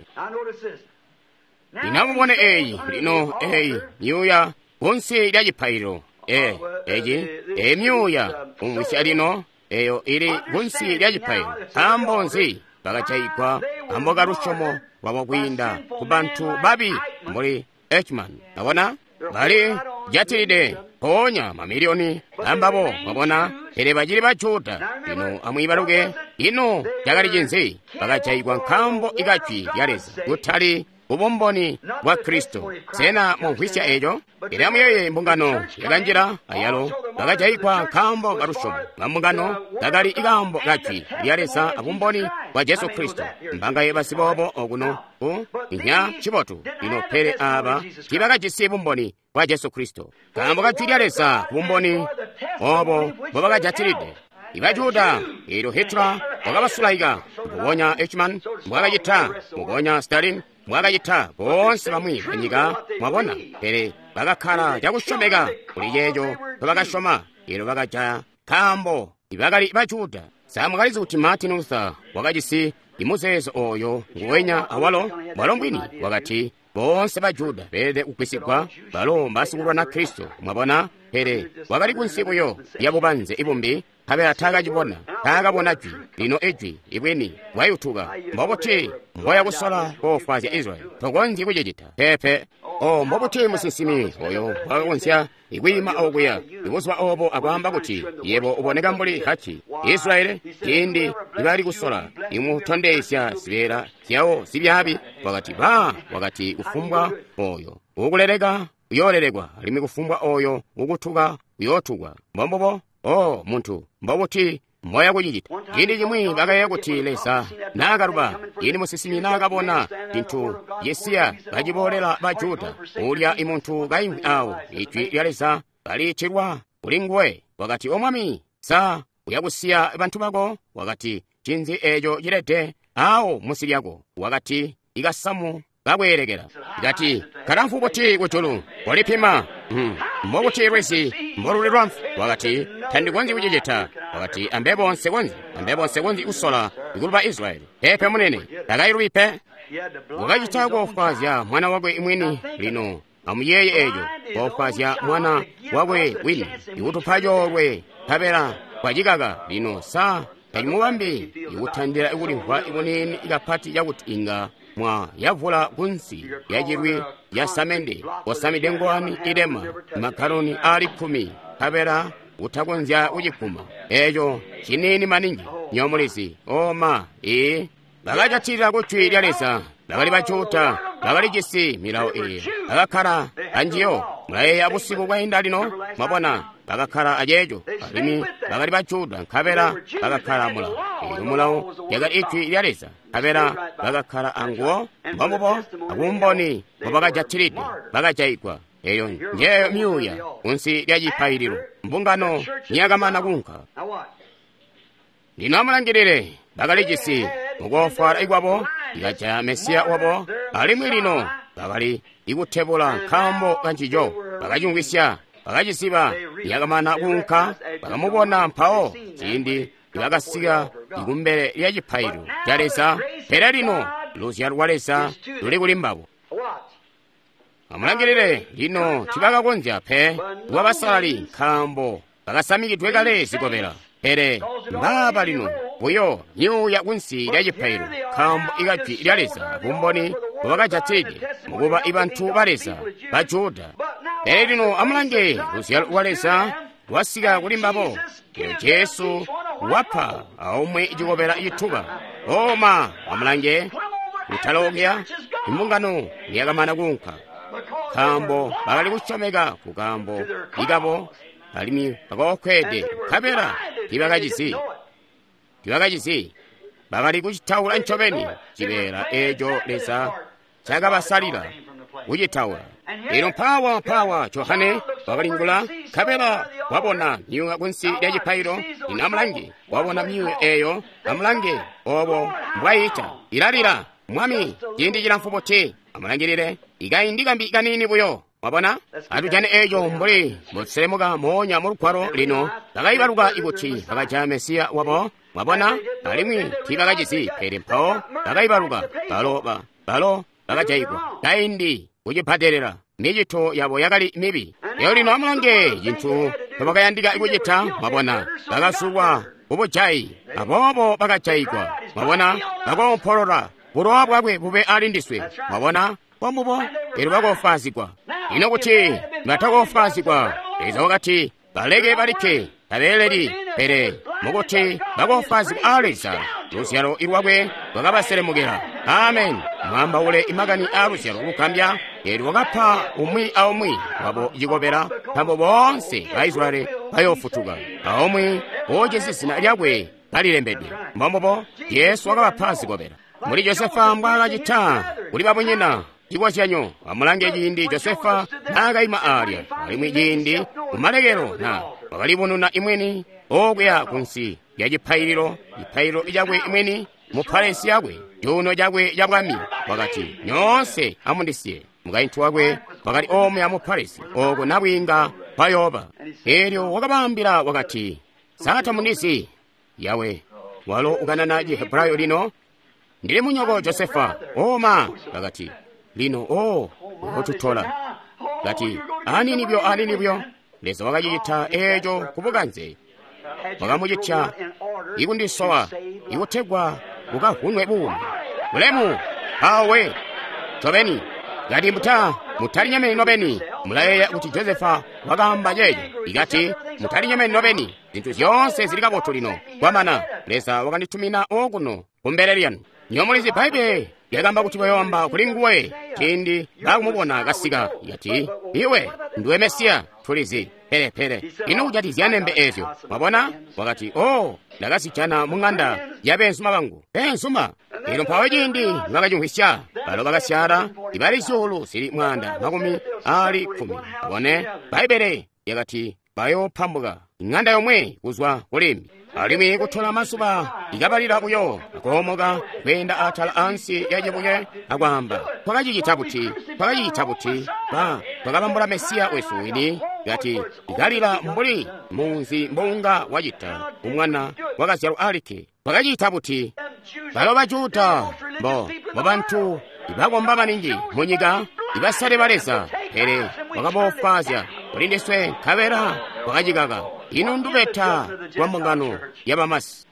Lino amubone eyi, lino eyi myuuya kunsi lya cipaililo. E, eci, eyi myuuya kumvwisya lino eyo ili kunsi lya cipaililo. Nkaambo nzi bakajayigwa nkaambo ka lusyomo lwabo kwiinda ku bantu babi mbuli Eichmann? Mwabona bali jatilide mpoonya mamiliyoni ambabo, mwabona, pele bacili Bajuda. Lino amwiibaluke, ino cakali cinzi? Bakajayigwa nkaambo ikajwi lya Leza, kutali kubumboni bwa Kristo. Sena mumvwisya eco? Pele amuyeeye mbungano yakanjila ayalo bakajayigwa nkaambo kalusyomo lwa mbungano kakali ikaambo kajwi lya Leza abumboni bwa Jesu Kristo. Mbangaye basiboobo okuno ku inya cibotu. Lino pele aaba tiibakajisi bumboni bwa Jesu Kristo, nkaambo kajwi lya Leza bumboni obo mbobakajatilide Ibajuda. Elyo Hitler wakabasulaika mbubonya Eichmann mbwakacita, mbubonya Stalin mbwakacita, boonse bamwi banyika. Mwabona, pele bakakkala cakusyomeka kuli ceeco ncobakasyoma. Elyo bakajaya nkaambo ibakali Bajuda. Sa mwakalizi kuti Martin Luther wakajisi imuzeezo oyo nguwenya awalo? Mwalo mbwini wakati boonse Bajuda beelede kugwisigwa, balo mbasikulwana Kristo. Mwabona, pele wakali kunsi buyo lya bubanze ibumbi nkabela taakacibona, taakabona jwi. Lino ijwi, ibwini, bwayutuka. Mbobuti mboya kusola koofwaazya Israyeli? Tokonzyi kucicita. Peepe. Oh, mbobuti musinsimi oyo wakakonzya ikwiima okuya ibuzuba obo akwaamba kuti yebo uboneka mbuli hachi. Israyeli ciindi nibali kusola imutondezya zibeela zyawo zibyaabi, wakati ba, wakati kufumbwa oyo ukuleleka uyoolelekwa, alimwi kufumbwa oyo ukutuka uyootukwa. Mbombubo. Oh, muntu, mbobuti mboya kucicita? Ciindi cimwi bakayeeya kuti Leza naakaluba, ciindi musinsimi naakabona cintu Yesiya kaciboolela ba Juda, ulya imuntu kaimvwi awo, ijwi lya Leza kaliitilwa kuli nguwe. Wakati, O Mwami, sa uyakusiya bantu bako? Wakati, cinzi eeco cilede awo munsi lyako? Wakati, ikasamu kakweelekela. Kati, kalamfu buti kujulu, kolipima. Mm. Mbobuti lwizi mboluli lwamfu? Wakati, tandikonzyi kucicita. Wakati, ambebo nsikonzyi, ambebo nsikonzyi kusola ikuluba Israyeli. Peepe munene, takayilubi pe. Wakacita koofwaazya mwana wakwe mwini. Lino amuyeeye eeco, koofwaazya mwana wakwe wini, ikutupa coolwe, nkabela kwacikaka. Lino sa tacimubambi ikutandila ikulimvwa ibuniini kapati cakuti inga mwa yavula kunsi yacilwi ya samende osamide ngowani ilema magaloni aali kkumi, nkabela utakonzya kucikuma. Eeco ciniini maningi, nyomulizi. Oma, ee, bakajatilila ku jwi lya Leza. Bakali ba Juda, bakalijisi milawo eyi, bakakkala anjiyo. Mulayeeya busiku bwainda lino, mwabona, bakakkala aceeco. Alimwi bakali ba Juda, nkabela bakakkala mulawo. Eelyo mulawo lyakali ijwi lya Leza, nkabela bakakkala anguwo. Mbombubo, akumboni mbobakajatilide, bakajayigwa. Eyo njeyo myuuya kunsi lya cipaililo, mbungano niyakamana kuunka. Lino amulangilile, bakalijisi mukoofwaala ikwabo, ikajaya Mesiya wabo, alimwi lino bakali ikutebula nkaambo kancico. Bakacimvwisya, bakacisiba. Yakamana kuunka, bakamubona mpawo ciindi nibakasika ikumbele lya cipaililo ca Leza. Pele lino luzyalo lwa Leza luli kuli mbabo. Amulangilile, lino tibakakonzya pe kuba basalali nkaambo bakasamikidwe kale zikobela. Pele mbaaba lino buyo myuuya kunsi lya cipaililo, nkaambo ikajwi lya Leza bumboni mbobakajatilide mukuba ibantu ba Leza ba Juda. Pele lino amulange, luzyalo lwa Leza lwasika kuli mbabo. Lino Jesu wapa aumwi cikobela cituba. Oma, amulange, kutalookya imbungano niyakamana kuunka, nkaambo bakali kusyomeka kukaambo ikabo, alimwi bakookwede, nkabela tibakacizi, tibakacizi. Bakali kucitaula ncobeni cibeela eeco Leza cakabasalila kucitaula. Lino mpawa mpawa Johane wakalingula, nkabela wabona myuuya kunsi lya cipaililo. Lino amulange, wabona myuuya eeyo. Amulange obo mbwayiita, ilalila, Mwami, ciindi cilamfu buti? Amulangilile, ikaindi kambi kaniini buyo. Mwabona, atujane eeco mbuli mboselemuka moonya mu lugwalo. Lino bakaibaluka ikuti bakajaya Mesiya wabo. Mwabona, alimwi tiibakacizi, pele mpawo bakaibaluka. Balo ba, balo bakajayigwa kaindi kucibadelela. Micito yabo yakali mibi. Leo lino amulange cintu ncobakayandika kucita. Mwabona, bakasulwa kubujayi, aboobo bakajayigwa. Mwabona, bakoompolola, bulowa bwakwe bube ali ndiswe. Mwabona, mbombubo, elyo bakoofwaazigwa. Ino kuti batakoofwaazigwa, Leza wakati baleke balikke, tabeeleli. Pele mukuti bakoofwaazigwa a Leza, luzyalo lwakwe lwakabaselemukila. Amen. Mwaambaule imakani aa luzyalo lugambya. Eelyo wakapa umwi aumwi wabo cikobela, nkaambo boonse ba Israyeli bayoofutuka, aumwi woojisi zina lyakwe kalilembedwe. Mbombubo, Jesu wakabapa zikobela. Muli Josefa mbwaakacita kuli babunyina. Cikozyanyo, amulange ciindi Josefa naakaima aalya, alimwi ciindi kumalekelo na wakalibununa imweni okuya kunsi lya cipaililo, cipaililo cakwe imweni mu palesi yakwe, cuuno cakwe ca bwami. Wakati, nyoonse amundisiye. Mukaintu wakwe wakali omuya mu palesi, ooko nabwiinga bayooba. Eelyo wakabaambila wakati, sa tamundizi? Yawe, walo ukanana Cihebrayo lino, ndili munyoko Josefa. Oma, bakati, lino o ukotutola. Kati, anini byo, anini byo. Leza wakacicita eeco kubukanze. Wakamucitya ikundisowa ikutegwa bukavunwe buumi. Bulemu awe ncobeni. Kati muta mutalinyemeni nobeni. Mulayeeya kuti Josefa wakaamba ceeco. Ikati mutalinyemeni nobeni, zintu zyoonse zili kabotu lino. Kwamana Leza wakanditumina okuno kumbele lyanu. Nyomulizi Bbaibbele lyakaamba kuti bayoamba kuli nguwe ciindi baakumubona kasika. Ikati iwe ndiwe Mesiya, tulizi. Pele pele ino kujatizya nembe ezyo, mwabona? Wakati, oh, ndakazijana mu ng'anda ya beenzuma bangu. Beenzuma. Elyo mpawo ciindi nibakacimvwisya, balo bakasyala ibali zyuulu zili mwaanda makumi aali kkumi. Abone, Bbaibbele lyakati bayoopambuka ing'anda yomwe kuzwa kulimbi. Alimwi kutola mazuba ikabalila buyo akoomoka kweenda atala ansi ya cibuye akwaamba, twakacicita buti, twakacicita buti, ba twakabambula Mesiya wesu wini. Kati ikalila mbuli munzi mbounga wacita umwana wakazyalwa alikke. Twakacita buti? Balo Bajuda bo bo bantu ibakomba maningi munyika, ibasale ba Leza, pele wakaboofwaazya kuli ndiswe nkabela twakacikaka. Ino ndubeta lwa mbungano ya bamasi.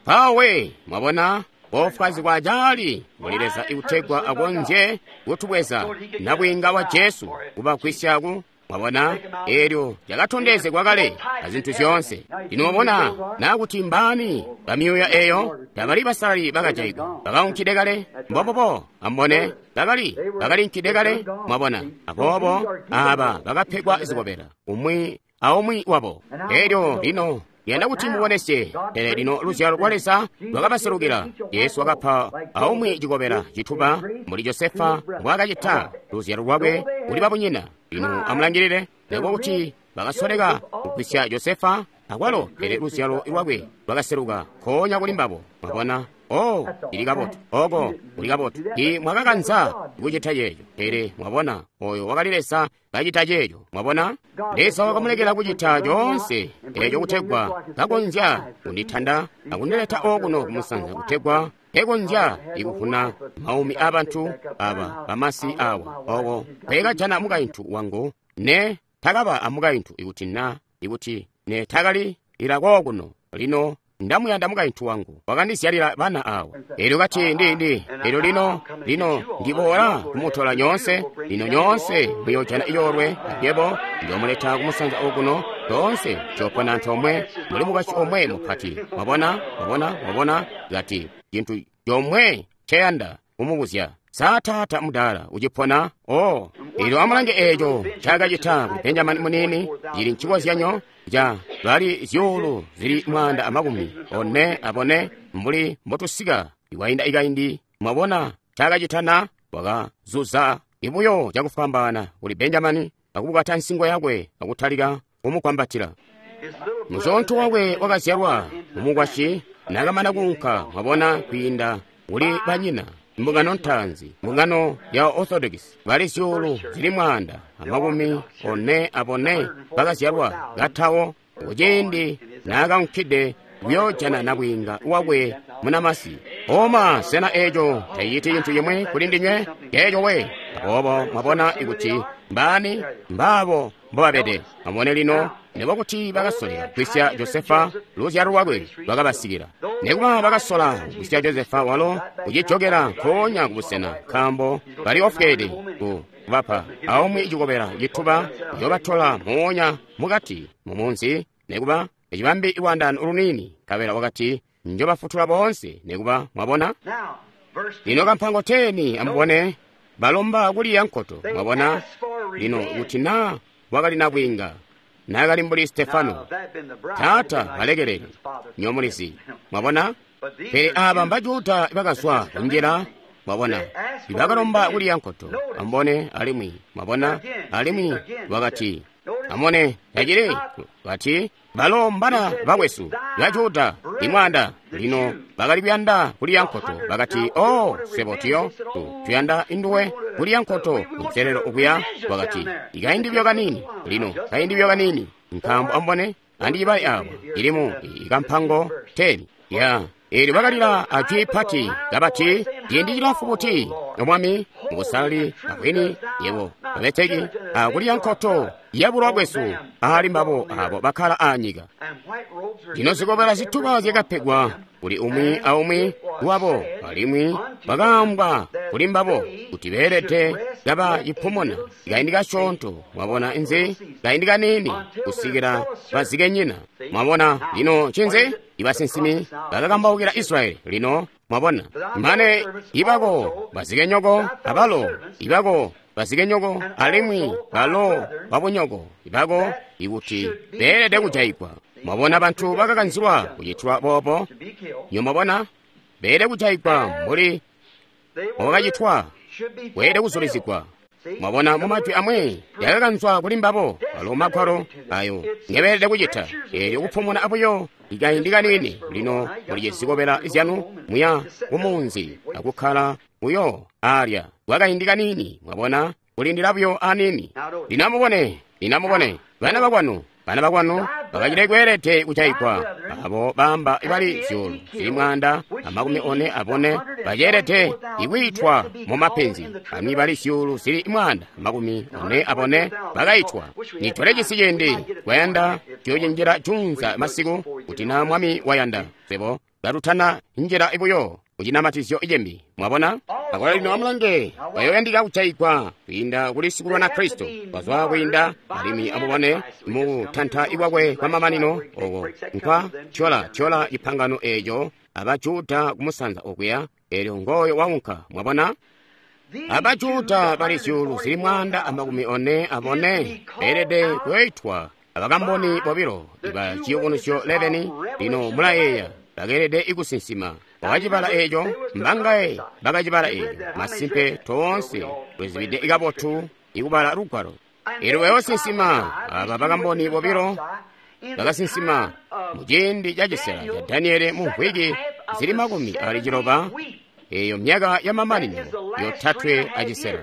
Mpawe mwabona boofwaazigwa caali muli Leza ikutegwa akonzye kutubweza nabwiinga wa Jesu kubagwisya mwabona elyo lyakatondezegwa kale azintu zyoonse. Lino mwabona nakuti mbaani bamyuuya eyo tabali basalali bakajaigwa bakaunkide kale. Mbobobo ambone bakali bakalinkide kale. Mwabona, aboobo aba bakapegwa zikobela umwi aumwi wabo. Elyo lino yanda kuti mubonesye, pele lino luzyalo lwa Leza lwakabaselukila. Yesu wakapa aumwi cikobela cituba mbuli Josefa mbwaakacita luzyalo lwakwe kuli babunyina. Lino amulangilile, nekuba kuti bakasoleka kugwisya Josefa akwalo, pele luzyalo lwakwe lwakaseluka nkoonya kuli mbabo. Mwabona, oh, ili kabotu, oko kuli kabotu. I mwakakanza kucita ceeco, pele mwabona oyo wakali Leza kacita ceeco. Mwabona, Leza wakamulekela kucita coonse eco kutegwa kakonzya kunditanda akundileta okuno kumusanza, kutegwa ekonzya ikuvuna maumi abantu aba bamasi awa. Oko kwekajana mukaintu wangu, ne takaba amukaintu ikuti na ikuti ne takali ilakokuno. Lino ndamuyanda mukaintu wangu, wakandizyalila bana awa. Elyo kati ndi ndi elyo lino lino ndiboola kumutola nyoonse. Lino nyoonse muyojana iyoolwe yebo ndiyomuleta kumusanza okuno. Toonse tuyopona antoomwe muli mukwasyi omwe mupati. Mwabona, mwabona, mwabona. Kati cintu comwe nceyanda kumubuzya, sa taata mudaala ucipona? Oh, elyo amulange eeco ncaakacita kuli Benjamini muniini. Cili ncikozyanyo ca bali zyuulu zili mwaanda amakumi one abone mbuli mbotusika iwainda ikaindi. Mwabona ncaakacita na? Wakazuza ibuyo cakufwambaana kuli Benjamini akubukata nsingo yakwe akutalika kumukwambatila. Muzoonto wakwe wakazyalwa mumukwasyi nakamana kuunka, mwabona, kwiinda kuli banyina. Mbungano ntaanzi, mbungano ya Orthodox, bali zyuulu zili mwaanda amakumi one abone bakazyalwa katawo kuciindi naakaunkide kuyoojana nabwiinga wakwe munamasi. Oma, sena eeco taciciti cintu cimwi kuli ndinywe? Ceeco we. Aboobo mwabona ikuti mbaani mbaabo mbobabede. Amubone lino, nekuba kuti bakasoleka kugwisya Josefa, luzyalo lwakwe lwakabasikila. Nekuba bakasola kugwisya Josefa walo kucijokela nkoonya kubusena, nkaambo bali ofweede ku kubapa aumwi cikobela cituba kuyobatola moonya mukati mumunzi, nekuba ecibambi lwaandaano luniini. Nkabela wakati njobafutula boonse. Nekuba mwabona lino kampango teni, amubone balomba kuliya nkoto. Mwabona lino kuti na wakali nabwiinga naakali mbuli Stefano, taata balekelele nyomulizi. Mwabona, pele aba mbajuda bakazwa kunjila. Mwabona, bakalomba kuliya nkoto. Amubone alimwi, mwabona alimwi wakati, amubone tacili bati balo mbana bakwesu bajuda imwaanda. Lino bakali kuyanda kuliya nkoto. Bakati, oh, swebo tuyo tuyanda induwe kuliya nkoto kunselelo okuya. Wakati, ikaindi buyo kaniini lino, kaindi buyo kaniini, nkaambo amubone andicibale awa ilimu ikampango teni ya Eelyo bakalila ajwi pati kabati, ciindi cilamfu buti, O Mwami, mubusalali abwini, yebo babeteki, akuliya nkoto ya bulowa bwesu aali mbabo abo bakkala aanyika. Lino zikobela zituba zyakapegwa kuli umwi aumwi wabo, alimwi bakaambwa kuli mbabo kuti beelede kaba cipumuna kaindi kasyoonto, mwabona nzi, kaindi kaniini, kusikila bazikenyina. Mwabona lino ncinzi? Ibasinsimi bakakambaukila Israyeli. Lino mwabona, mane ibako bazikenyoko abalo ibako bazikenyoko alimwi balo babunyoko ibako ikuti beelede kujaigwa. Mwabona bantu bakakanzilwa kucitwa boobo. Nyo mwabona beelede kujaigwa mbuli mbobakacitwa, bweelede kuzulizigwa. Mwabona mu majwi amwi yakakanzwa kuli mbabo alo magwalo ayo ngebeelede kucita. Eelyo kupumuna abuyo ikaindi kaniini. Lino muli zikobela zyanu muya kumunzi akukkala buyo alya kwakaindi kaniini. Mwabona kulindila buyo aniini. Lino amubone, lino amubone bana bakwanu, bana bakwanu bakacile kweelede kujaigwa. Abo baamba bali zyuulu zili mwaanda amakumi one abone baceelede ikwiitwa mu mapenzi. Amwi bali zyuulu zili mwaanda amakumi one abone bakaitwa. Nitwale cisi ciindi kwayanda tuyocinjila junza masiku kuti na Mwami wayanda swebo katutana njila buyo kucinamatizyo cimbi. Mwabona? Akola lino amulange bayoyandika kujaigwa kwiinda kuli sikulwana Kristo bazwa kwiinda, alimwi amubone mu tanta ikwakwe kwa mamanino oko nkwa tyola tyola cipangano eeco abajuda kumusanza okuya. Eelyo ngoyo waunka. Mwabona? Abajuda bali zyuulu zili mwaanda amakumi one abone beelede kuyoitwa abakamboni bobilo iba ciyubunuzyo eleveni. Lino mulayeeya bakeelede ikusinsima. Bakacibala eeco, mbangaye bakacibala eeco. Masimpe toonse tulizibide kabotu ikubala lugwalo. Eelyo bayoosinsima aba bakamboni bobilo bakasinsima mu ciindi ca cisela ca Daniele mu mvwiki zili makumi ali ciloba, eeyo myaka ya mamanino yotatwe acisela.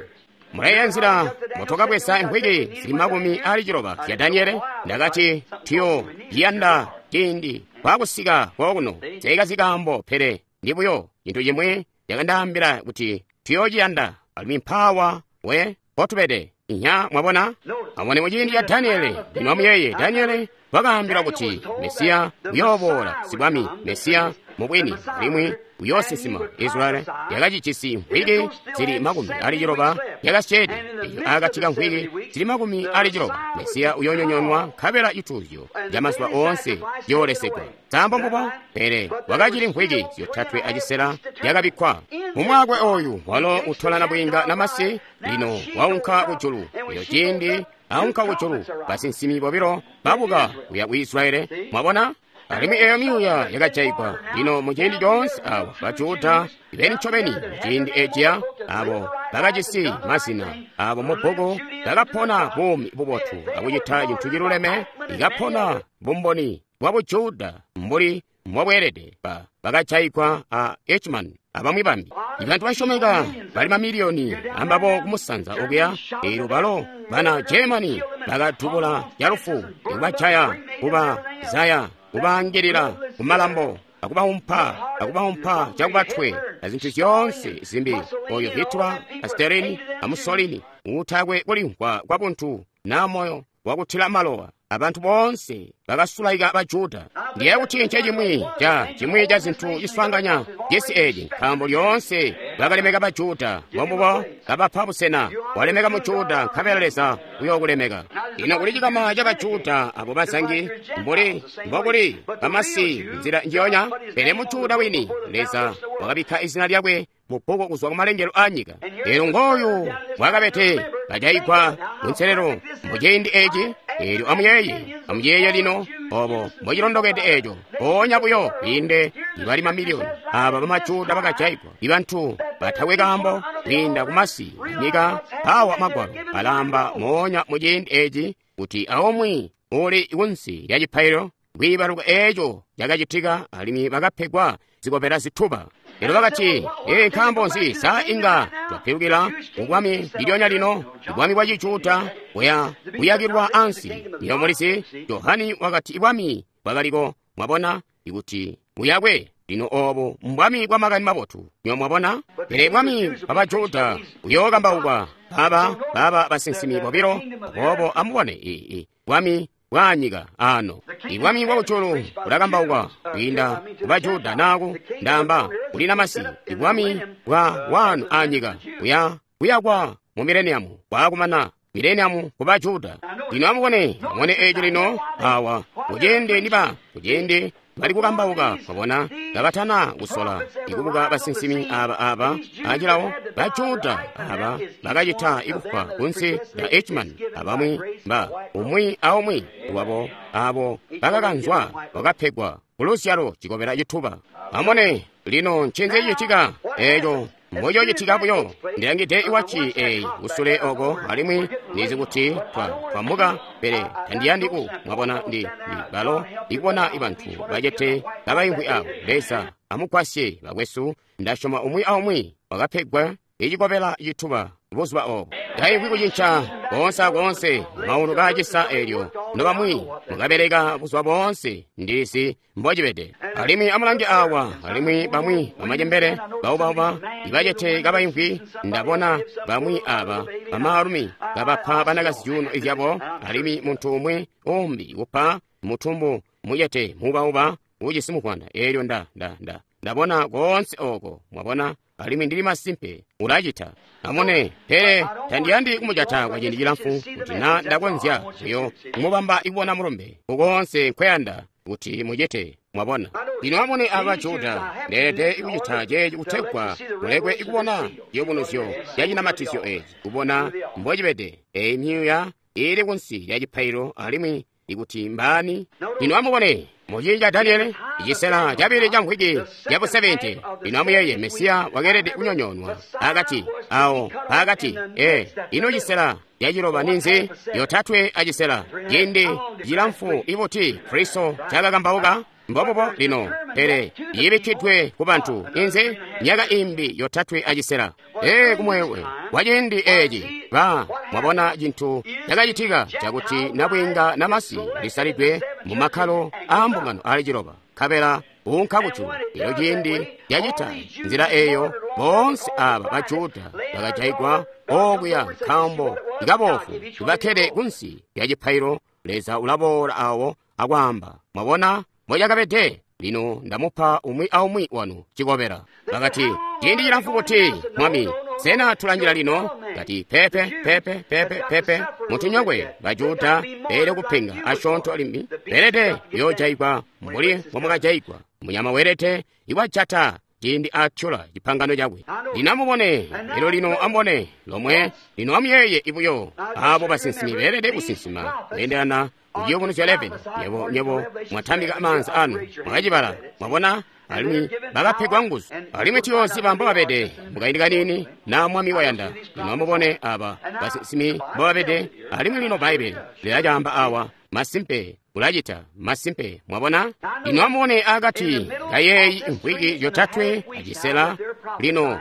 Mulayeeya nzila motokabweza mvwiki zili makumi ali ciloba zya Daniele? Ndakati tuyo ciyanda ciindi kwakusika kokuno. Seekazi kaambo, pele ndi buyo cintu cimwi cakandaambila kuti tuyoociyanda, alimwi mpaawa we potubede. Inya mwabona? Amubone mu ciindi ca Daniele. Lino amuyeeye, Daniele wakaambila kuti Mesiya uyooboola, sibwami Mesiya mubwini, alimwi uyoosinsima. Israeli yakacijisi mvwiki zili makumi ali ciloba yakasyeede. Eyo akati ka mvwiki zili makumi ali ciloba Mesiya uyoonyonyoonwa, nkabela cituuzyo camazuba oonse ciyoolesegwa. Sambo mbubo, pele wakacili mvwiki zyotatwe acisela yakabikkwa mumwakwe oyu walo utolana bwiinga namasi. Lino waunka kujulu. Eyo ciindi aunka kujulu, basinsimi bobilo babuka kuya ku Israeli. Mwabona? Alimwi eyo myuuya yakajaigwa. Lino mu ciindi coonse awa bajuda ibeni ncobeni mu ciindi eciya abo bakajisi mazina abo mu bbuku bakapona buumi bubotu akucita cintu ciluleme, ikapona bumboni bwa bujuda mbuli mbobweelede. Ba bakajaigwa a Eichmann abamwi bambi. Ibantu basyomeka bali mamiliyoni ambabo kumusanza okuya. Eelyo balo bana Germany bakadubula calufu, ikubajaya, kubazaya, kubaangilila kumalambo, akubaumpa, akubaumpa cakubatwe azintu zyoonse zimbi. Oyo Hitler a Stalin a Mussolini utakwe kulimvwa kwa buntu na moyo wakutila malowa. Abantu boonse bakasulaika Bajuda. Ndiye kuti nce cimwi ca cimwi ca zintu ciswaanganya cisi eci, nkaambo lyoonse bakalemeka Bajuda. Mbombubo kabapa busena, walemeka Mujuda nkabela Leza uyookulemeka. Lino kuli cikama ca Bajuda abo bazangi mbuli mbokuli bamasi nzila njiyonya, pele Mujuda wini Leza wakabikka izina lyakwe mu bbuku kuzwa kumalengelo a nyika. Eelyo ngooyu mwakabete bajaigwa kunselelo mu ciindi eci. Eelyo amuyeeye, amuyeeye lino obo mbocilondokede eco. Mpoonya buyo kwiinde ibali mamiliyoni aba bamajuda bakajaigwa, ibantu batakwe kaambo kwiinda kumasi anyika. Awa magwalo alamba moonya mu ciindi eci kuti aumwi uli kunsi lya cipaililo kwiibaluka eco cakacitika, alimwi bakapegwa zikobela zituba. Elyo bakati, ee, nkaambo nzi sa inga twapilukila kubwami lilyonya lino, ibwami bwa Cijuda buya buyakilwa ansi. Iyo mulizi, Johani wakati ibwami bwakaliko, mwabona, ikuti buyakwe Lino obo mbwami bwa makani mabotu. Nyo mwabona? Pele bwami bwa Bajuda buyookambaukwa aba baba basinsimi bobilo. Aboobo amubone i, i bwami bwa nyika ano. Ibwami bwa kujulu bulakambaukwa kwiinda ku Bajuda naku ndaamba kuli namasi. Ibwami bwa wanu a nyika buya buyakwa mu mileniamu bwakumana mileniamu ku Bajuda. Lino amubone, amubone eco lino awa kuciindi niba kuciindi bali kukambauka, mwabona, kabatana kusola ikubuka basinsimi aba aba acilawo Bajuda aba bakacita ikufwa kunsi lya Eichmann abamwi ba umwi aumwi wabo abo bakakanzwa bakapegwa kuluzyalo cikobela cituba. Amubone lino ncinzi cicitika eco mbococitika buyo. Ndilangide iwaci eyi kusule oko alimwi nizi kuti twa twamuka, pele tandiyandi ku mwabona ndi, ndi balo ikubona ibantu bacete kabaimvwi awo. Leza amugwasye bakwesu, ndasyoma umwi aumwi wakapegwa icikobela cituba buzuba obo. Taimvwi kucinca koonse akoonse maulu kaacisa eelyo nobamwi mukabeleka buzuba boonse ndizi mbocibede. Alimwi amulange awa, alimwi bamwi bamacembele baubauba ibacete kabaimvwi. Ndabona bamwi aba bamaalumi kabapa banakazi zyuuno zyabo, alimwi muntu umwi umbi kupa mutumbu mucete muubauba ujisi muvwanda. Eelyo nda nda nda ndabona koonse oko, mwabona, alimwi ndili masimpe ulacita. Amune, pele tandiyandi kumujata kwa ciindi cilamfu kuti na ndakonzya buyo kumubamba ikubona mulumbe ukoonse nkweyanda kuti mucite, mwabona. Lino amune aba Juda, ndeelede kucita ceeci kutegwa mulekwe ikubona ciyubunuzyo ca cinamatizyo eeci, kubona mbocibede. Eyi myuuya ili kunsi lya cipaililo alimwi ikuti mbaani. Lino amubone muciindi ca Daniele, icisela cabili ca mvwiki ya busebente. Lino amuyeeye, Mesiya wakeelede kunyonyoonwa akati awo pakati. E, ino cisela caciloba ninzi? Yotatwe acisela. Ciindi cilamfu ibuti Kristo cakakambauka? Mbobubo lino, pele yibikkidwe ku bantu inzi myaka imbi yotatwe acisela. E, kumwewe kwa ciindi eeci ba mwabona cintu cakacitika cakuti nabwiinga namasi lisalidwe mu makkalo aa mbungano ali ciloba, nkabela unka kujulu. Elyo ciindi yacita nzila eyo, boonse aba Bajuda bakajaigwa okuya nkaambo ikabofu ibakkede kunsi lya cipaililo. Leza ulaboola awo akwaamba, mwabona mbocakabede. Lino ndamupa umwi aumwi wanu cikobela. Bakati, ciindi cilamfu buti, Mwami? Sena tulanjila lino? Kati, pepe, pepe, pepe, pepe. Mutunyokwe Bajuda beelede kupenga asyoonto limbi, beelede kuyoojaigwa mbuli mbomwakajaigwa. Munyama weelede iwajata ciindi atyola cipangano cakwe. Lino amubone, lelo lino amubone lomwe. Lino amuyeeye ibuyo abo basinsimi beelede kusinsima kweendelana kuciyubunuzyo eleven. Nyebo, nyebo mwatambika maanza anu, mwakacibala, mwabona, alimwi bakapegwa nguzu. Alimwi tuyooziba mbobabede mukaindi kanini na Mwami wayanda. Lino amubone aba basinsimi mbobabede, alimwi lino Bbaibbele lilacaamba awa. Masimpe ulacita, masimpe, mwabona. Lino amubone akati kayeeyi mvwiki yotatwe acisela lino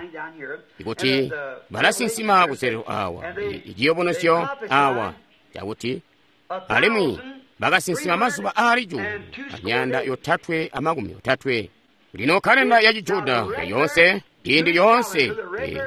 ikuti balasinsima kuselelo awa, iciyubunuzyo awa cakuti alimwi bakasinsima mazuba aali cuulu amyanda yotatwe amakumi otatwe. Lino kalenda ya Cijuda yoonse, ciindi lyoonse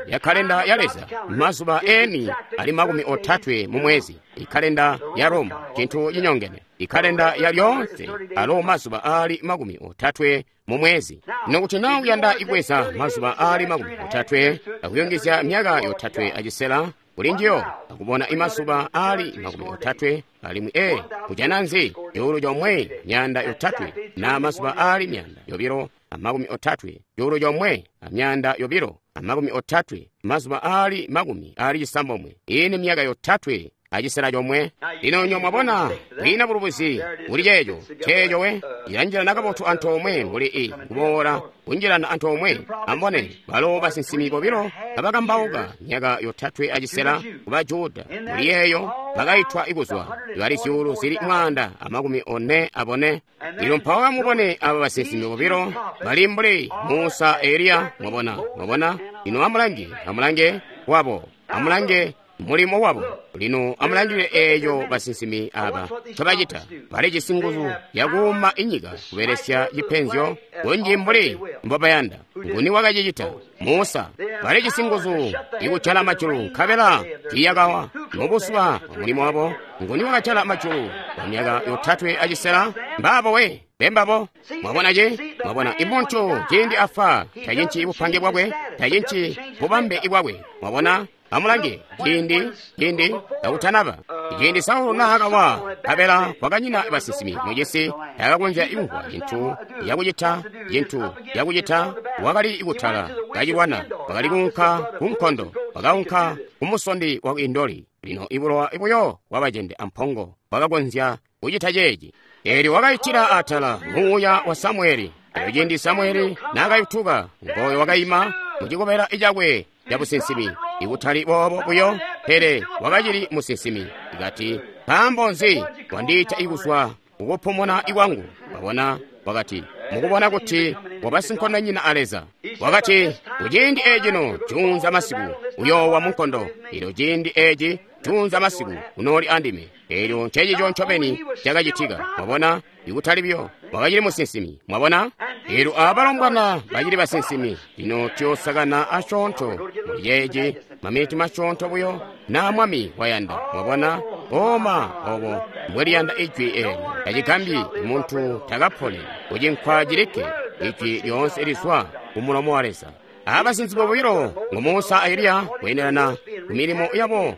ya kalenda ya Leza, mazuba eni ali makumi otatwe mu mwezi. Ikalenda ya Roma cintu cinyongene. Ikalenda ya lyoonse alo mazuba aali makumi otatwe mu mwezi. Lino kuti na uyanda ibweza mazuba aali makumi otatwe akuyungizya myaka yotatwe acisela kuli njiyo, akubona imazuba aali makumi otatwe alimwi e kujana nzi cuulu comwe myanda yotatwe na mazuba aali myanda yobilo amakumi otatwe, cuulu comwe amyanda yobilo amakumi otatwe, mazuba aali makumi aali cisambomwe. Ini myaka yotatwe acisela comwe. Lino nyo mwabona kwiina bulubuzi kuli ceeco ceeco we ilanjilana kabotu antoomwe mbuli i kuboola kunjilana antoomwe. Ambone balo basinsimi bobilo kabakambauka myaka yotatwe acisela ku Bajuda. Muli yeeyo bakaitwa ikuzwa bali zyuulu zili mwaanda amakumi one abone. Lino mpawo amubone aba basinsimi bobilo bali mbuli Musa Eliya. Mwabona, mwabona. Lino amulange, amulange wabo, amulange Mulimo wabo. Lino amulangilile eeyo basinsimi aba ncobacita. Balijisi nguzu yakuuma inyika kubelesya cipenzyo kunji mbuli mbobayanda. Nguni wakacicita? Musa. Balijisi nguzu ikujala majulu nkabela tiiyakawa. Mubuzuba bwa mulimo wabo, nguni wakajala majulu kwa myaka yotatwe acisela? Mbaabo we. Bembabo. Mwabona ce? Mwabona imuntu ciindi afa tacinci bupange bwakwe, tacinci bubambe bwakwe. Mwabona? Amulange ciindi ciindi kakutanaba ciindi Saulo naakawa nkabela kwakanyina basinsimi mucisi, takakonzya kumvwa cintu yakucita cintu yakucita. Wakali kutala kacilwana, wakali kuunka kunkondo, wakaunka kumusondi wa Indoli. Lino ibulowa buyo bwabacende ampongo wakakonzya kucita ceeci. Eelyo wakaitila atala muuya wa Samueli. Elyo ciindi Samueli naakayutuka, ngoyo wakaima mucikobela cakwe cabusinsimi. Ikutali boobo buyo, pele wakacili musinsimi. Ikati, nkaambo nzi wandiita ikuzwa kukupumuna ikwangu? Wabona, wakati, mukubona kuti wabasinkondonyina a Leza. Wakati, kuciindi ecino juunza masiku uyoowa munkondo. Elyo ciindi eci juunza masiku unooli andime. Elyo ncecico ncobeni cakacitika. Mwabona, ikutali buyo wakacili musinsimi. Mwabona, elyo abalombwana bacili basinsimi. Lino tuyosakana asyoonto muli ceeci, maminiti masyoonto buyo, na Mwami wayanda. Mwabona, oma obo mbweliyanda ijwi eelyo. Tacigambyi muntu takapone kucinkwa cilikke, ijwi lyoonse lizwa kumulomo wa Leza. Abasinsimi bobilo ngu Musa a Eliya, kweendelana kumilimo yabo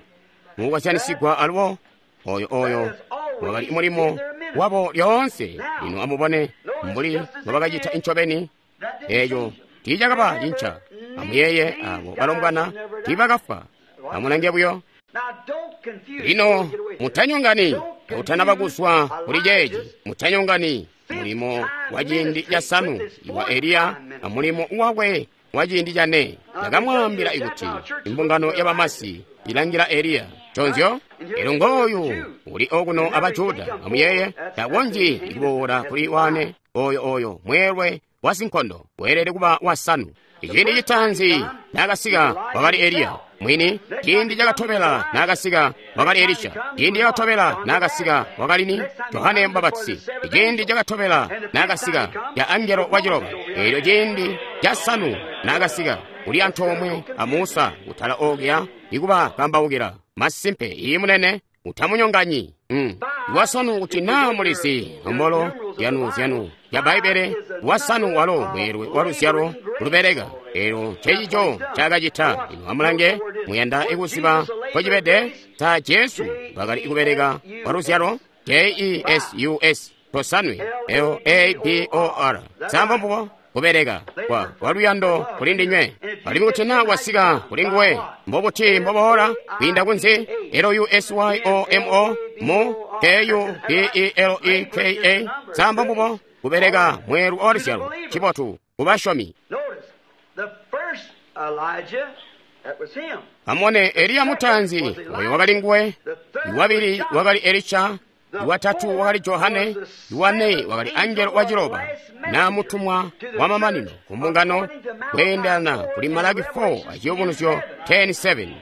mukukozyanisigwa alubo. Oyo oyo wakali mulimo wabo lyoonse. Lino amubone mbuli mbobakacita incobeni. Eeco tiicakaba cinca. Amuyeeye abo balombwana tiibakafwa. Amulange buyo. Lino mutanyongani utanaba kuzwa kuli ceeci. Mutanyongani mulimo wa ciindi casanu iwa Eliya a mulimo wakwe wa ciindi cane. Ndakamwaambila ikuti imbungano yabamasi ilangila Eliya. Conzyo? Elyo ngooyu uli okuno aba Juda. Amuyeeye, takonzyi kuboola kuli wane oyo oyo mweelwe wa sinkondo weelede kuba wasanu. Ciindi citaanzi naakasika wakali Eliya mwini. Ciindi cakatobela naakasika wakali Elisha. Ciindi cakatobela naakasika wakali ni Johane Mubapatizi. Ciindi cakatobela naakasika ya angelo wa ciloba. Elyo ciindi casanu naakasika uli antoomwe a Musa kutala okuya ikuba kambaukila. Masimpe, iyi munene, utamunyonganyi. Mm. Wasanu kuti naa mulizi nombolo yanu zyanu ya Bbaibbele, wasanu walo mweelwe wa luzyalo lubeleka. Elyo ncecico ncaakacita. Lino amulange, muyanda ikuziba nkocibede? Ta Jesu bakali kubeleka wa luzyalo J E S U S tosanwe L A B O R. Sambo mbubo kubeleka kwa kwa luyando kuli ndinywe. Alimwi kuti naa wasika kuli nguwe, mbobuti mboboola kwiinda kunzi? L U S Y O M O mu K U B E L E K A. Sambo mbubo kubeleka mweelu wa luzyalo cibotu kubasyomi. Amone Eliya mutaanzi, oyo wakali nguwe. Iwabili wakali Elisha. Iwatatu wakali Johane. Iwane wakali angelo wa ciloba na mutumwa wa mamanino kumbungano kweendelana kuli Malaki four aciyubunuzyo ten seven.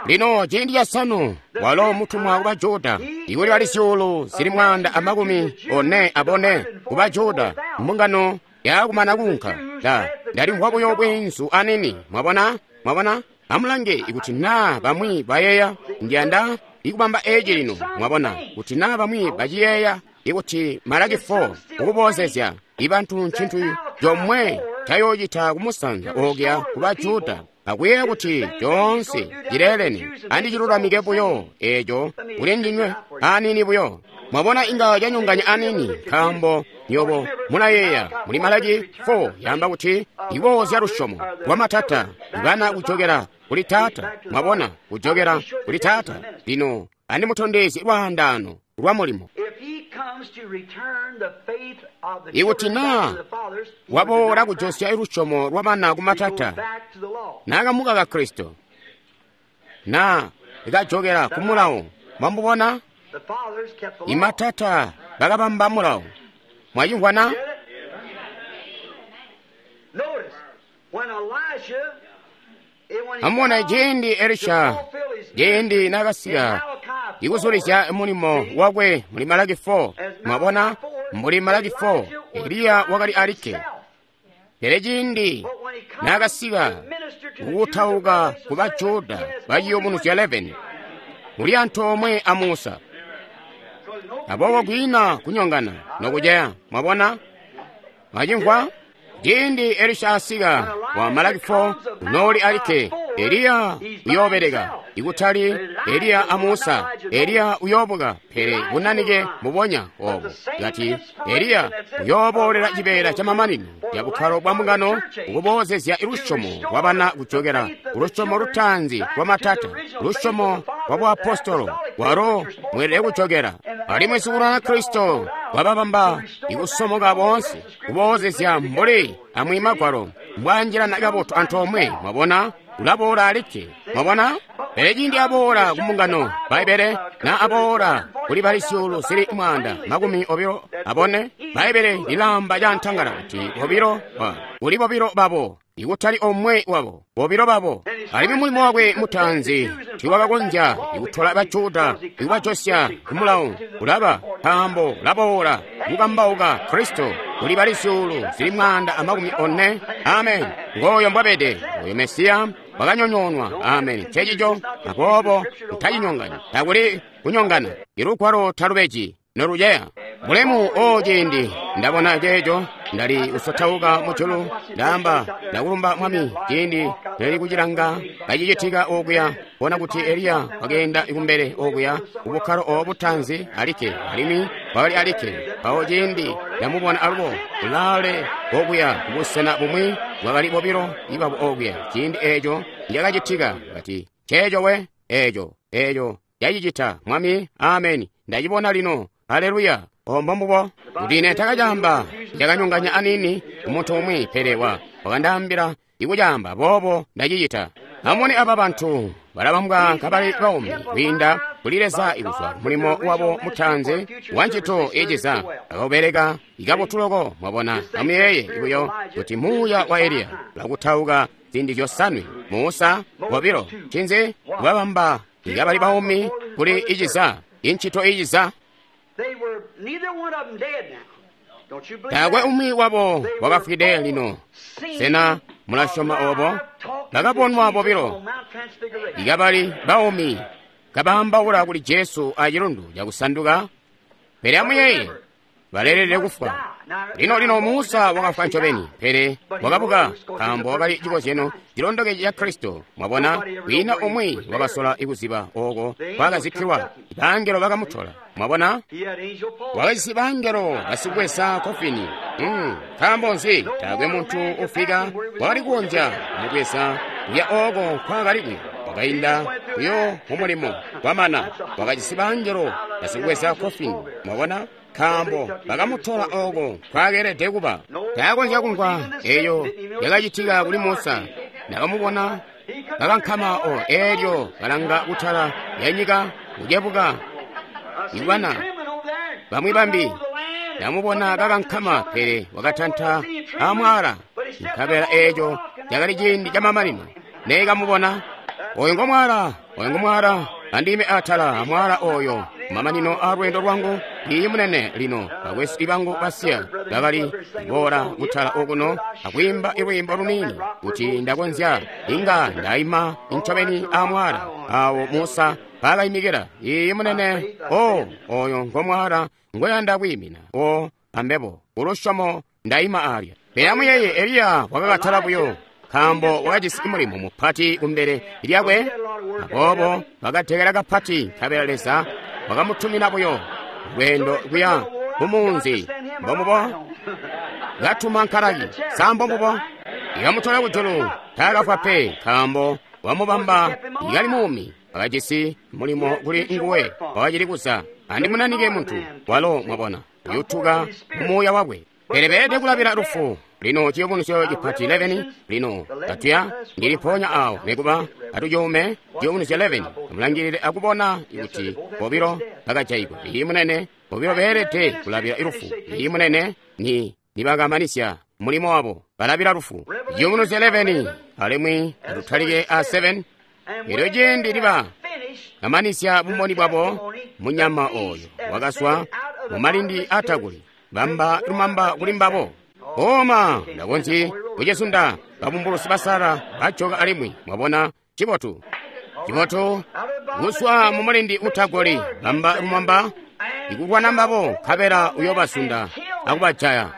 Lino ciindi casanu walo mutumwa kuba Juda, ikuli bali zyuulu zili mwaanda amakumi one abone kuba Juda, mbungano yakumana kuunka. Ta ndalimvwa buyo bweenzu anini. Mwabona, mwabona. Amulange ikuti naa bamwi bayeeya, ndiyanda ikubamba eci lino. Mwabona kuti naa bamwi baciyeeya ikuti Malaki four ukuboozezya ibantu ncintu comwe cayoocita kumusanza okuya kuba Juda, akuyeeya kuti coonse cileelene andicilulamike buyo eeco kuli ndinywe anini buyo. Mwabona, inga canyonganya anini, nkaambo nyobo mulayeeya muli Malaki four yaamba kuti iboozya lusyomo lwa matata ibana kujokera kuli taata. Mwabona, kujokera kuli taata. Lino andimutondezye lwaandaano lwa mulimo. Ikuti naa waboola kujosya lusyomo lwa bana kumatata, naakamukaka Kristo, naa ikajokera ku mulawo. Mwamubona, imatata bakabamba mulawo. Mwachimvwana? Amubone ciindi Elisha, ciindi naakasika ikuzulizya mulimo wakwe muli Malaki four. Mwabona, mbuli Malaki four, Eliya wakali alikke. Pele ciindi naakasika kukutauka ku Bajuda ba Ciyubunuzyo eleven, muli antoomwe a Musa. Aboobo kwiina kunyongana nokuceya. Mwabona? Mwacimvwa? Ciindi Elisha asika wa Malaki four, unooli alikke. Eliya uyoobeleka, ikutali Eliya a Musa. Eliya uyoobuka, pele bunanike mubonya obo. Kati Eliya uyooboolela cibeela camamanino ca bukkalo bwa mbungano, ukuboozezya lusyomo lwabana kujokela kulusyomo lutaanzi lwa matata, lusyomo lwa buapostolo, walo mweelede kujokela. Alimwi sikulwana Kristo wababamba ikusomoka boonse, kuboozezya mbuli amwi Magwalo mbwaanjilana kabotu antoomwe. Mwabona? Ulaboola alikke. Mwabona? Pele ciindi aboola ku mbungano, Bbaibbele, na aboola kuli bali zyuulu zili mwaanda makumi obilo abone, Bbaibbele lilaamba cantangala kuti bobilo kuli bobilo babo, ikutali omwe wabo, bobilo babo. Alimwi mulimo wakwe mutaanzi tiwakakonzya ikutola Bajuda ikubajosya ku mulawo, ulaba nkaambo ulaboola kukambauka Kristo kuli bali zyuulu zili mwaanda amakumi one. Amen. Ngooyo mbwabede oyo Mesiya wakanyonyoonwa. Amen. Ncencico. Aboobo mutacinyongani. Takuli kunyongana. Ilugwalo talubeji noluceya. Bulemu o ciindi ndabona ceeco, ndali kusotauka mujulu, ndaamba, ndakulumba Mwami. Ciindi ndali kucilanga kacicitika okuya, bona kuti Eliya wakeenda kumbele okuya kubukkalo obo butaanzi alikke, alimwi wakali alikke. Mpawo ciindi ndamubona alubo kulaale okuya kubusena bumwi, bwakali bobilo ibabo okuya. Ciindi eeco nicakacitika, kati ceeco we, eeco eeco cacicita Mwami. Ameni. Ndacibona lino. Haleluya. Ombo mbubo. Kuti ine takacaamba, cakanyonganya anini umuntu umwi, pele wa wakandaambila ikucaamba, boobo ndacicita. Amubone aba bantu balabambwa kabali baumi kwiinda kuli Leza ikuzwa mulimo wabo mutaanzi wa ncito iciza akubeleka ikabotu loko. Mwabona, amuyeeye buyo kuti muuya wa Eliya ulakutauka ziindi zyosanwe, Musa bobilo, ncinzi kubabamba ikabali baumi kuli iciza, incito iciza. Taakwe umwi wabo wakafwide lino. Sena mulasyoma obo? Bakabonwa bobilo ikabali baumi kabaambaula kuli Jesu acilundu cakusanduka. Pele amuyeeye, baleelede kufwa. Lino lino Musa wakafwa ncobeni, pele wakabuka nkaambo wakali cikozyano cilondoke ca Kristo. Mwabona, kwiina umwi wakasola ikuziba oko kwakazikkilwa. Bangelo bakamutola. Mwabona, wakajisi bangelo basikubweza kofini. Mm, nkaambo nzi? Taakwe muntu ufika wakali kukonzya kumubweza kuya oko nkwakali kuya. Wakainda kuyo mumulimo kwamana, wakajisi bangelo basikubweza kofini. Mwabona, nkaambo bakamutola oko nkwakeelede kuba. Taakonzya kumvwa eyo yakacitika kuli Musa. Nakamubona kakankama o eelyo kalanga kutala ya nyika kucebuka ibana bamwi bambi. Namubona kakankama, pele wakatanta amwala. Nkabela eeco cakali ciindi camamanino. Neekamubona oyo ngomwala, oyo ngomwala, andime atala amwala oyo mamanino a lweendo lwangu. Iyi munene lino bakwesu ibangu basiya bakali kuboola kutala okuno akwiimba ilwiimbo luniini kuti ndakonzya inga ndaima ncobeni amwala awo Musa paakayimikila. Iyi munene, o oyo ngomwala ngoyanda kwiimina o ambebo ulusyomo ndaima alya. Pele amuyeeye, Eliya wakakatala buyo nkaambo wakajisi mulimo mupati kumbele lyakwe. Aboobo bakatekela kapati, nkabela Leza wakamutumina buyo lweendo kuya kumunzi. Mbomubo katuma nkalaki sambo mbubo ikamutola kujulu. Taakafwa pe, nkaambo wamubamba ikali muumi. Wakajisi mulimo kuli nguwe wakacili kuza. Andimunanike muntu walo, mwabona, uyutuka mumuuya wakwe. Pele beelede kulabila lufu. Lino ciyubunuzyo cipati eleven. Lino katuya ndili mpoonya awo nekuba atucuume ciyubunuzyo eleven. Amulangilile akubona kuti bobilo bakajayigwa. Iyi munene, bobilo beelede kulabila lufu. Iyi munene ni nibakamanisya mulimo wabo, balabila lufu. Ciyubunuzyo eleven, alimwi atutalike a seven. Elyo ciindi niba kamanisya bumboni bwabo, munyama oyo wakaswa mumalindi atakuli, bamba lumamba kuli mbabo. Oma ndakonzyi kucizunda babumbulusi basala bajoka alimwi. Mwabona, cibotu cibotu kuswa mumulindi utagoli, bamba lumamba ikulwana mbabo, nkabela uyobasunda akubajaya.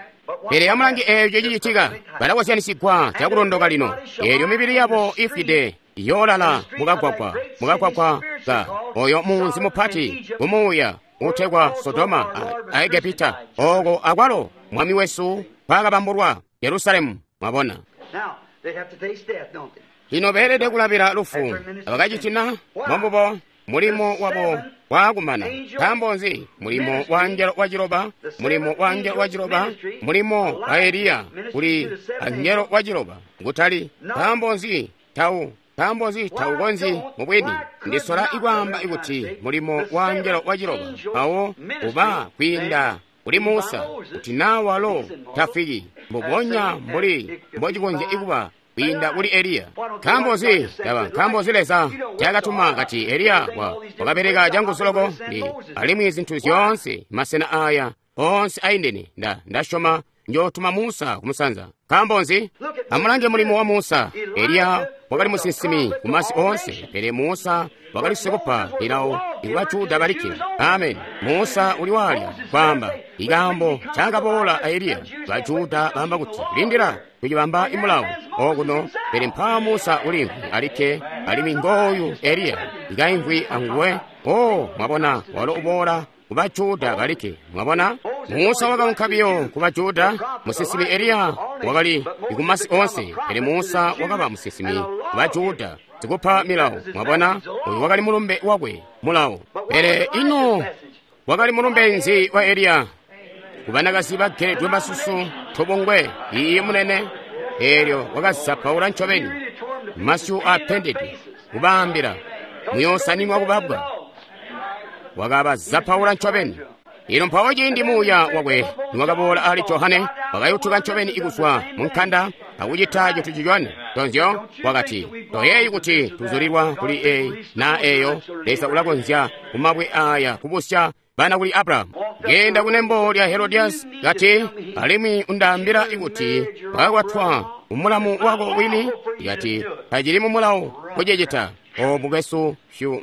Pele amulange eeco cicitika, balakozyanisigwa cakulondoka lino. Eelyo mibili yabo ifwide iyoolala mukagwagwa, mukagwagwa ka oyo munzi mupati kumuuya utegwa Sodoma a Egepita, oko akwalo mwami wesu kwakabambulwa Yerusalemu. Mwabona, lino beelede kulabila lufu. Abakacitina mwambubo mulimo wabo waakumana. Nkaambo nzi? Mulimo wa angelo wa ciloba, mulimo wa angelo wa ciloba, mulimo wa Eliya kuli angelo wa ciloba kutali. Nkaambo nzi tau nkaambo nzi taukonzyi mubwini? Ndisola ikwaamba ikuti mulimo wa angelo wa ciloba mpawo uba kwiinda kuli Musa, kuti naa walo tafiki mbubonya mbuli mbocikonzya ikuba kwiinda kuli Eliya. Nkaambo nzi taba nkaambo nzi Leza ncaakatuma kati Eliya wa wakabeleka canguzu loko ndi alimwi zintu zyoonse masena aya onse aindene. Nda ndasyoma njootuma Musa kumusanza. Nkaambo nzi? Amulange mulimo wa Musa. Eliya wakali musinsimi kumasi onse, pele Musa wakali sikupa milawo ikuba Juda balikke. Amen. Musa uli walya kwaamba ikaambo ncaakaboola a Eliya. Ba Juda baamba kuti lindila kucibamba imulawo okuno, pele mpaa Musa ulimvwi alikke, alimwi ngooyu Eliya ikaimvwi anguwe. O, mwabona, walo uboola kuba Juda balikke. Mwabona, Musa wakaunka biyo kuba Juda. Musinsimi Eliya wakali kumasi onse, pele Musa wakaba musinsimi kuba Juda, sikupa milawo. Mwabona, oyu wakali mulumbe wakwe, mulawo. Pele ino wakali mulumbe nzi wa Eliya? Kubanakazi bageledwe masusu tobongwe iiyi munene. Eelyo wakazapaula ncobeni masyu apendede, kubaambila muyoosaninwa kubabwa. Wakabazapaula ncobeni. Ino mpawo ciindi muuya wakwe niwakaboola ali Johane, wakayutuka ncobeni ikuzwa munkanda akucita cintu cicone. Tonzyo wakati, toyeeyi kuti tuzulilwa kuli eyi na eyo. Leza ulakonzya kumabwe aya kubusya bana kuli Abrahamu. Genda kunembo lya Herodias kati, alimwi undaambila ikuti wakakwatwa umulamu wako wini. Kati tacili mumulawo kucicita. O mukwesu fyu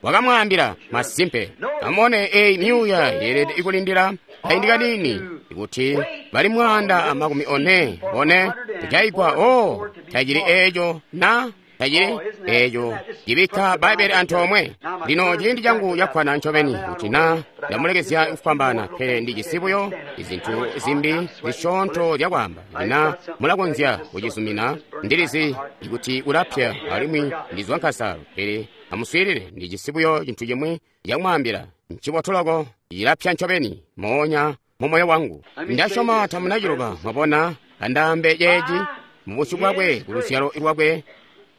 wakamwaambila masimpe. Amone eyi myuuya yeelede ikulindila kaindi kanini ikuti bali mwaanda amakumi one one kujaigwa. O tacili eeco na tacili eeco cibikka Bbaibbele antoomwe. Lino ciindi cangu cakkwana ncobeni kuti na ndamulekezya kufwambaana, pele ndijisi buyo izintu zimbi zisyoonto zyakwaamba. Lina mulakonzya kucizumina, ndilizi ikuti ulapya alimwi ndizwa nkasalo, pele amuswiilile, ndijisi buyo cintu cimwi cakumwaambila. Ncibotu loko, cilapya ncobeni moonya mu moyo wangu. Ndasyoma tamunaciloba. Mwabona, andaambe ceeci mubusyu bwakwe kuluzyalo lwakwe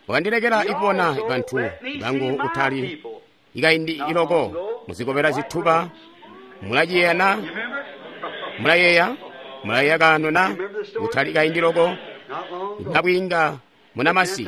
wakandilekela ikubona bantu bangu kutali ikaindi iloko muzikobela zituba. Mulaciyeeya na? Mulayeeya? Mulayeeya kaano na? Kutali kaindi loko nabwiinga munamasi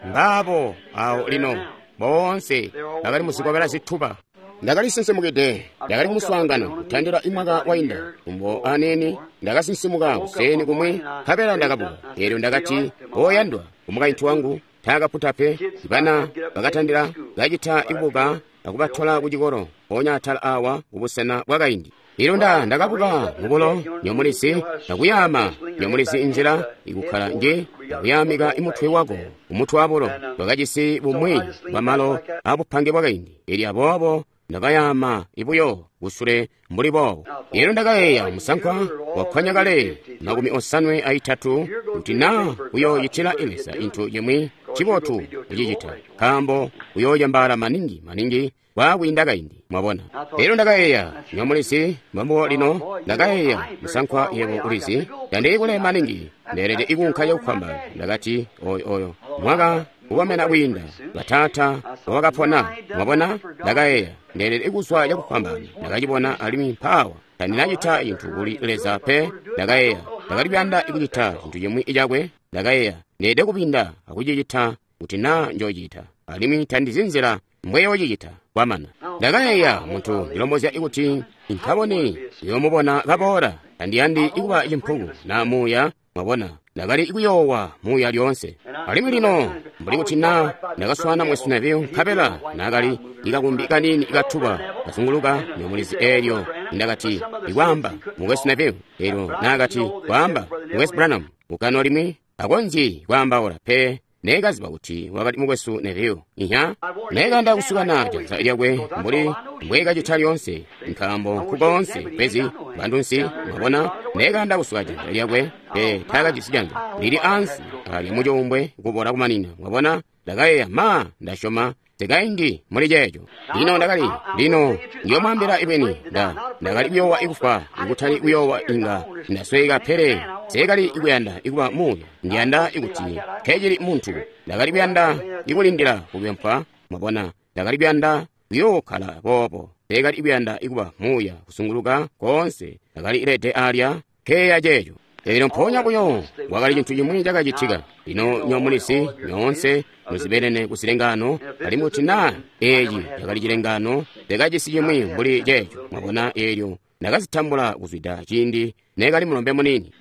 mbaabo awo lino boonse bakali muzikobela zituba. Ndakalisinsimukide, ndakali kumuswaangano kutandila imwaka wainda kumbo aneni. Ndakasinsimuka kuseni kumwi nkabela ndakabuka. Eelyo ndakati, oyandwa umukaintu wangu taakaputa pe. Bana bakatandila kacita ibuka akubatola kucikolo mpoonya atala awa kubusena bwakaindi. Eelyo nda ndakabuka mubulo nyomulizi nakuyaama nyomulizi inzila ikukkala nje nakuyaamika imutwe wako umutwe wabulo. Twakajisi bumwi bwamalo abupange bwakaindi. Eelyo aboobo ndakayaama ibuyo kusule mbuli boobo. Eelyo ndakayeeya musankwa wakkwanya kale makumi osanwe aitatu kuti naa uyoocitila Leza cintu cimwi cibotu kucicita, nkaambo uyoocembaala maningi maningi kwaakwiinda kaindi. Mwabona, eelyo ndakayeeya nyomulizi mbambo lino ndakayeeya musankwa yebo ulizi tandikule maningi ndeelede ikuunka cakufwambaana. Ndakati oyo oyo mwaka kukomena kwiinda bataata wakapona. Mwabona, ndakayeeya ndeelede kuzwa cakufwambaana. Ndakacibona alimwi mpaawa Tandinacita cintu kuli Leza pe. Ndakayeeya ndakali kuyanda kucita cintu cimwi cakwe. Ndakayeeya ndeede kupinda akucicita kuti naa njoocita, alimwi tandizi nzila mbweyoocicita kwamana. Ndakayeeya muntu ndilombozya kuti nkabone yoomubona kaboola. Tandiyandi kuba cimpuku na muuya, mwabona. Ndakali kuyoowa muuya lyoonse. Alimwi lino mbuli kuti naa ndakaswana Mukwesu Neville nkabela naakali ikakumbi kaniini katuba kazunguluka nyomulizi eelyo ndakati ikwaamba Mukwesu Neville, eelyo naakati kwaamba Mukwesu Branham mukano limwi akonzyi kwaambaula pe. Neekaziba kuti wakali Mukwesu Neville. Inya neekanda kusukana janza lyakwe mbuli mbweekacita lyoonse, nkaambo nkukoonse pezi bantunsi, mwabona. Neekanda kusuka janza lyakwe pe taakajisi janza lili ansi alya mucuumbwe kubola kumanina, mwabona. Ndakayeeya ma ndasyoma zikaindi muli ceeco. Lino ndakali lino ndiyomwaambila ibweni nda ndakali kuyoowa ikufwa, ikutali kuyoowa inga ndasweka, pele nseekali kuyanda ikuba muuya. Ndiyanda ikuti nkecili muntu. Ndakali kuyanda ikulindila kukwempwa, mwabona. Ndakali kuyanda kuyookkala boobo. Nseekali kuyanda ikuba muuya kusunguluka koonse. Ndakali lede alya nkeeya ceeco. Eelyo mpoonya buyo kwakali cintu cimwi cakacitika. Lino nyomulizi nyoonse muzibelene ku zilengano, alimwi kuti naa eeci cakali cilengano, ndakajisi cimwi mbuli ceeco, mwabona. Eelyo ndakazitambula kuzwida ciindi neekali mulombe muniini.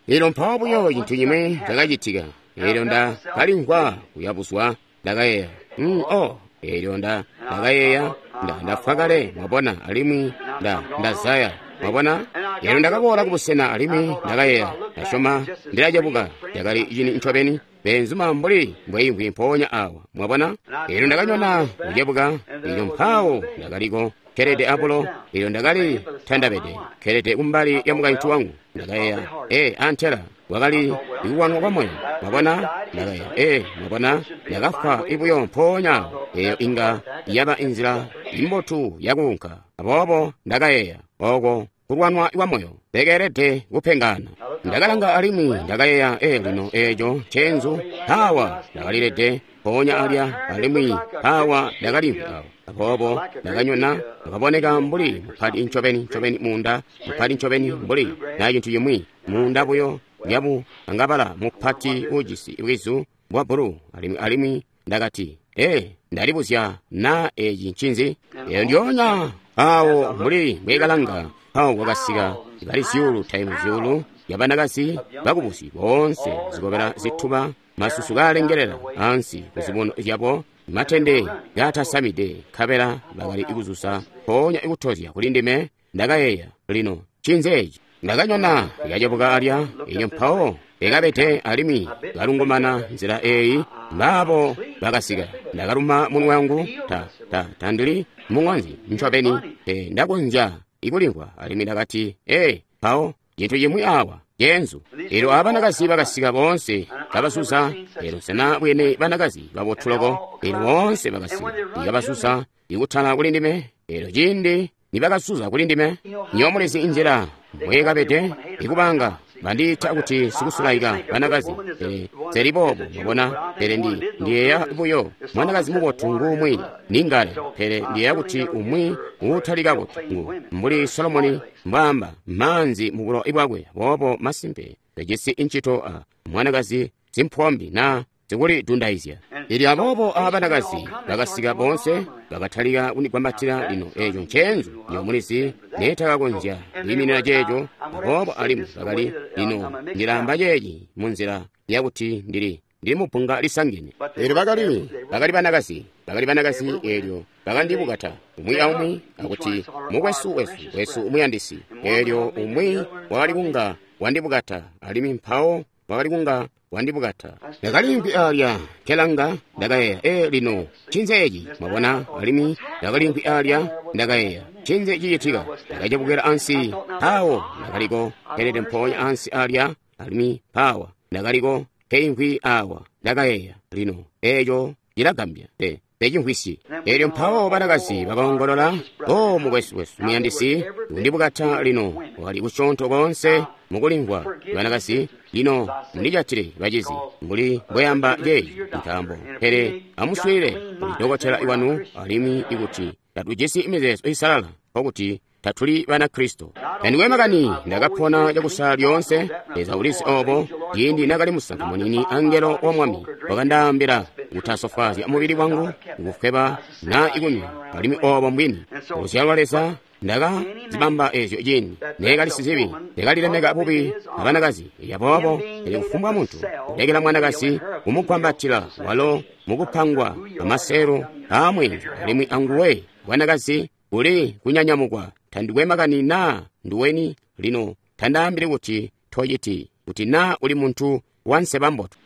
Eelyo mpawo buyo cintu cimwi cakacitika. Eelyo ndakalimvwa kuyabuzwa. Ndakayeeya mm, oh. Eelyo nda ndakayeeya nda ndafwa kale, mwabona, alimwi nda ndazaya, mwabona. Eelyo ndakaboola kubusena alimwi ndakayeeya ndasyoma ndilacebuka. Cakali cini ncobeni beenzuma mbuli mbweimvwi mpoonya awa, mwabona. Eelyo ndakanyona kucebuka. Eelyo mpawo ndakaliko kkelede abulo. Eelyo ndakali tandabede kkelede kumbali ya mukaintu wangu. Ndakayeeya ee antela wakali ikuwanwa kwa moyo, mwabona. Ndakayeeya ee, mwabona, ndakafwa ibuyo mpoonya awo. Eeyo inga yaba inzila imbotu yakuunka. Aboobo ndakayeeya oko kulwanwa kwa moyo ndekeelede kupengana. Ndakalanga alimwi ndakayeeya ee lino eeco nceenzu. Awa ndakalilede mpoonya alya, alimwi awa ndakalimvwi awo. Aboobo ndakanyona, ndakaboneka mbuli mupati ncobeni ncobeni munda, mupati ncobeni mbuli na cintu cimwi munda buyo lyabu angabala mupati ujisi bwizu bwa bulu. Alimwi alimwi ndakati ee, ndalibuzya naa eeci ncinzi. Eyo ndyoonya awo mbuli mbweekalanga, mpawo kwakasika bali zyuulu taimu zyuulu yabanakazi bakubusi boonse zikobela zituba, masusu kaalengelela ansi kuzibuno zyabo, matende kaatasamide, nkabela bakali kuzusa mpoonya ikutozya kuli ndime. Ndakayeeya lino ncinzi eeci. Ndakanyona lyacebuka alya. Eelyo mpawo ekabede alimwi kalungumana nzila eeyi. Mbaabo bakasika. Ndakaluma munwe wangu, ta ta tandili muŋonzi ncobeni pe ndakonzya ikulimvwa. Alimwi ndakati ee, mpawo cintu cimwi awa ceenzu. Eelyo abanakazi bakasika boonse kabasusa. Eelyo nsena bwene banakazi babotu loko. Eelyo boonse bakasika ikabasusa ikutala kuli ndime. Eelyo ciindi nibakasusa kuli ndime, nyomulizi inzila mbweekabede ikubanga bandiita kuti sikusulaika banakazi. Pele nseli boobo, mwabona. Pele ndi ndiyeeya buyo mwanakazi mubotu nguumwi ningale, pele ndiyeeya kuti umwi uutali kabotu ngu mbuli Solomoni mbwaamba maanzi mubulo bwakwe. Boobo masimpe pejisi incito a mwanakazi simpombi na zikulidundaizya. Eelyo aboobo abanakazi bakasika boonse bakatalika kundigwambatila. Lino eeco nceenzu nyomulizi neetakakonzya kwiiminina ceeco. Aboobo alimwi bakali lino ndilaamba ceeci munzila yakuti ndili ndili mupunga lisangene. Eelyo bakali bakali banakazi bakali banakazi. Eelyo bakandibukata umwi aumwi akuti mukwesu wesu wesu umuyandisi. Eelyo umwi wakali kunga wandibukata, alimwi mpawo wakali kunga wandibukata. Ndakalimvwi alya nkelanga. Ndakayeeya ee lino ncinzi eeci, mwabona. Alimwi ndakalimvwi alya ndakayeeya ncinzi cicitika. Ndakacebukila ansi, mpawo ndakaliko nkelede mpoonya ansi alya, alimwi mpawa ndakaliko nkeimvwi awa. Ndakayeeya lino eeco cilagambya pe pecimvwisyi. Eelyo mpawo banakazi bakaongolola, o mukwesu wesu muyandisi undibukata. Lino wakali kusyoonto koonse mukulimvwa banakazi. Lino mundijatile bacizi mbuli mbweyamba ceeci, nkaambo pele amuswiilile kuli dokotela wanu, alimwi ikuti tatujisi mizeezo isalala nkokuti tatuli Banakristo. Tandikwe makani, ndakapona cakusala lyoonse. Leza ulizi obo. Ciindi nakali musankwa muniini, angelo wa Mwami wakandaambila kutasofwaazya mubili wangu, kufweba na ikunywa, alimwi obo mbwini. Kuzyalwa Leza, ndaka zibamba ezyo ciindi neekali sizibi, ndakalilemeka bubi abanakazi. Aboobo pele kufumbwa muntu kulekela mwanakazi kumugwambatila walo mukupangwa amaseelo aamwenzu, alimwi anguwe bwanakazi kuli kunyanyamukwa. Tandikwe makani naa nduweni lino, tandaambili kuti tociti, kuti naa uli muntu wanseba mbotu.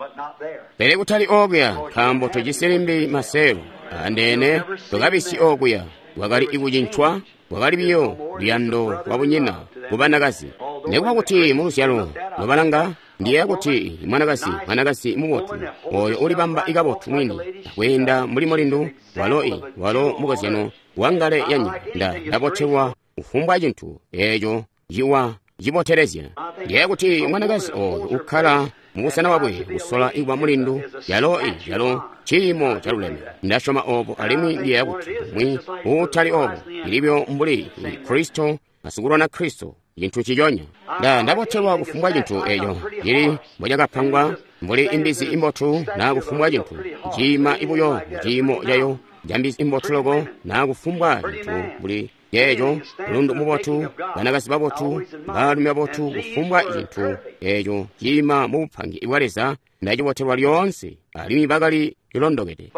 Pele kutali okuya, nkaambo tojisi limbi maseelo andeene, tokabisyi okuya. Bwakali ikucincwa, bwakali biyo luyando lwabunyina kubanakazi. Nekuba kuti muluzyalo nobalanga, ndiyeeya kuti mwanakazi, mwanakazi mubotu, oyo ulibamba ikabotu mwini, akweenda mbuli mulindu, walo i, walo mukozyano wangale yanyika. Nda ndabotelwa kufumbwa cintu eeco ciwa cibotelezya. Ndiyeeya kuti mwanakazi oyo ukkala mubusena bwakwe kusola ikuba mulindu, yalo i, yalo ciimo caluleme. Ndasyoma obo, alimwi ndiyeeya kuti umwi uutali obo, ilibyo mbuli Kristo, asikulwana Kristo, cintu ciconya. Nda ndabotelwa kufumbwa cintu eco cili mbocakapangwa, mbuli imbizi imbotu naa kufumbwa cintu ciima ibuyo muciimo cayo cambizi imbotu loko, naa kufumbwa cintu mbuli yeeco, mulundu mubotu, banakazi babotu, baalumi babotu, kufumbwa cintu eco ciima mu bupangi bwa Leza, ndacibotelwa lyoonse, alimwi bakali lilondokede.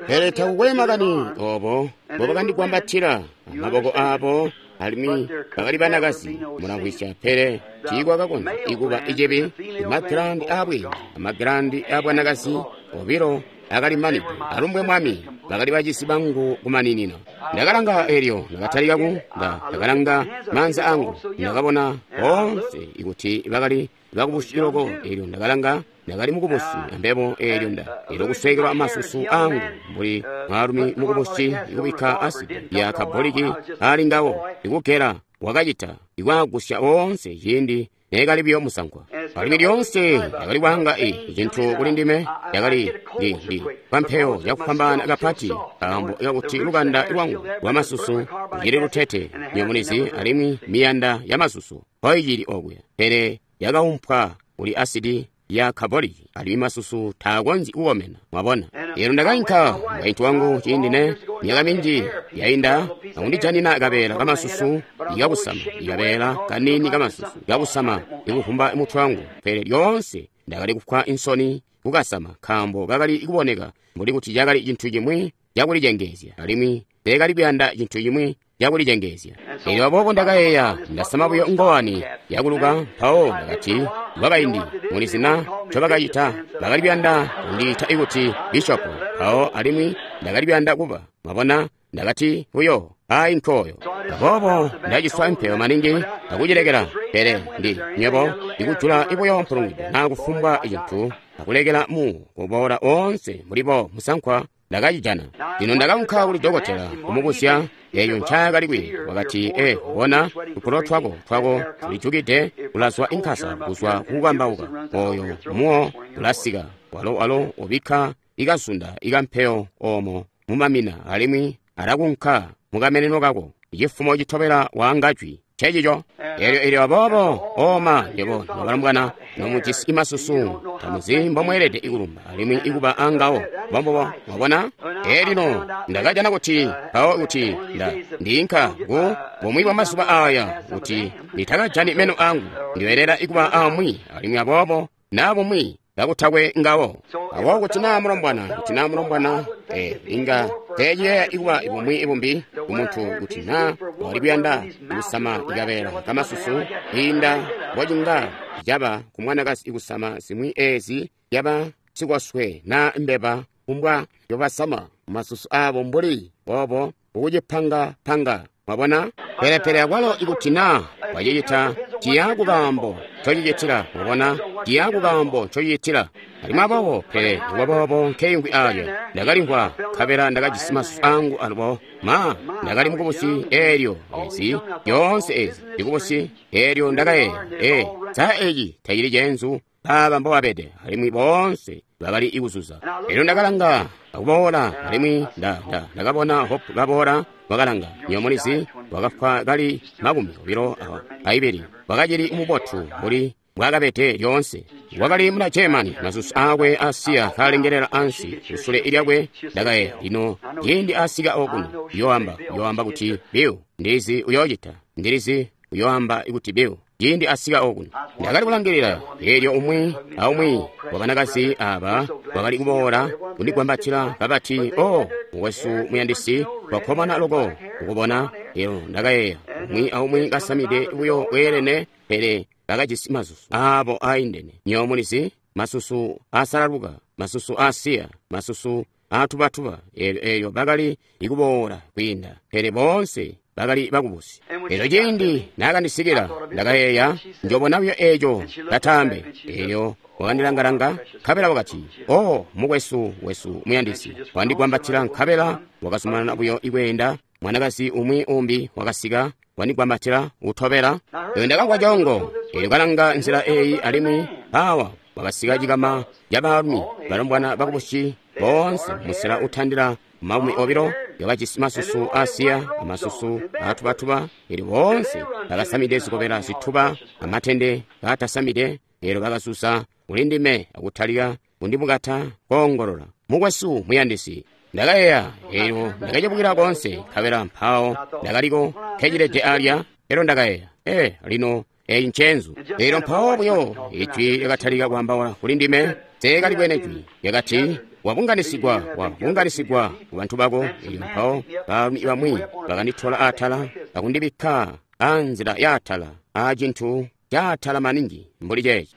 Pele takukwe makani obo mbobakandigwambatila amaboko abo, alimwi bakali banakazi, mulamvwisya, pele tiikwakakonzya ikuba icibi. Imagilandi aabwiinga amagilandi aabwanakazi obilo akali manide. Alumbwe Mwami, bakali bacisi bangu kumaninina. Ndakalanga elyo ndakatalika ku nda ndakalanga maanza angu, ndakabona boonse ikuti bakali bakubusi loko. Elyo ndakalanga, ndakali mukubusi ambebo. Elyo nda elyo kusweekelwa masusu angu mbuli mwaalumi mukubusi, ikubikka asidi ya kaboliki ali ngawo, ikugela wakacita ikwaagusya oonse ciindi neekali buyo musankwa. Alimwi lyoonse ndakali kwaanga i cintu kuli ndime yakali ndi ndi pampeyo yakufwambaana kapati, nkaambo kakuti lukanda lwangu lwamasusu lucili lutete, nyomunizi, alimwi miyanda ya masusu mpoicili okuya, pele yakaumpwa kuli asidi ya kaboliki, alimwi masusu taakonzyi kukomena. Mwabona? Elyo ndakainka mukaintu wangu ciindi ne myaka minji yainda akundijanina kabeela kamasusu ikakusama, ikabeela kaniini kamasusu ikakusama ikuvumba mutwe wangu, pele lyoonse ndakali kufwa insoni kukasama, nkaambo kakali kuboneka mbuli kuti cakali cintu cimwi cakulicengeezya, alimwi teekali kuyanda cintu cimwi cakulicengeezya. Elyo aboobo ndakayeeya, ndasama buyo ngowani yakuluka. Mpawo ndakati, kwakaindi mulizi na ncobakacita, bakali kuyanda kundiita ikuti bishopo, mpawo alimwi ndakali kuyanda kuba, mwabona, ndakati buyo ayi nkoyo. Aboobo ndaciswa impeyo maningi akucilekela, pele ndi nywebo ndikujula ibuyo mpulungwido naa kufumbwa cintu akulekela mu kuboola oonse mulibo musankwa ndakacijana. Lino ndakaunka kuli dokotela kumubuzya eyo ncaakali kwiiya. Wakati, e bona tupulo twako twako tulijukide, kulazwa inkasa kuzwa kukukambauka, oyo muwo ulasika, walo walo ubikka ikazunda ikampeyo omo mumamina, alimwi alakunka mukameneno kako. Cifumo citobela waanga jwi ncecico. Elyo elyo aboobo oma nywebo nobalombwana nomujisi imasusu tamuzi mbomweelede ikulumba alimwi ikuba angawo mbombubo. Mwabona? Elino ndakajana kuti mpawo kuti nda ndiinka ku bumwi bwa mazuba aya kuti nditakajani meno angu, ndiyoelela ikuba amwi, alimwi aboobo naa bumwi kakutakwe ngawo. Aboobo kuti naa mulombwana, kuti naa mulombwana, eh, inga teeciyeeya ikuba bumwi bumbi kumuntu kuti naa wali kuyanda kusama ikabeela kamasusu kwiinda mbocinga caba ku mwanakazi ikusama zimwi eezi yaba sikoswe naa mbeba kumbwa yobasama masusu abo mbuli boobo ukucipanga-panga. Mwabona? Pele pele akwalo ikuti naa wacicita ciya kukaambo ncocicitila. Mwabona? Ciya kukaambo ncocicitila. Alimwi aboobo pele nikuba boobo nkeyungwi alya ndakalimvwa nkabela ndakajisi masusu angu alubo ma ndakali mukubusi eelyo ezi yoonse ezi ndikubusi eelyo ndakayeeya e sa eci tacili ceenzu Aba mbobabede, alimwi boonse bakali ikuzuza. Elyo ndakalanga akuboola, alimwi nda, nda, ndakabona Hope kaboola, wakalanga. Nywebo mulizi, wakafwa kali makumi obilo aibili. Wakacili mubotu mbuli mbwaakabede lyoonse. Wakali muna Germany, masusu aakwe asiya kalengelela ansi kusule lyakwe. Ndakayeeya, lino ciindi asika okuno, uyoamba, uyoamba kuti Bill, ndilizi uyoocita, ndilizi uyoamba kuti Bill. Ciindi asika okuno, ndakali kulangilila. Eelyo umwi aumwi wa banakazi aba wakali kuboola kundigwambatila kabati, "Oh, mukwesu muyandisi, twakkomana loko kukubona." Eelyo ndakayeeya, umwi aumwi kasamide buyo bweelene, pele bakajisi masusu aabo aindene. Nywebo mulizi, masusu asalaluka, masusu asiya, masusu atubatuba. Eelyo eelyo bakali ikuboola kwiinda, pele boonse bakali bakubusi. Eelyo ciindi naakandisikila, ndakayeeya, njobona buyo eeco katambe. Eelyo wakandilangalanga, nkabela wakati, "Oh, mukwesu wesu muyandisi." Wandigwambatila, nkabela wakazumanana buyo ikweenda. Mwanakazi umwi umbi wakasika, wandigwambatila utobela. Eelyo ndakamvwa coongo. Eelyo kalanga nzila eeyi, alimwi awa wakasika cikama ca baalumi, balombwana bakubusi boonse musela utandila makumi obilo, yakajisi masusu asiya amasusu atubatuba. Eelyo boonse bakasamide zikobela zituba amatende kaatasamide. Eelyo bakasusa kulindime akutalika kundibukata koongolola, "Mukwesu muyandisi." Ndakayeeya, eelyo ndakacebukila koonse, nkabela mpawo ndakaliko nkecilede alya. Eelyo ndakayeeya, ee, lino eyi ncenzu. Eelyo mpawo buyo ijwi lyakatalika kwaambaula kulindime. Seekalibwene jwi. Lyakati, "Wabunganisigwa, wabunganisigwa ku bantu bako." Eelyo mpawo baalumi bamwi bakanditola atala akundibikka anzila yaatala aacintu caatala maningi mbuli ceeci.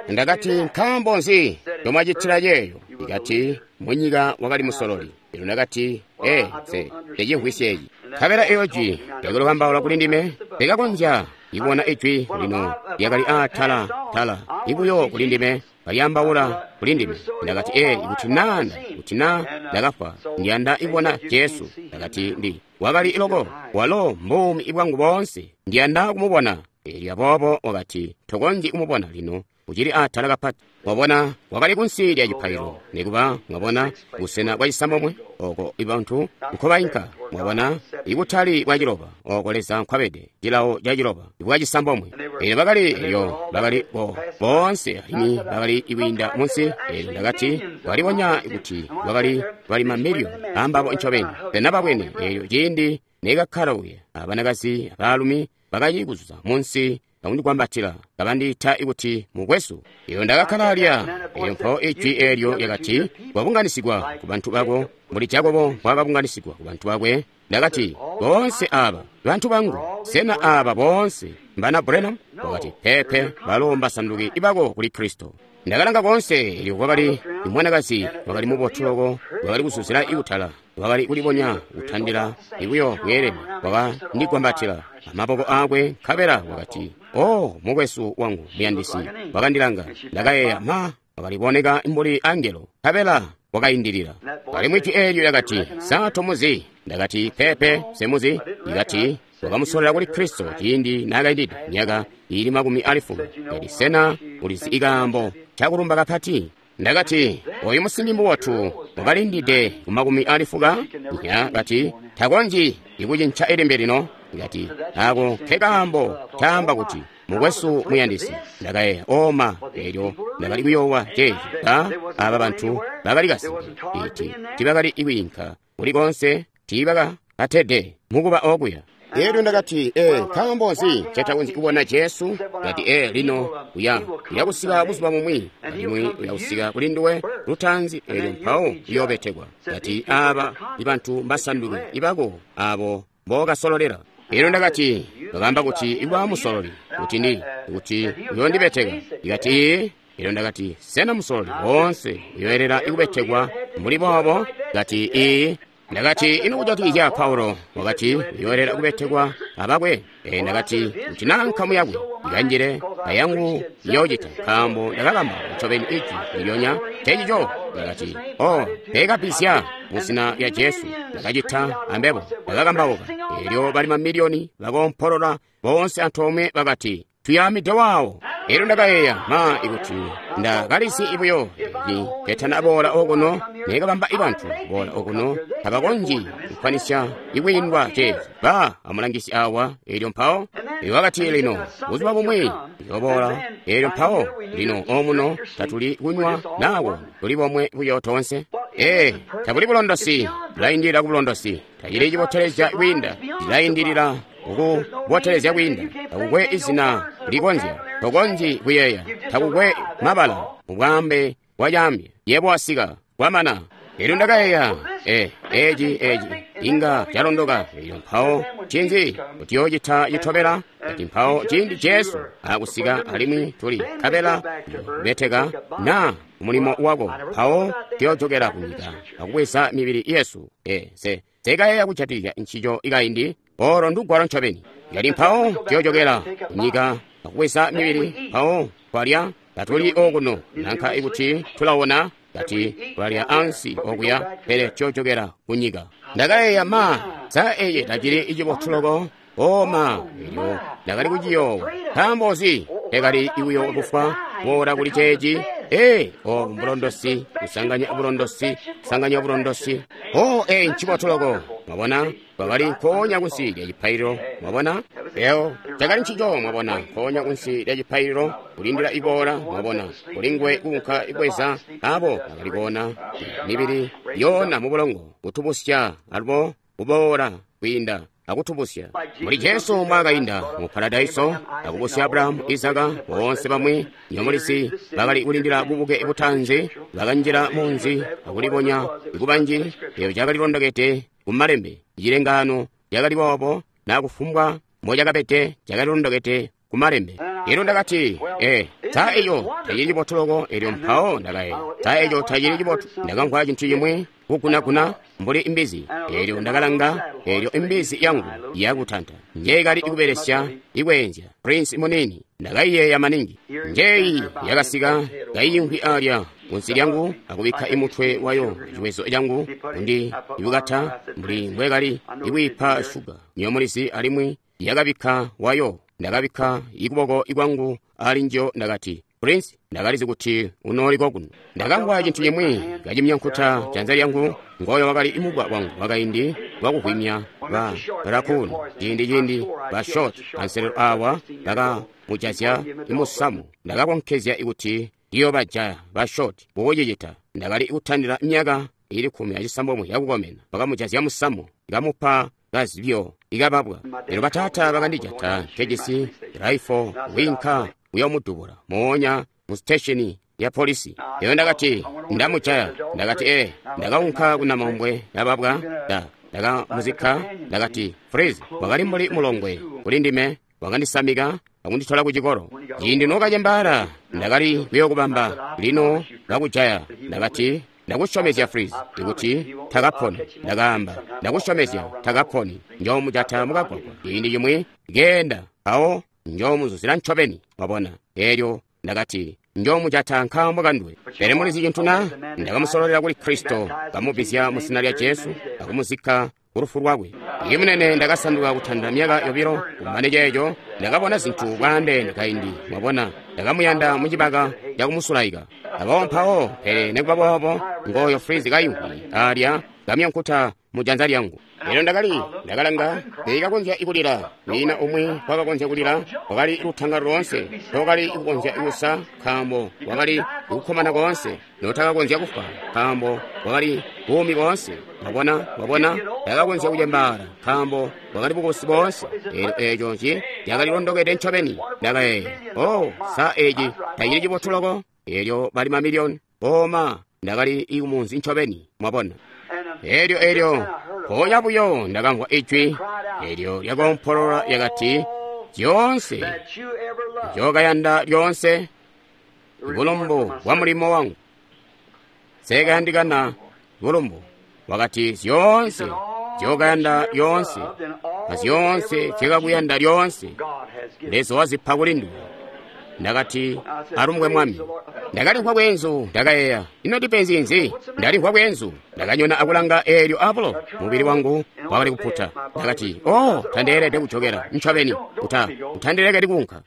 Ndakati, "Nkaambo nzi ndomwacitila ceeyo?" Ikati, "Munyika wakali musololi." Eelyo ndakati, "Ee, nse ndicimvwisya eci." Nkabela eyo jwi lyakali kwaambaula kuli ndime. Ndikakonzya ibona ijwi lino lyakali aatala tala ibuyo kuli ndime, kalyaambaula kuli ndime. Ndakati, "Ee, ikuti naa kuti naa ndakafwa, ndiyanda ibona Jesu." Ndakati, "Ndi wakali loko, walo mbuumi bwangu boonse, ndiyanda kumubona." Eelyo aboobo wakati, "Tokonzyi kumubona lino, ucili aatala kapati." Mwabona, wakali kunsi lya cipaililo, nikuba, mwabona, busena bwa cisambomwe oko ibantu nkobainka, mwabona, ikutali bwa ciloba oko Leza nkwabede, cilawo ca ciloba bwa cisambomwe. Eelyo bakali elyo bakali bo boonse alimwi bakali ikwiinda munsi. Eelyo ndakati, walibonya kuti bakali bali mamiliyoni ambabo ncobeni. Pena babwene. Eelyo ciindi nekakkala uya, abanakazi abaalumi bakali kuzuza munsi akundigwambatila kabandiita ikuti mukwesu. Eelyo ndakakkala alya. Eelyo mpawo ijwi eelyo lyakati, "Wabunganisigwa ku bantu bako mbuli Jakobo mbwaakabunganisigwa ku bantu bakwe." Ndakati, "Boonse aba bantu bangu, sena aba boonse mbana Branham?" Wakati, "Peepe, balo mbasanduki bako kuli Kristo." Ndakalanga koonse, eelyo kwakali imwanakazi wakali mubotu loko, wakali kuzuzila ikutala, wakali kulibonya kutandila ibuyo bweelene. Wakandigwambatila amaboko aakwe, nkabela wakati, "Oh, mukwesu wangu muyandisi." Wakandilanga. Ndakayeeya, ma, wakaliboneka mbuli angelo, nkabela wakaindilila. Alimwi jwi eelyo lyakati, "Sa tomuzi?" Ndakati, "Peepe, semuzi." Ikati, "Wakamusolela kuli Kristo ciindi naakaindide myaka iili makumi ali fuka." Kati, "Sena ulizi ikaambo cakulumba kapati?" Ndakati, "Oyu musimbi mubotu wakalindide ku makumi ali fuka." Nya kati, "Takonzyi ikucinca ilimbe lino." Kati, "Ako nkekaambo caamba kuti mukwesu muyandisi." Ndakayeeya, oma, eelyo ndakali kuyoowa ceeci. Ba aba bantu bakali kasimpe iti tibakali ikwiinka kuli konse, tiibakatede mukuba okuya. Eelyo ndakati, "Ee, nkaambo nzi ncetakonzyi kubona Jesu?" Kati, "Ee, lino uya uyakusika buzuba bumwi, alimwi uyakusika kuli nduwe lutaanzi, eelyo mpawo uyoobetekwa." Kati, "Aba ibantu mbasanduki ibako abo mbookasololela." Eelyo ndakati, "Bakaamba kuti ikuba musololi, kuti ndi kuti uyoondibeteka." Ikati, "Ee." Eelyo ndakati, "Sena musololi woonse uyoelela ikubetekwa mbuli boobo?" Kati, "Ee." Ndakati, "Ino kujatikizya Paulo?" Wakati, "Uyoelela kubetekwa abakwe." E, ndakati, "Kuti naa nkamu yakwe ikanjile ayangu iyoocita, nkaambo ndakakamba ncobeni ijwi ndilyonya ncencico." Ndakati, "Oh, peekabisya mu zina lya Jesu, ndakacita ambebo, ndakakambauka." Eelyo bali mamiliyoni bakoompolola boonse antoomwe bakati, "Tuyaamide waawo." Elyo ndakayeeya, ma, ikuti Nda kalizi buyo eci ketana boola okuno, nekabamba ibantu boola okuno, tabakonzyi kukwanisya ikwiindwa ceeci. Ba amulangisi awa, elyo mpawo wakati, lino buzuba bumwi ndiyoboola, elyo mpawo lino omuno tatuli kunywa nawo, tuli bomwe buyo tonse. Ee, tabuli bulondosi, bulaindilila ku bulondosi, tacili cibotelezya kwiinda, cilaindilila kukubotelezya kwiinda. Takukwe izina likonzya, tokonzyi kuyeeya, takukwe mabala mubwaambe bwacaambya. Yebo wasika, kwamana. Elyo ndakayeeya, e eci eci inga calondoka. Elyo mpawo ncinzi kutiyocita citobela? Kati mpawo ciindi Jesu akusika alimwi tuli nkabela beteka na mulimo wako, mpawo tuyojokela kunyika akubweza mibili yesu. E se sekayeeya kujatikizya ncico ikaindi, olo ndugwalo ncobeni. Kati mpawo tuyojokela kunyika akubweza mibili, mpawo twalya tatuli okuno nanka ikuti tulawona. Kati tulalya ansi okuya, pele tuyojokela kunyika. Ndakayeeya, ma, sa eci tacili icibotu loko? O ma, elyo ndakali kuciyoowa. Nkaambo nzi tekali ibuyo kufwa boola kuli ceeci? Ee, obu mbulondosi, kusanganya bulondosi, kusanganya bulondosi. O, ee, ncibotu loko. Mwabona, twakali nkoonya kunsi lya cipaililo. Mwabona, eo cakali ncico. Mwabona, nkoonya kunsi lya cipaililo, kulindila iboola. Mwabona, kulingwe kuunka ibweza abo bakali koona mibili yoona mu bulongo, kutubusya alubo kuboola kwiinda akutubusya muli Jesu mbwaakainda mu paradaiso akubusya Abrahamu, Izaka, boonse bamwi nyomulizi bakali kulindila bubuke butanzi, bakanjila munzi akulibonya kubanji. Eyo cakali londokede kumalembe, cilengaano cakali boobo, na kufumbwa mbocakabede cakali londokede kumalembe. Elyo ndakati, e sa eco tacili cibotu loko? Elyo mpawo ndakayeeya, sa eco tacili cibotu? Ndakamvwa cintu cimwi kugunaguna mbuli imbizi. Elyo ndakalanga, elyo imbizi yangu yakutanta njeekali ikubelesya ikweenzya Prince munini. Ndakaiyeeya maningi. Njeeyi yakasika kaiyimvwi alya kunsi lyangu akubikka imutwe wayo ciwezo cangu kundi ibukata mbuli mbwekali ikwiipa shuga nyomulizi, alimwi yakabikka wayo. Ndakabikka ikuboko ikwangu ali njo. Ndakati, Prince, ndakalizi kuti unooliko kuno. Ndakamvwa cintu cimwi kacimyankuta janza lyangu. Ngoyo wakali imubwa wangu wakaindi wakuvwimya ba raccoon. Ciindi ciindi ba short anselelo awa bakamujazya imusamu. Ndakakonkezya ikuti ndiyobajaya ba short kukucicita. Ndakali kutandila myaka ili kkumi acisambomwe yakukomena. Bakamujazya musamu, kamupa kazibyo ikababwa. Lino bataata bakandijata nkejisi raifo winka kuyomudubula moonya mu station ya polisi. Eyo ndakati ndamujaya. Ndakati ee, ndakaunka kunamaumbwe yababwa, nda ndakamuzikka. Ndakati, Freeze wakali mbuli mulongwe kuli ndime, wakandisamika akunditola ku cikolo. Ciindi nokacembaala ndakali kuyokubamba, lino bakujaya. Ndakati, ndakusyomezya Freeze ikuti takaponi. Ndakaamba, ndakusyomezya takaponi, njoomujata mukagwagwa ciindi cimwi keenda, mpawo njoomuzuzila ncobeni. Wabona? Elyo ndakati, njoomujata nkaambo kanduwe. Pele mulizi cintu na? Ndakamusololela kuli Kristo, kamubbizya mu zina lya Jesu akumuzikka kulufu lwakwe. Iye munene, ndakasanduka kutanda myaka yobilo. Kumane ceeco ndakabona zintu bwaandeene kaindi. Mwabona, ndakamuyanda mucibaka cakumusulaika. Aboobo mpawo, pele nikuba boobo, ngoyo Freeze kayimvwi alya kamyankuta mu janza lyangu. Elyo ndakali ndakalanga, teekakonzya kulila. Kwiina umwi wakakonzya kulila. Wakali lutangalo loonse, tookali kukonzya kusa, nkaambo wakali kukkomana koonse. Notakakonzya kufwa, nkaambo wakali buumi boonse. Mwabona, mwabona, takakonzya kucembaala, nkaambo wakali bukubusi boonse. Elyo eco nci cakali londokede ncobeni. Ndakayeeya, oh, sa eci tacili cibotu loko? Elyo bali mamiliyoni. Oma, ndakali kumunzi ncobeni. Mwabona. Elyo elyo mpoonya buyo ndakamvwa ijwi elyo lyakompolola lyakati, zyoonse nzyokayanda lyoonse bulumbu bwa mulimo wangu. Nsekayandikana bulumbu. Wakati, zyoonse nzyokayanda lyoonse azyoonse zyakakuyanda lyoonse Leza wazipa kuli nduwe. Ndakati, alumbwe Mwami. Ndakalimvwa bweenzu, ndakayeeya, ino ndipenzi nzi? Ndalimvwa bweenzu. Ndakanyona akulanga eelyo abulo, mubili wangu wakali kuputa. Ndakati, oh, tandeelede kujokela, ncobeni, uta, utandilekeli kuunka.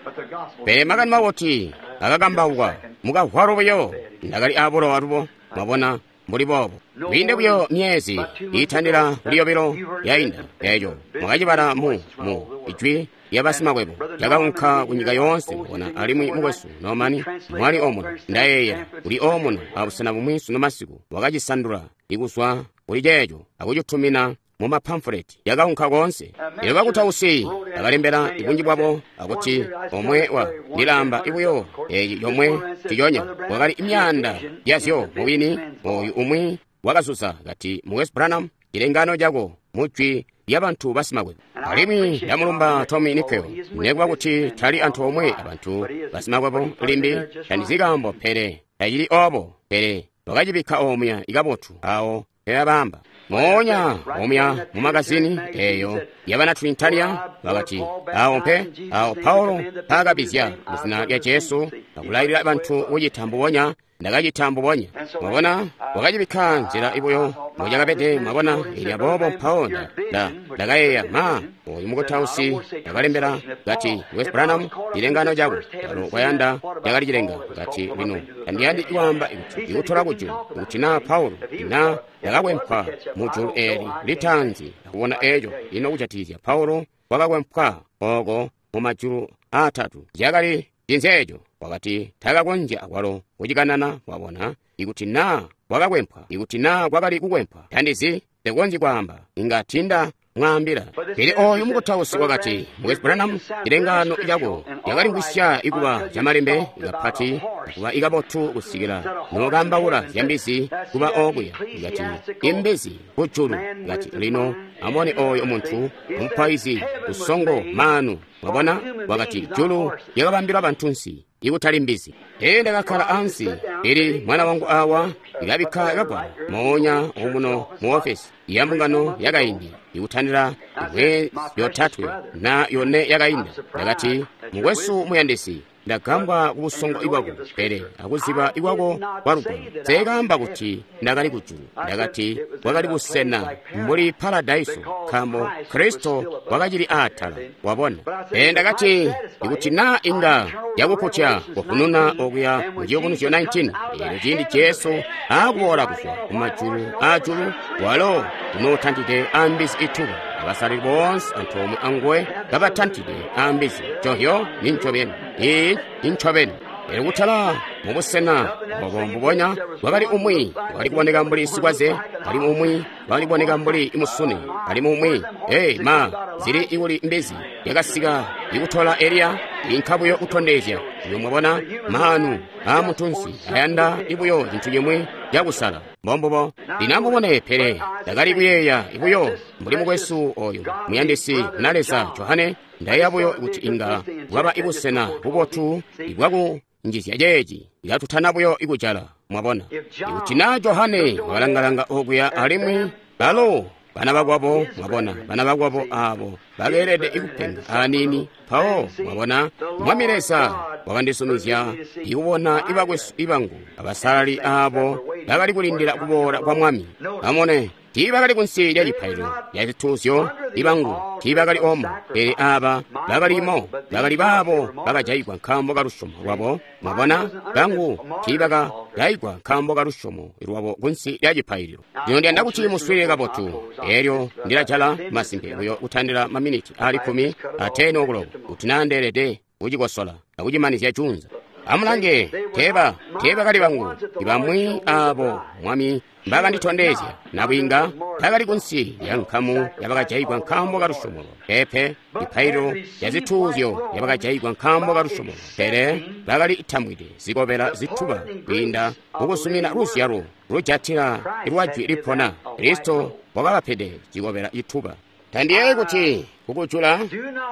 Pele makani mabotu akakambaukwa mukavwalo buyo. Ndakali abulo alubo, mwabona, mbuli boobo. Kwiinde buyo myezi iitandila kuli yobilo yainda eeco mwakacibala mu mu ijwi lya basimakwebo lyakaunka ku nyika yoonse, mwabona, alimwi mukwesu Norman mwali omuno, ndayeeya kuli omuno abusena bumwi sunu masiku, wakacisandula ikuzwa kuli ceeco akucitumina mu mapamfuleti, yakaunka koonse. Elyo bakutausi bakalembela ibunji bwabo akuti omwe wa ndilamba ibuyo eci yomwe ciconya wakali imyaanda yazyo mubwini. Oyu umwi wakazuza kati, Mukwesu Branham, cilengano cako mujwi lya bantu basimakwebo. Alimwi ndamulumba Tommy Nickel, nekuba kuti tali antoomwe abantu basimakwebo limbi, tandizi kaambo, pele tacili obo, pele wakacibikka omuya ikabotu awo peyabamba moonya omuya mu magazini eyo yabana Trinitaria. Bakati awo mpe awo Paulo paakabizya muzina lya Jesu akulailila bantu kucita mbubonya, ndakacita mbubonya. Mwabona, wakacibikka nzila ibuyo mbucakabede, mwabona. Ili aboobo mpawo nda ndakayeeya, ma, oyu mukutausi ndakalembela kati, Wes Branham, cilengano cako alo kwayanda lyakali cilenga. Kati, lino tandiyandi kwaamba kuti ikutola kujulu, kuti naa Paulo na ndakakwempwa mujulu eeli litaanzi akubona eeco. Ino kujatikizya Paulo wakakwempwa oko mu majulu aatatu, zyakali cinzeeco? Wakati takakonzya akwalo kucikanana, wabona, ikuti naa wakakwempwa, ikuti naa kwakali kukwempwa, tandizi, tekonzyi kwaamba, inga tinda mwaambila. Pele oyu mukutausi wakati, Mukwesu Branham, cilengano cako lyakalimvwisya ikuba camalembe ikapati akuba ikabotu kusikila nokambaula zyambizi kuba okuya. Ikati imbizi kujulu. Ikati lino amone oyo muntu mupaizi usongo maanu, mwabona. Wakati julu lyakabambilwa bantunsi ikutali mbizi. Ee, ndakakkala ansi, ili mwana wangu awa ilabikka kagwalo moonya omuno mu ofesi ya mbungano yakaindi ikutandila imwe yotatwe na yone yakainda. Ndakati, mukwesu muyandisi, ndagambwa ku busongo ibwako, pele akuziba ikwako kwa lugwalo. Nseekaamba kuti ndakali kujulu. Ndakati bwakali busena mbuli paradaiso, nkaambo Kristo wakacili aatala, wabona. Pele ndakati, ikuti naa inga yakukutya kufununa okuya mu Ciyubunuzyo nineteen, eelyo ciindi Jesu aakuboola kuzwa kumajulu aajulu, walo unootantide ambizi ituba, abasalali boonse antoomwe anguwe kabatantide ambizi. Cohyo ni ncobeni, iyi ni ncobeni. Elyo kutala mubusena obo mbubonya bwakali umwi wakali kuboneka mbuli sikwaze, alimwi umwi wakali kuboneka mbuli musune, alimwi umwi ei ma zili ikuli mbizi yakasika ikutola Eliya inka buyo kutondezya. Iyo mwabona maanu aamuntunsi ayanda ibuyo cintu cimwi cakusala. Mbombubo. Lino amubone, pele ndakali kuyeeya buyo mbuli mukwesu oyu muyandisi na Leza Johane, ndayeeya buyo kuti inga bwaba ibusena bubotu ibwakunjizya ceeci ilatutana buyo ikujala, mwabona. Ikuti naa Johane wakalangalanga okuya alimwi balo bana bakwabo, mwabona, bana bakwabo abo bakeelede ikupenga aniini. Mpawo mwabona, Mwami Leza wakandisumizya ikubona ibakwesu ibangu abasalali abo bakali kulindila kuboola kwa Mwami. Amone, tiibakali kunsi lya cipaililo lya zituuzyo ibangu, tiibakali omo, pele aba bakalimo, bakali baabo bakajayigwa nkaambo ka lusyomo lwabo. Mwabona, bangu tiibakajayigwa nkaambo ka lusyomo lwabo kunsi lya cipaililo. Lino ndiyanda kuti muswiilile kabotu, eelyo ndilajala masimpe buyo kutandila maminiti ali kkumi ateni okuloko, kuti naa ndeelede kucikosola akucimanizya junza. Amulange, teeba teebakali bangu ibamwi abo Mwami mbakanditondezya nabwiinga takali kunsi lya nkamu yabakajayigwa nkaambo ka lusyomo lwabo. Peepe, cipaililo lya zituuzyo lyabakajayigwa nkaambo ka lusyomo lwabo, pele bakali tambwide zikobela zituba kwiinda mukusumina luzyalo lujatila lwa jwi lipona. Kristo wakabapede cikobela cituba. Tandiyeeyi kuti kukujula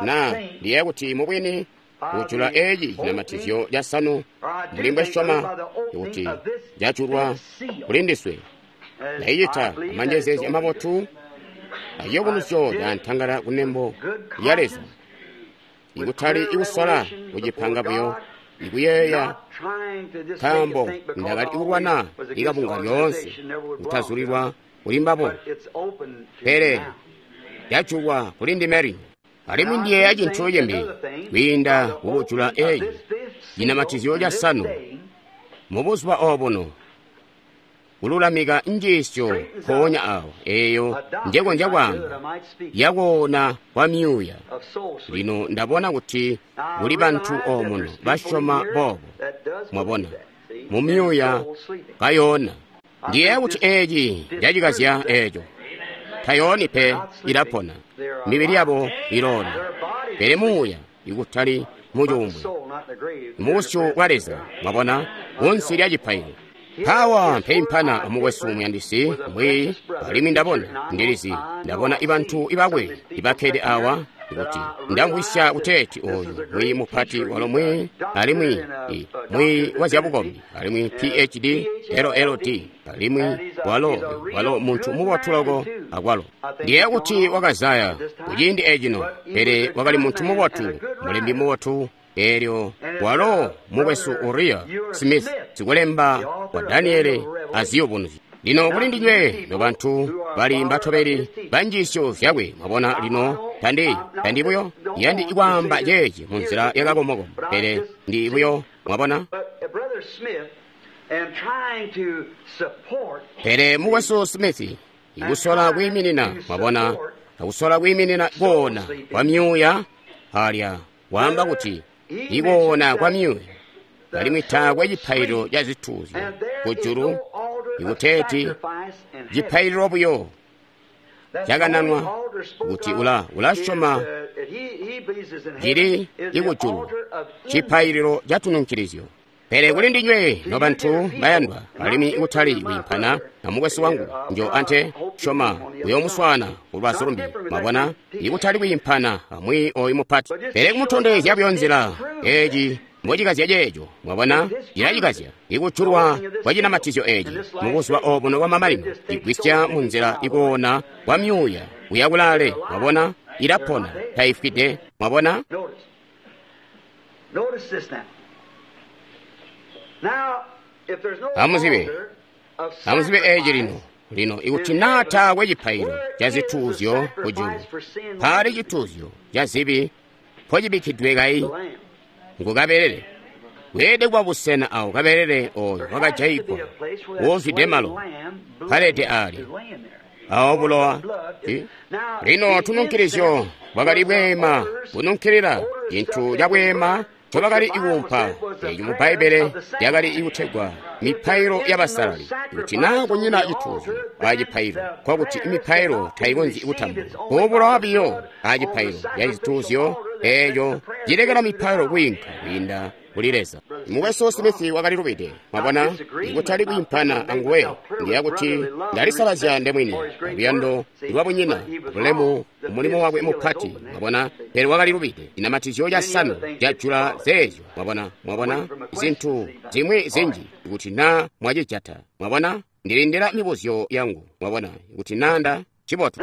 na ndiyeeya kuti mubwini kujula eci cinamatizyo casanu mbuli mbwesyoma kuti cajulwa kuli ndiswe. Ndaicita amanjezeezya mabotu aciyubunuzyo ca ntangala kunembo lya Leza, ikutali ikusola kucipanga buyo ikuyeeya nkaambo ndakali kulwana ikabunga lyoonse kutazulilwa kuli mbabo, pele yajulwa kuli ndime lino. Alimwi ndiyeeya cintu cimbi kwiinda kukujula eyi cinamatizyo casanu mubuzuba obuno, kululamika njiisyo mpoonya awo eyo njekonzya kwaamba yakoona kwa myuuya. Lino ndabona kuti kuli bantu omuno basyoma boobo, mwabona, mu myuuya kayoona. Ndiyeeya kuti eci cacikazya eco. Tayooni pe, ilapona, mibili yabo iloona, pele muuya ikutali mucuumbwe, mubusyu bwa Leza, mwabona, kunsi lya cipaililo. Mpawa mpeimpana amukwesu muyandisi mbwi, alimwi ndabona, ndilizi, ndabona ibantu ibakwe ibakkede awa, kuti ndamvwisya kuteeti oyu mwiyi mupati walo mwiyi, alimwi mwiyi wa zyabukombi, alimwi P H D L L D, alimwi walo walo muntu mubotu loko akwalo. Ndiyeeya kuti wakazaya kuciindi ecino, pele wakali muntu mubotu, mulembi mubotu. Eelyo walo mukwesu Uriah Smith, sikulemba wa Daniele aziyubunuzyo. Lino kuli ndinywe nobantu bali mbatobeli ba njiisyo zyakwe, mwabona. Lino tandi tandi buyo yandi ikwaamba ceeci munzila yakakomokomo, pele ndi buyo, mwabona. Pele mukwesu Smith ikusola kwiiminina, mwabona, akusola kwiiminina koona kwa myuuya alya waamba kuti ikoona kwa myuuya alimwi taakwe cipaililo ca zituuzyo kujulu, ikuteeti cipaililo buyo cakananwa kuti ula ulasyoma cili ikujulu cipaililo ca tununkilizyo. Pele kuli ndinywe nobantu bayandwa, alimwi ikutali kwiimpana na mukwesu wangu njo ante syoma uyomuswaana kulubazu lumbi, mwabona, ikutali kwiimpana amwi oyu mupati, pele kumutondezya buyo nzila eci mbocikazya ceeco, mwabona, cilacikazya ikujulwa kwa cinamatizyo eci mubuzuba obuno bwa mamanino, igwisya munzila ikoona kwa myuuya kuya kulaale, mwabona, ilapona taifwide, mwabona. Amuzibe, amuzibe eci lino. Lino ikuti naa taakwe cipaililo ca zituuzyo kujulu, paali cituuzyo ca zibi mpocibikkidwe kayi ngu kabelele. Weelede kuba busena awo kabelele oyo wakajayigwa wozwide malo palede alya awo bulowa. Lino tununkilizyo bwakali bweema bununkilila, cintu cabweema ncobakali ikuumpa eeci mu Bbaibbele lyakali ikutegwa mipailo y'abasalali. Kuti naa kunyina cituuzyo acipaililo, nkokuti imipailo taikonzyi kutambulwa. Kubulowa biyo acipaililo ca cituuzyo eeco cilekela mipailo kwiinka kwiinda kuli Leza. Mukwesu Smith wakali lubide, mwabona, ikutali kwiimpana anguwe. Ndiya kuti ndalisalazya ndemwini luyando lwabunyina bulemu mulimo wakwe mupati, mwabona, pele wakali lubide. Cinamatizyo casanu cajula zeezyo, mwabona, mwabona zintu zimwi zinji kuti naa mwacijata, mwabona. Ndilindila mibuzyo yangu, mwabona, kuti nanda cibotu.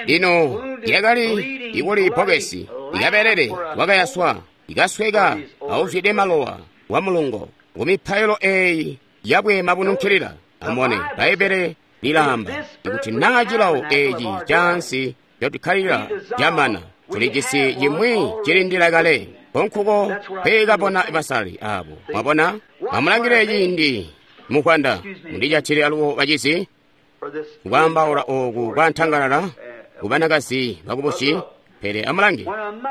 Lino lyakali ikuli bbokesi ikabelele wakayaswa ikasweka auzwide malowa wa mulungo kumipailo eyi yabweema bununkilila. Amubone, Bbaibbele lilaamba ikuti naa cilawo eci caansi cotukkalila camana, tulijisi cimwi cilindila kale konkuko peekabona basalali abo, mwabona. Amulangile ciindi mukwanda mundijatile alubo bacizi kwaambaula ooku kwantangalala kubanakazi bakubusi, pele amulange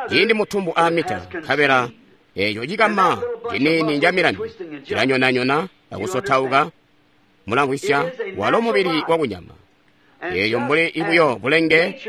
ciindi mutumbu aamita nkabela eeco cikama ciniini ca milambi cilanyonanyona akusotauka, mulamvwisya walo mubili wakunyama. Eeyo mbuli ibuyo bulenge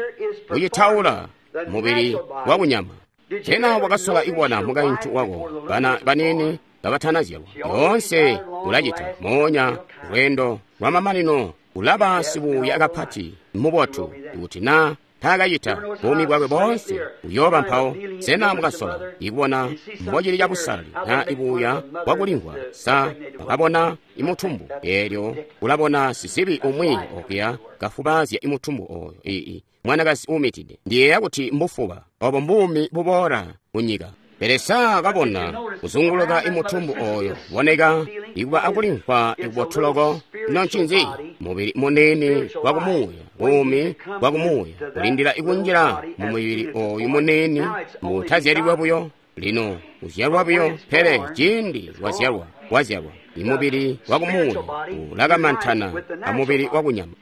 bucitaula mubili wakunyama. Sena wakasola ibona mukaintu wako bana baniini kabatanazyalwa? Yoonse ulacita moonya lweendo lwamamanino ulaba sibuuya kapati mubotu kuti naa taakacita buumi bwakwe boonse uyooba mpawo. Sena mukasola ikubona mbocili cabusalali naa ibuuya bwakulimvwa? Sa wakabona imutumbu eelyo ulabona sizibi umwi okuya kafubaazya imutumbu oyo ii mwanakazi uumitide. Ndiyeeya kuti mbufuba obo mbuumi buboola kunyika. Pele saa kabona kuzunguluka imutumbu oyo boneka ikuba akulimvwa ikubotuloko. Ino ncinzi? Mubili munene wa kumuuya, buumi bwa kumuuya kulindila ikunjila mu mubili oyu munene mutazyalilwa buyo. Lino uzyalwa buyo, pele ciindi wazyalwa, wazyalwa imubili wa kumuuya ulakamantana amubili wa kunyama.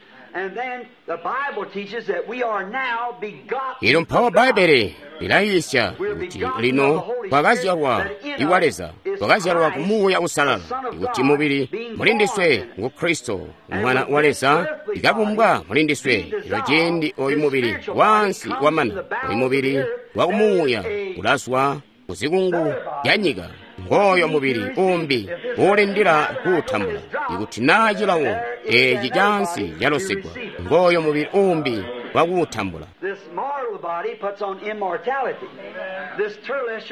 Ilo mpawo Bbaibbele lilayiisya kuti lino twakazyalwa iwa Leza, twakazyalwa ku Muuya Uusalala, ikuti mubili mulindiswe ngu Kristo, Mwana wa Leza, ikabumbwa mulindiswe. Ilo ciindi oyu mubili waansi wamana, oyu mubili wa kumuuya ulazwa kuzikungu lya nyika. Ngooyo mubili umbi uulindila kuutambula. Ikuti naa cilawo eeci caansi calosigwa, ngooyo mubili umbi wakuutambula.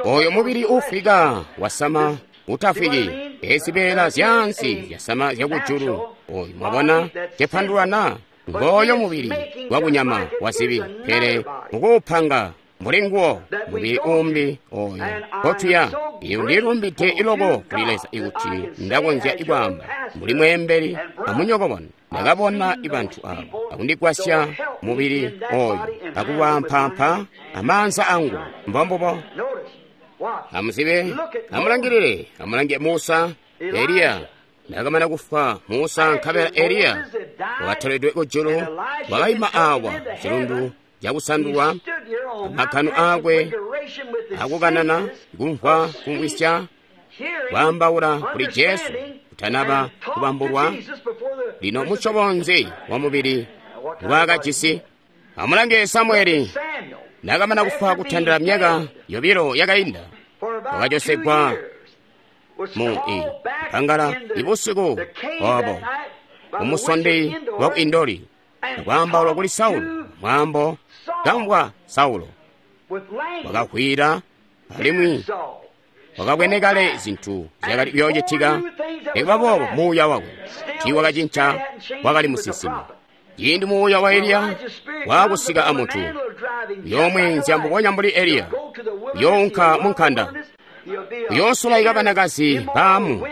Oyo mubili uufwika wasama utafwiki, ezibeela zyaansi zyasama zyakujulu. Oyu mwabona cepandulana, ngooyo mubili wakunyama wazibi, pele mukuupanga mbuli nguwo mubili umbi oyo kotuya. Iyo ndilumbide iloko kuli Leza ikuti ndakonzya ikwaamba mbuli mweembeli amunyokobona. Ndakabona ibantu abo akundigwasya mubili oyo akuwampaampa amaanza angu. Mbombubo. Amuzibe, amulangilile, amulange Musa, Eliya. Nakamana kufwa Musa nkabela Eliya wakatoledwe kujulu, wakaima awa cilundu cakusandulwa, amakanu aakwe akukanana, kumvwa, kumvwisya, kwaambaula kuli Jesu kutanaba kubambulwa. Lino musyobo nzi wa mubili ngwaakajisi? Amulange Samueli. Nakamana kufwa kutandila myaka yobilo yakainda, wakajosegwa mu i mpangala ibusiku obo umusondi wa ku Indori, akwaambaula kuli Saulo mwambo kamvwa Saulo wakakwira, alimwi wakabwene kale zinthu zyakali kuyoocitika. Nikuba boobo muuya wakwe tiiwakacinca, wakali musinsimi. Ciindi muuya wa Eliya waakusika amuntu, uyoomweenzya mbubonya mbuli Eliya, uyounka mu nkanda, uyoosulaika banakazi baamu,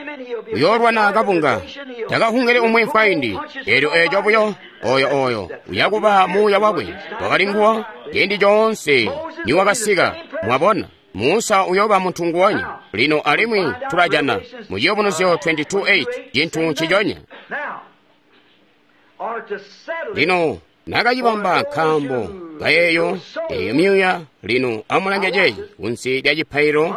uyoolwana kabunga, takahungele umwe mfwaindi. Eelyo eeco buyo oyo oyo uyakuba muuya wakwe wakali nguwo ciindi coonse niwakasika. Mwabona, Musa uyooba muntu nguwonya lino. Alimwi tulajana mu Ciyubunuzyo twenty-two eight cintu nciconya. Lino nakacibamba nkaambo kayeeyo eyo myuuya. Lino amulange ceeci kunsi lya cipailo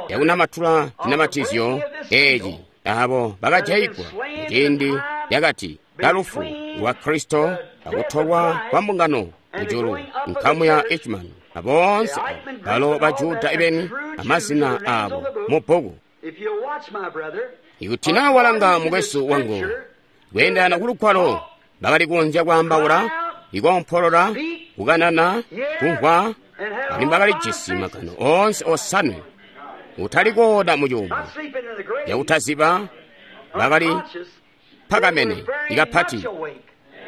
yakunamatula cinamatizyo eeci, abo bakajaigwa muciindi lyakati kalufu lwa Kristo akutolwa kwa mbungano kujulu, nkamu ya Eichmann aboonse balo ba Juda ibeni amazina abo mu bbuku. Ikuti naa walanga mukwesu wangu kweendana kulugwalo, bakali kukonzya kwaambaula, ikoompolola, kukanana, kumvwa, alimwi bakalijisi magano oonse osanwe. Utali kooda mucuumo yakutaziba, bakali pakamene ikapati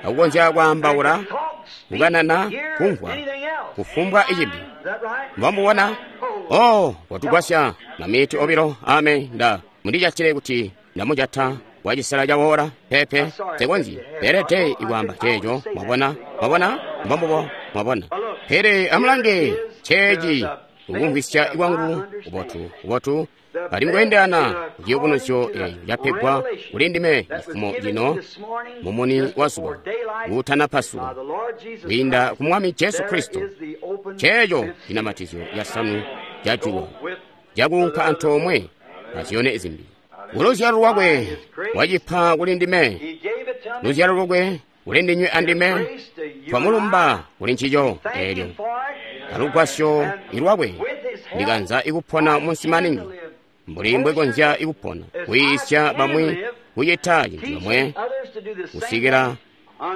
akukonzya kwaambaula, kukanana, kumvwa, kufumbwa icibi. Mbwamubona? Oh, watugwasya mamiti obilo. Ame nda mundijatile kuti ndamujata wacisela cawola pepe sekonzi pelede ikwaamba ceeco. Mwabona? Mwabona? Mbombubo. Mwabona? Pele amulange ceeci ukumvwisya kwangu kubotu kubotu ali mukweendana kuciyubunuzyo eeco capegwa kuli ndime cifumo cino mumuni wa zuba kuutanapasuka kwiinda ku Mwami Jesu Kristo. Ceeco cinamatizyo casanu cajulwa cakuunka antoomwe azyone zimbi. Kuluzyalo lwakwe wacipa kuli ndime, luzyalo lwakwe kuli ndinywe andime, twamulumba kuli ncico eelyo. Alugwasyo ilwakwe ndikanza ikupona munsi maningi mbuli mbwekonzya ikupona, kuyiisya bamwi kucita cintu comwe kusikila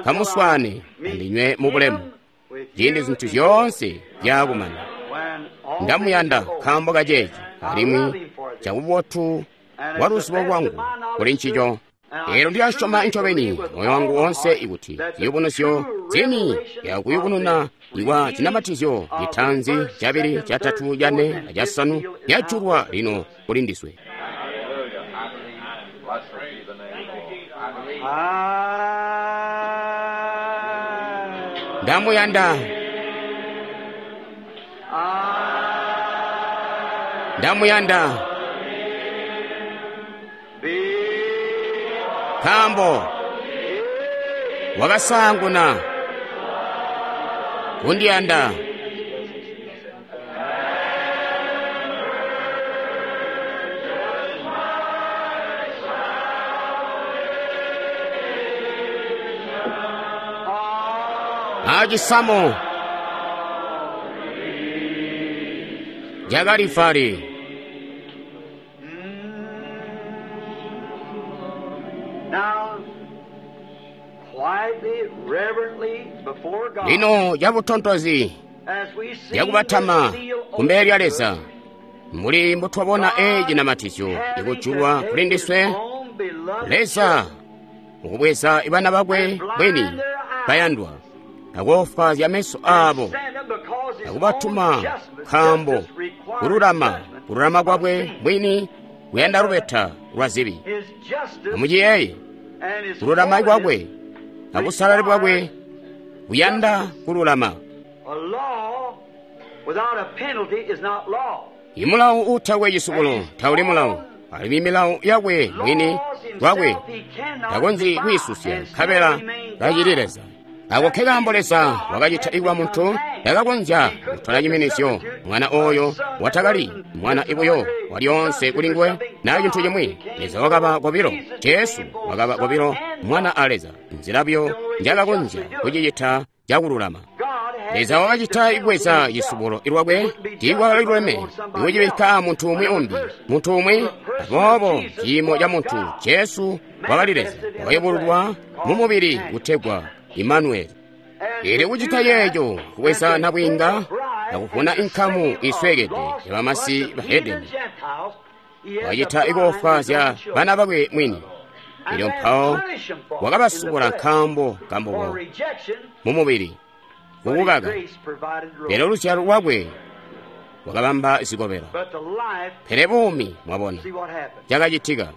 kamuswaane andinywe mu bulemu ciindi zintu zyoonse zyakumana. Ndamuyanda nkaambo kaceeci alimwi cabubotu bwa luzibo lwangu kuli ncico. Elyo ndilasyoma ncobeni moyo wangu woonse ikuti ziyubunuzyo zini yakuyubununa ikwa zinamatizyo citaanzi, cabili, catatu, cane acasanu yajulwa lino kuli ndiswe. Ndamuyanda, ndamuyanda, nkaambo wakasaanguna kundiyanda. Acisamu ca Kalivali. Lino cabutontozi cakubatama kumbele lya Leza, mbuli mbutwabona eeci cinamatizyo ikujulwa kuli ndiswe, Leza mukubweza ibana bakwe bwini bayandwa akoofwaazya meso aabo akubatuma, nkaambo kululama kululama kwakwe mwini kuyanda lubeta lwa zibi. Amuciyeeye, kululama kwakwe abusalali bwakwe kuyanda kululama. Imulawu uutakwe cisubulo tauli mulawu, alimwi milawu yakwe mwini lwakwe takonzyi kwiisusya, nkabela kacili Leza. Ako nkekaambo Leza wakacita ikuba muntu takakonzya kutola ciminizyo mwana oyo watakali mwana ibuyo walyoonse kuli nguwe na cintu cimwi. Leza wakaba kobilo, Jesu wakaba kobilo mwana a Leza, nzila buyo njakakonzya kucicita cakululama. Leza wakacita ikubweza cisubulo ilwakwe tiikwakali ikucibikka muntu umwi umbi, muntu umwi. Aboobo ciimo ca muntu Jesu wakali Leza wakayubululwa mu mubili kutegwa Imanueli. Ili kucita yeeco kubweza nabwiinga akuvuna inkamu iswekede ya bamasi bahedeni, wakacita ikoofwaazya bana bakwe mwini. Elyo mpawo wakabasubula nkaambo kambubo mu mubili kukukaka, pele luzyalo lwakwe wakabamba zikobela. Pele buumi, mwabona cakacitika.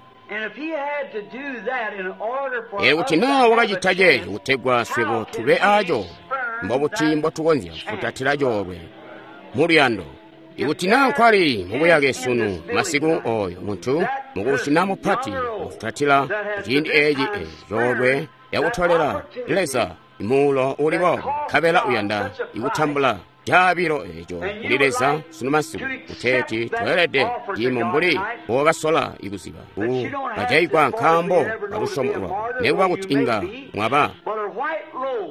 Elyo kuti naa wakacita ceeco kutegwa swebo tube aaco, mbobuti mbotukonzya kufutatila coolwe muluyando? Ikuti naa nkwali mubuyake sunu masiku, oyo muntu mukubusi mupati wafutatila kuciindi eeci coolwe yakutolela Leza imuulo uli boobo, nkabela uyanda ikutambula caabilo eeco kuli Leza sunu masiku, kuteeti tweelede ciimo mbuli mbokasola ikuziba kajayigwa nkaambo kalusyomo lwako, nekuba kuti inga mwaba.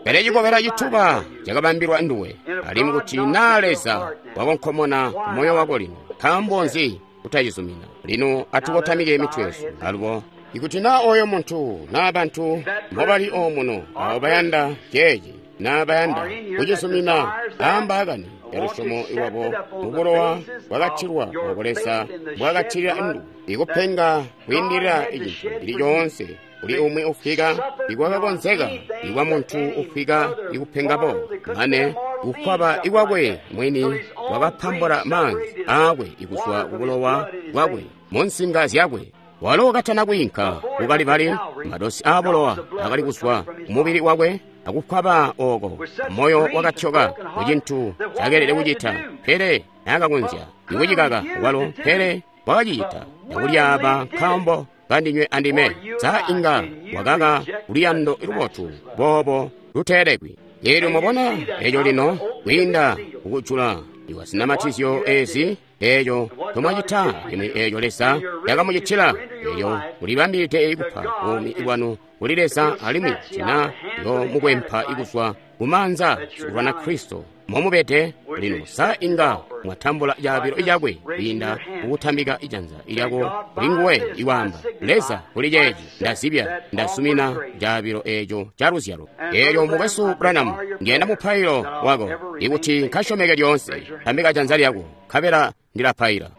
Pele cikobela cituba cakabambilwa nduwe, alimwi kuti naa Leza wakonkomona moyo wako lino, nkaambo nzi kutacizumina? Lino atukotamike mitwe yesu alubo. Ikuti naa oyo muntu naa bantu mbobali omuno abo bayanda ceeci naa bayanda kucizumina aambaakani ya lusyomo lwabo mubulowa bwakatilwa obo Leza bwakatilila ndu, ikupenga kwiindilila icintu cili coonse kuli umwi ufwika ikwakakonzeka ikwa muntu ufwika ikupenga bo, mane kukwaba ikwakwe mwini wakapambula maanzi aakwe ikuzwa kubulowa bwakwe mu nsinga zyakwe. Walo katana kwiinka kukalibali, madosi aabulowa akali kuzwa kumubili wakwe akukwaba oko, moyo wakatyoka kucintu cakeelede kucita, pele naakakonzya ikucikaka walo, pele wakacicita akulyaaba nkaambo kandinywe andime. Sa inga wakaka luyando lubotu boobo luteelekwi? Eelyo mwabona eeco lino kwiinda kukujula iwazinamatizyo ezi eeco tomwacita limwi eeco Leza yakamucitila, eelyo mulibambilide ikupa buumi bwanu kuli Leza, alimwi tina yo mukwempa ikuzwa kumaanza sikulwana Kristo momubede lino. Sa inga mwatambula caabilo cakwe kwiinda kukutambika ijanza lyako kuli nguwe iwaamba, Leza, kuli ceeci ndazibya, ndasumina caabilo eeco ca luzyalo. Eelyo mukwesu Branham, ndiyanda mupailo wako ikuti nkasyomeke lyoonse. Tambika janza lyako nkabela ndilapaila.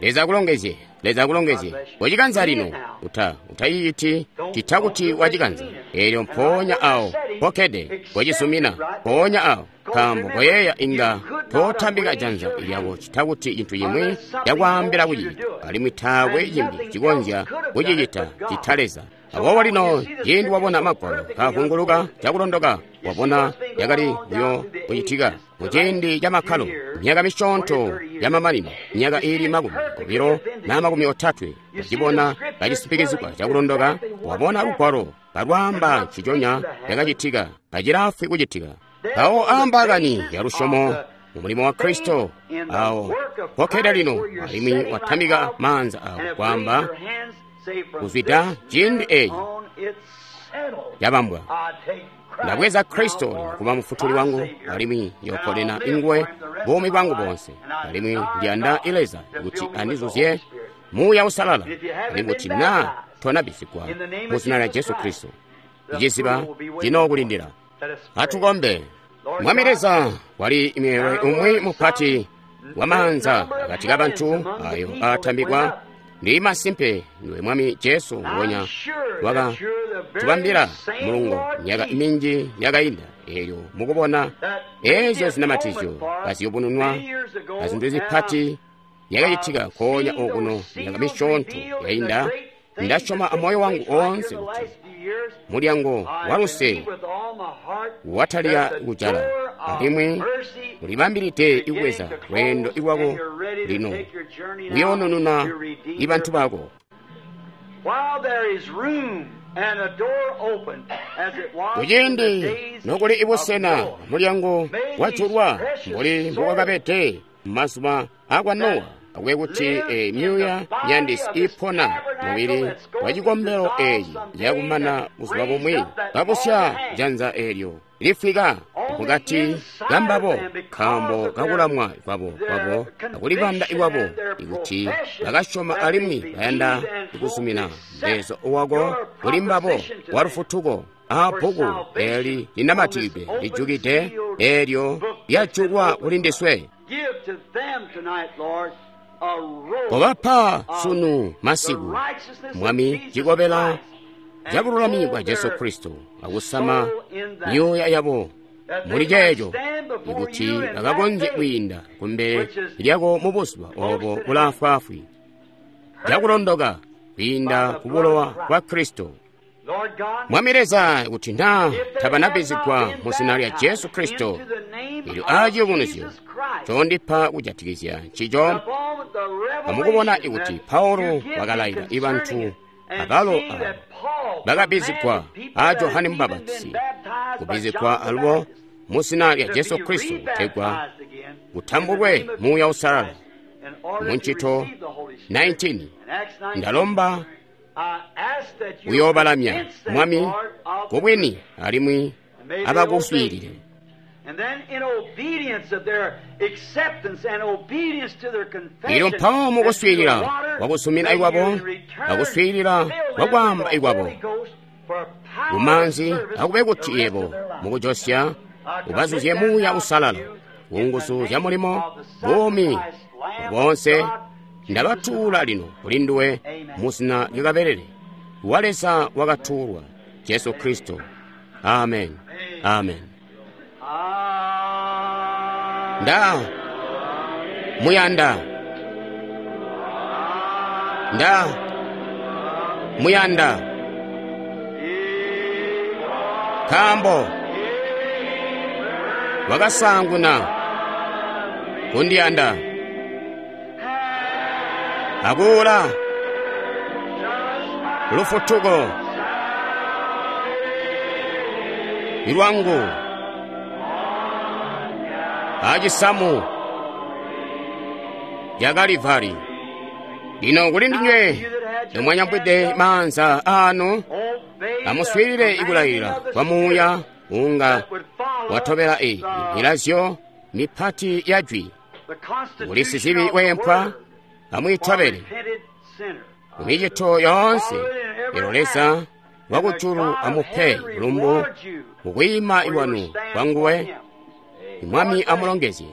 Leza akulongezye. Leza akulongezye. Wacikanza lino. Uta, utayiiti cita kuti wacikanza. Eelyo mpoonya awo pokkede wacizumina mpoonya awo, nkaambo koyeeya inga tootambika janza lyako cita kuti cintu cimwi cakwaambila kucicita, alimwi taakwe cimbi cikonzya kucicita cita Leza. Aboobo lino ciindi wabona Magwalo kaavunguluka cakulondoka, wabona yakali buyo kucitika muciindi ca makkalo, myaka misyoonto yamamanino, myaka iili makumi obilo na makumi otatwe, wacibona kacisipikizigwa cakulondoka, wabona Lugwalo kalwaamba nciconya cakacitika, kacilaafwi kucitika. Mpawo aambaakani ya lusyomo mu mulimo wa Kristo, awo pokkede lino, alimwi watambika maanza awo kwaamba, kuzwida ciindi eeci cabambwa, ndabweza Kristo kuba mufutuli wangu, alimwi yoponena inguwe buumi bwangu boonse, alimwi ndiyanda Leza kuti andizuzye Muuya Uusalala, alimwi kuti naa tonabisigwa mu zina lya Jesu Kristo, iciziba cinookulindila. Atukombe. Mwami Leza, wali mweelwe umwi mupati wa maanza akati kabantu ayo aatambikwa. Ndi masimpe ndiwe Mwami Jesu nguonya waka tubambila mulungo myaka minji yakainda, eelyo mukubona eezyo zinamatizyo kaziyubununwa azintu zipati yakacitika nkoonya okuno myaka misyoonto yainda, ndasyoma amoyo wangu oonse kuti mulyango wa luse watalika kujala, alimwi ulibambilide ikubweza lweendo lwako lino kuyoonununa ibantu bako. Kuciindi nokuli ibusena mulyango wajulwa mbuli mbukwakabede mazuba akwa Nowa, akube kuti e myuuya myandisi ipona mubili wa cikombelo eeci yakumana buzuba bumwi babusya janza eelyo lifika mukati kambabo nkaambo kakulamwa kwabo kwabo akulibanda ikwabo, ikuti bakasyoma alimwi bayanda kuzumina mbezo wako kuli mbabo wa lufutuko. Aabbuku eeli linamatikidwe lijukide eelyo lyajulwa kuli ndiswe. Kobapa sunu masiku, Mwami, cikobela cabululami bwa Jesu Kristo, akusama myuuya yabo muli ceeco, ikuti bakakonzye kwiinda kumbele lyako mu buzuba obo bulaafwaafwi cakulondoka kwiinda ku bulowa bwa Kristo. Mwami Leza, kuti naa tabanabizigwa mu zina lya Jesu Kristo, elyo aaciyubunuzyo condipa kujatikizya ncico, amukubona ikuti Paulo wakalaila ibantu abalo abo bakabizigwa a Johane Mubapatizi kubizigwa alubo mu zina lya Jesu Kristo kutegwa kutambulwe Muuya Uusalala. Mu Ncito nineteen, ndalomba uyoobalamya Mwami kubwini alimwi abakuswiilile. Elyo mpawo mukuswiilila kwakusumina ikwabo akuswiilila kwakwaamba ikwabo kumaanzi, akube kuti yebo mukujosya ubazuzye Muuya Uusalala kunguzu zya mulimo buumi boonse. Ndabatuula lino kuli nduwe mu zina lya Kabelele wa Leza wakatuulwa, Jesu Kristo. Amen. Amen. Nda muyanda, nda muyanda, nkaambo wakasaanguna kundiyanda akuula lufutuko lwangu acisamu ca Kalivari. Lino kuli ndinywe nomwanyambwide maanza aanu, amuswiilile ikulayilila kwa Muuya unga watobela eyi milazyo mipati ya jwi. Kuli sizibi weempwa, amwiitobele mumicito yoonse. Elo Leza wakujulu amupe bulumbu mukwiima iwanu kwanguwe. Mwami amulongezye.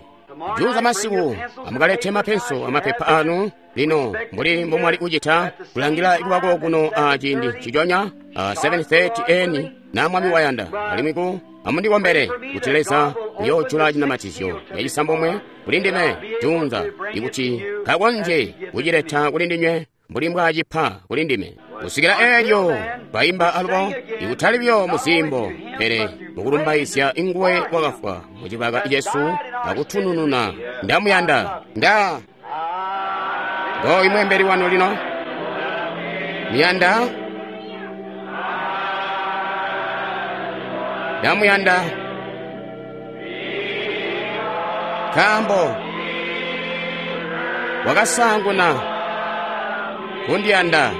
Juunza masiku amukalete mapenso amapepa anu lino mbuli mbomwali kucita kulangila kubako kuno a ciindi nciconya a seven thirty eni na Mwami wayanda. Alimwi ku amundikombele kuti Leza uyoojula cinamatizyo yacisambomwe kuli ndime juunza, ikuti kakonzye kucileta kuli ndinywe mbuli mbwaacipa kuli ndime. Kusikila eelyo baimba alubo, ikutali buyo muzimbo, pele mukulumbaizya nguwe wakafwa mucibaka cesu akutunununa. Ndamuyanda. Nda ngooyu mweembeli wanu lino. Muyanda? Ndamuyanda nkaambo wakasaanguna kundiyanda.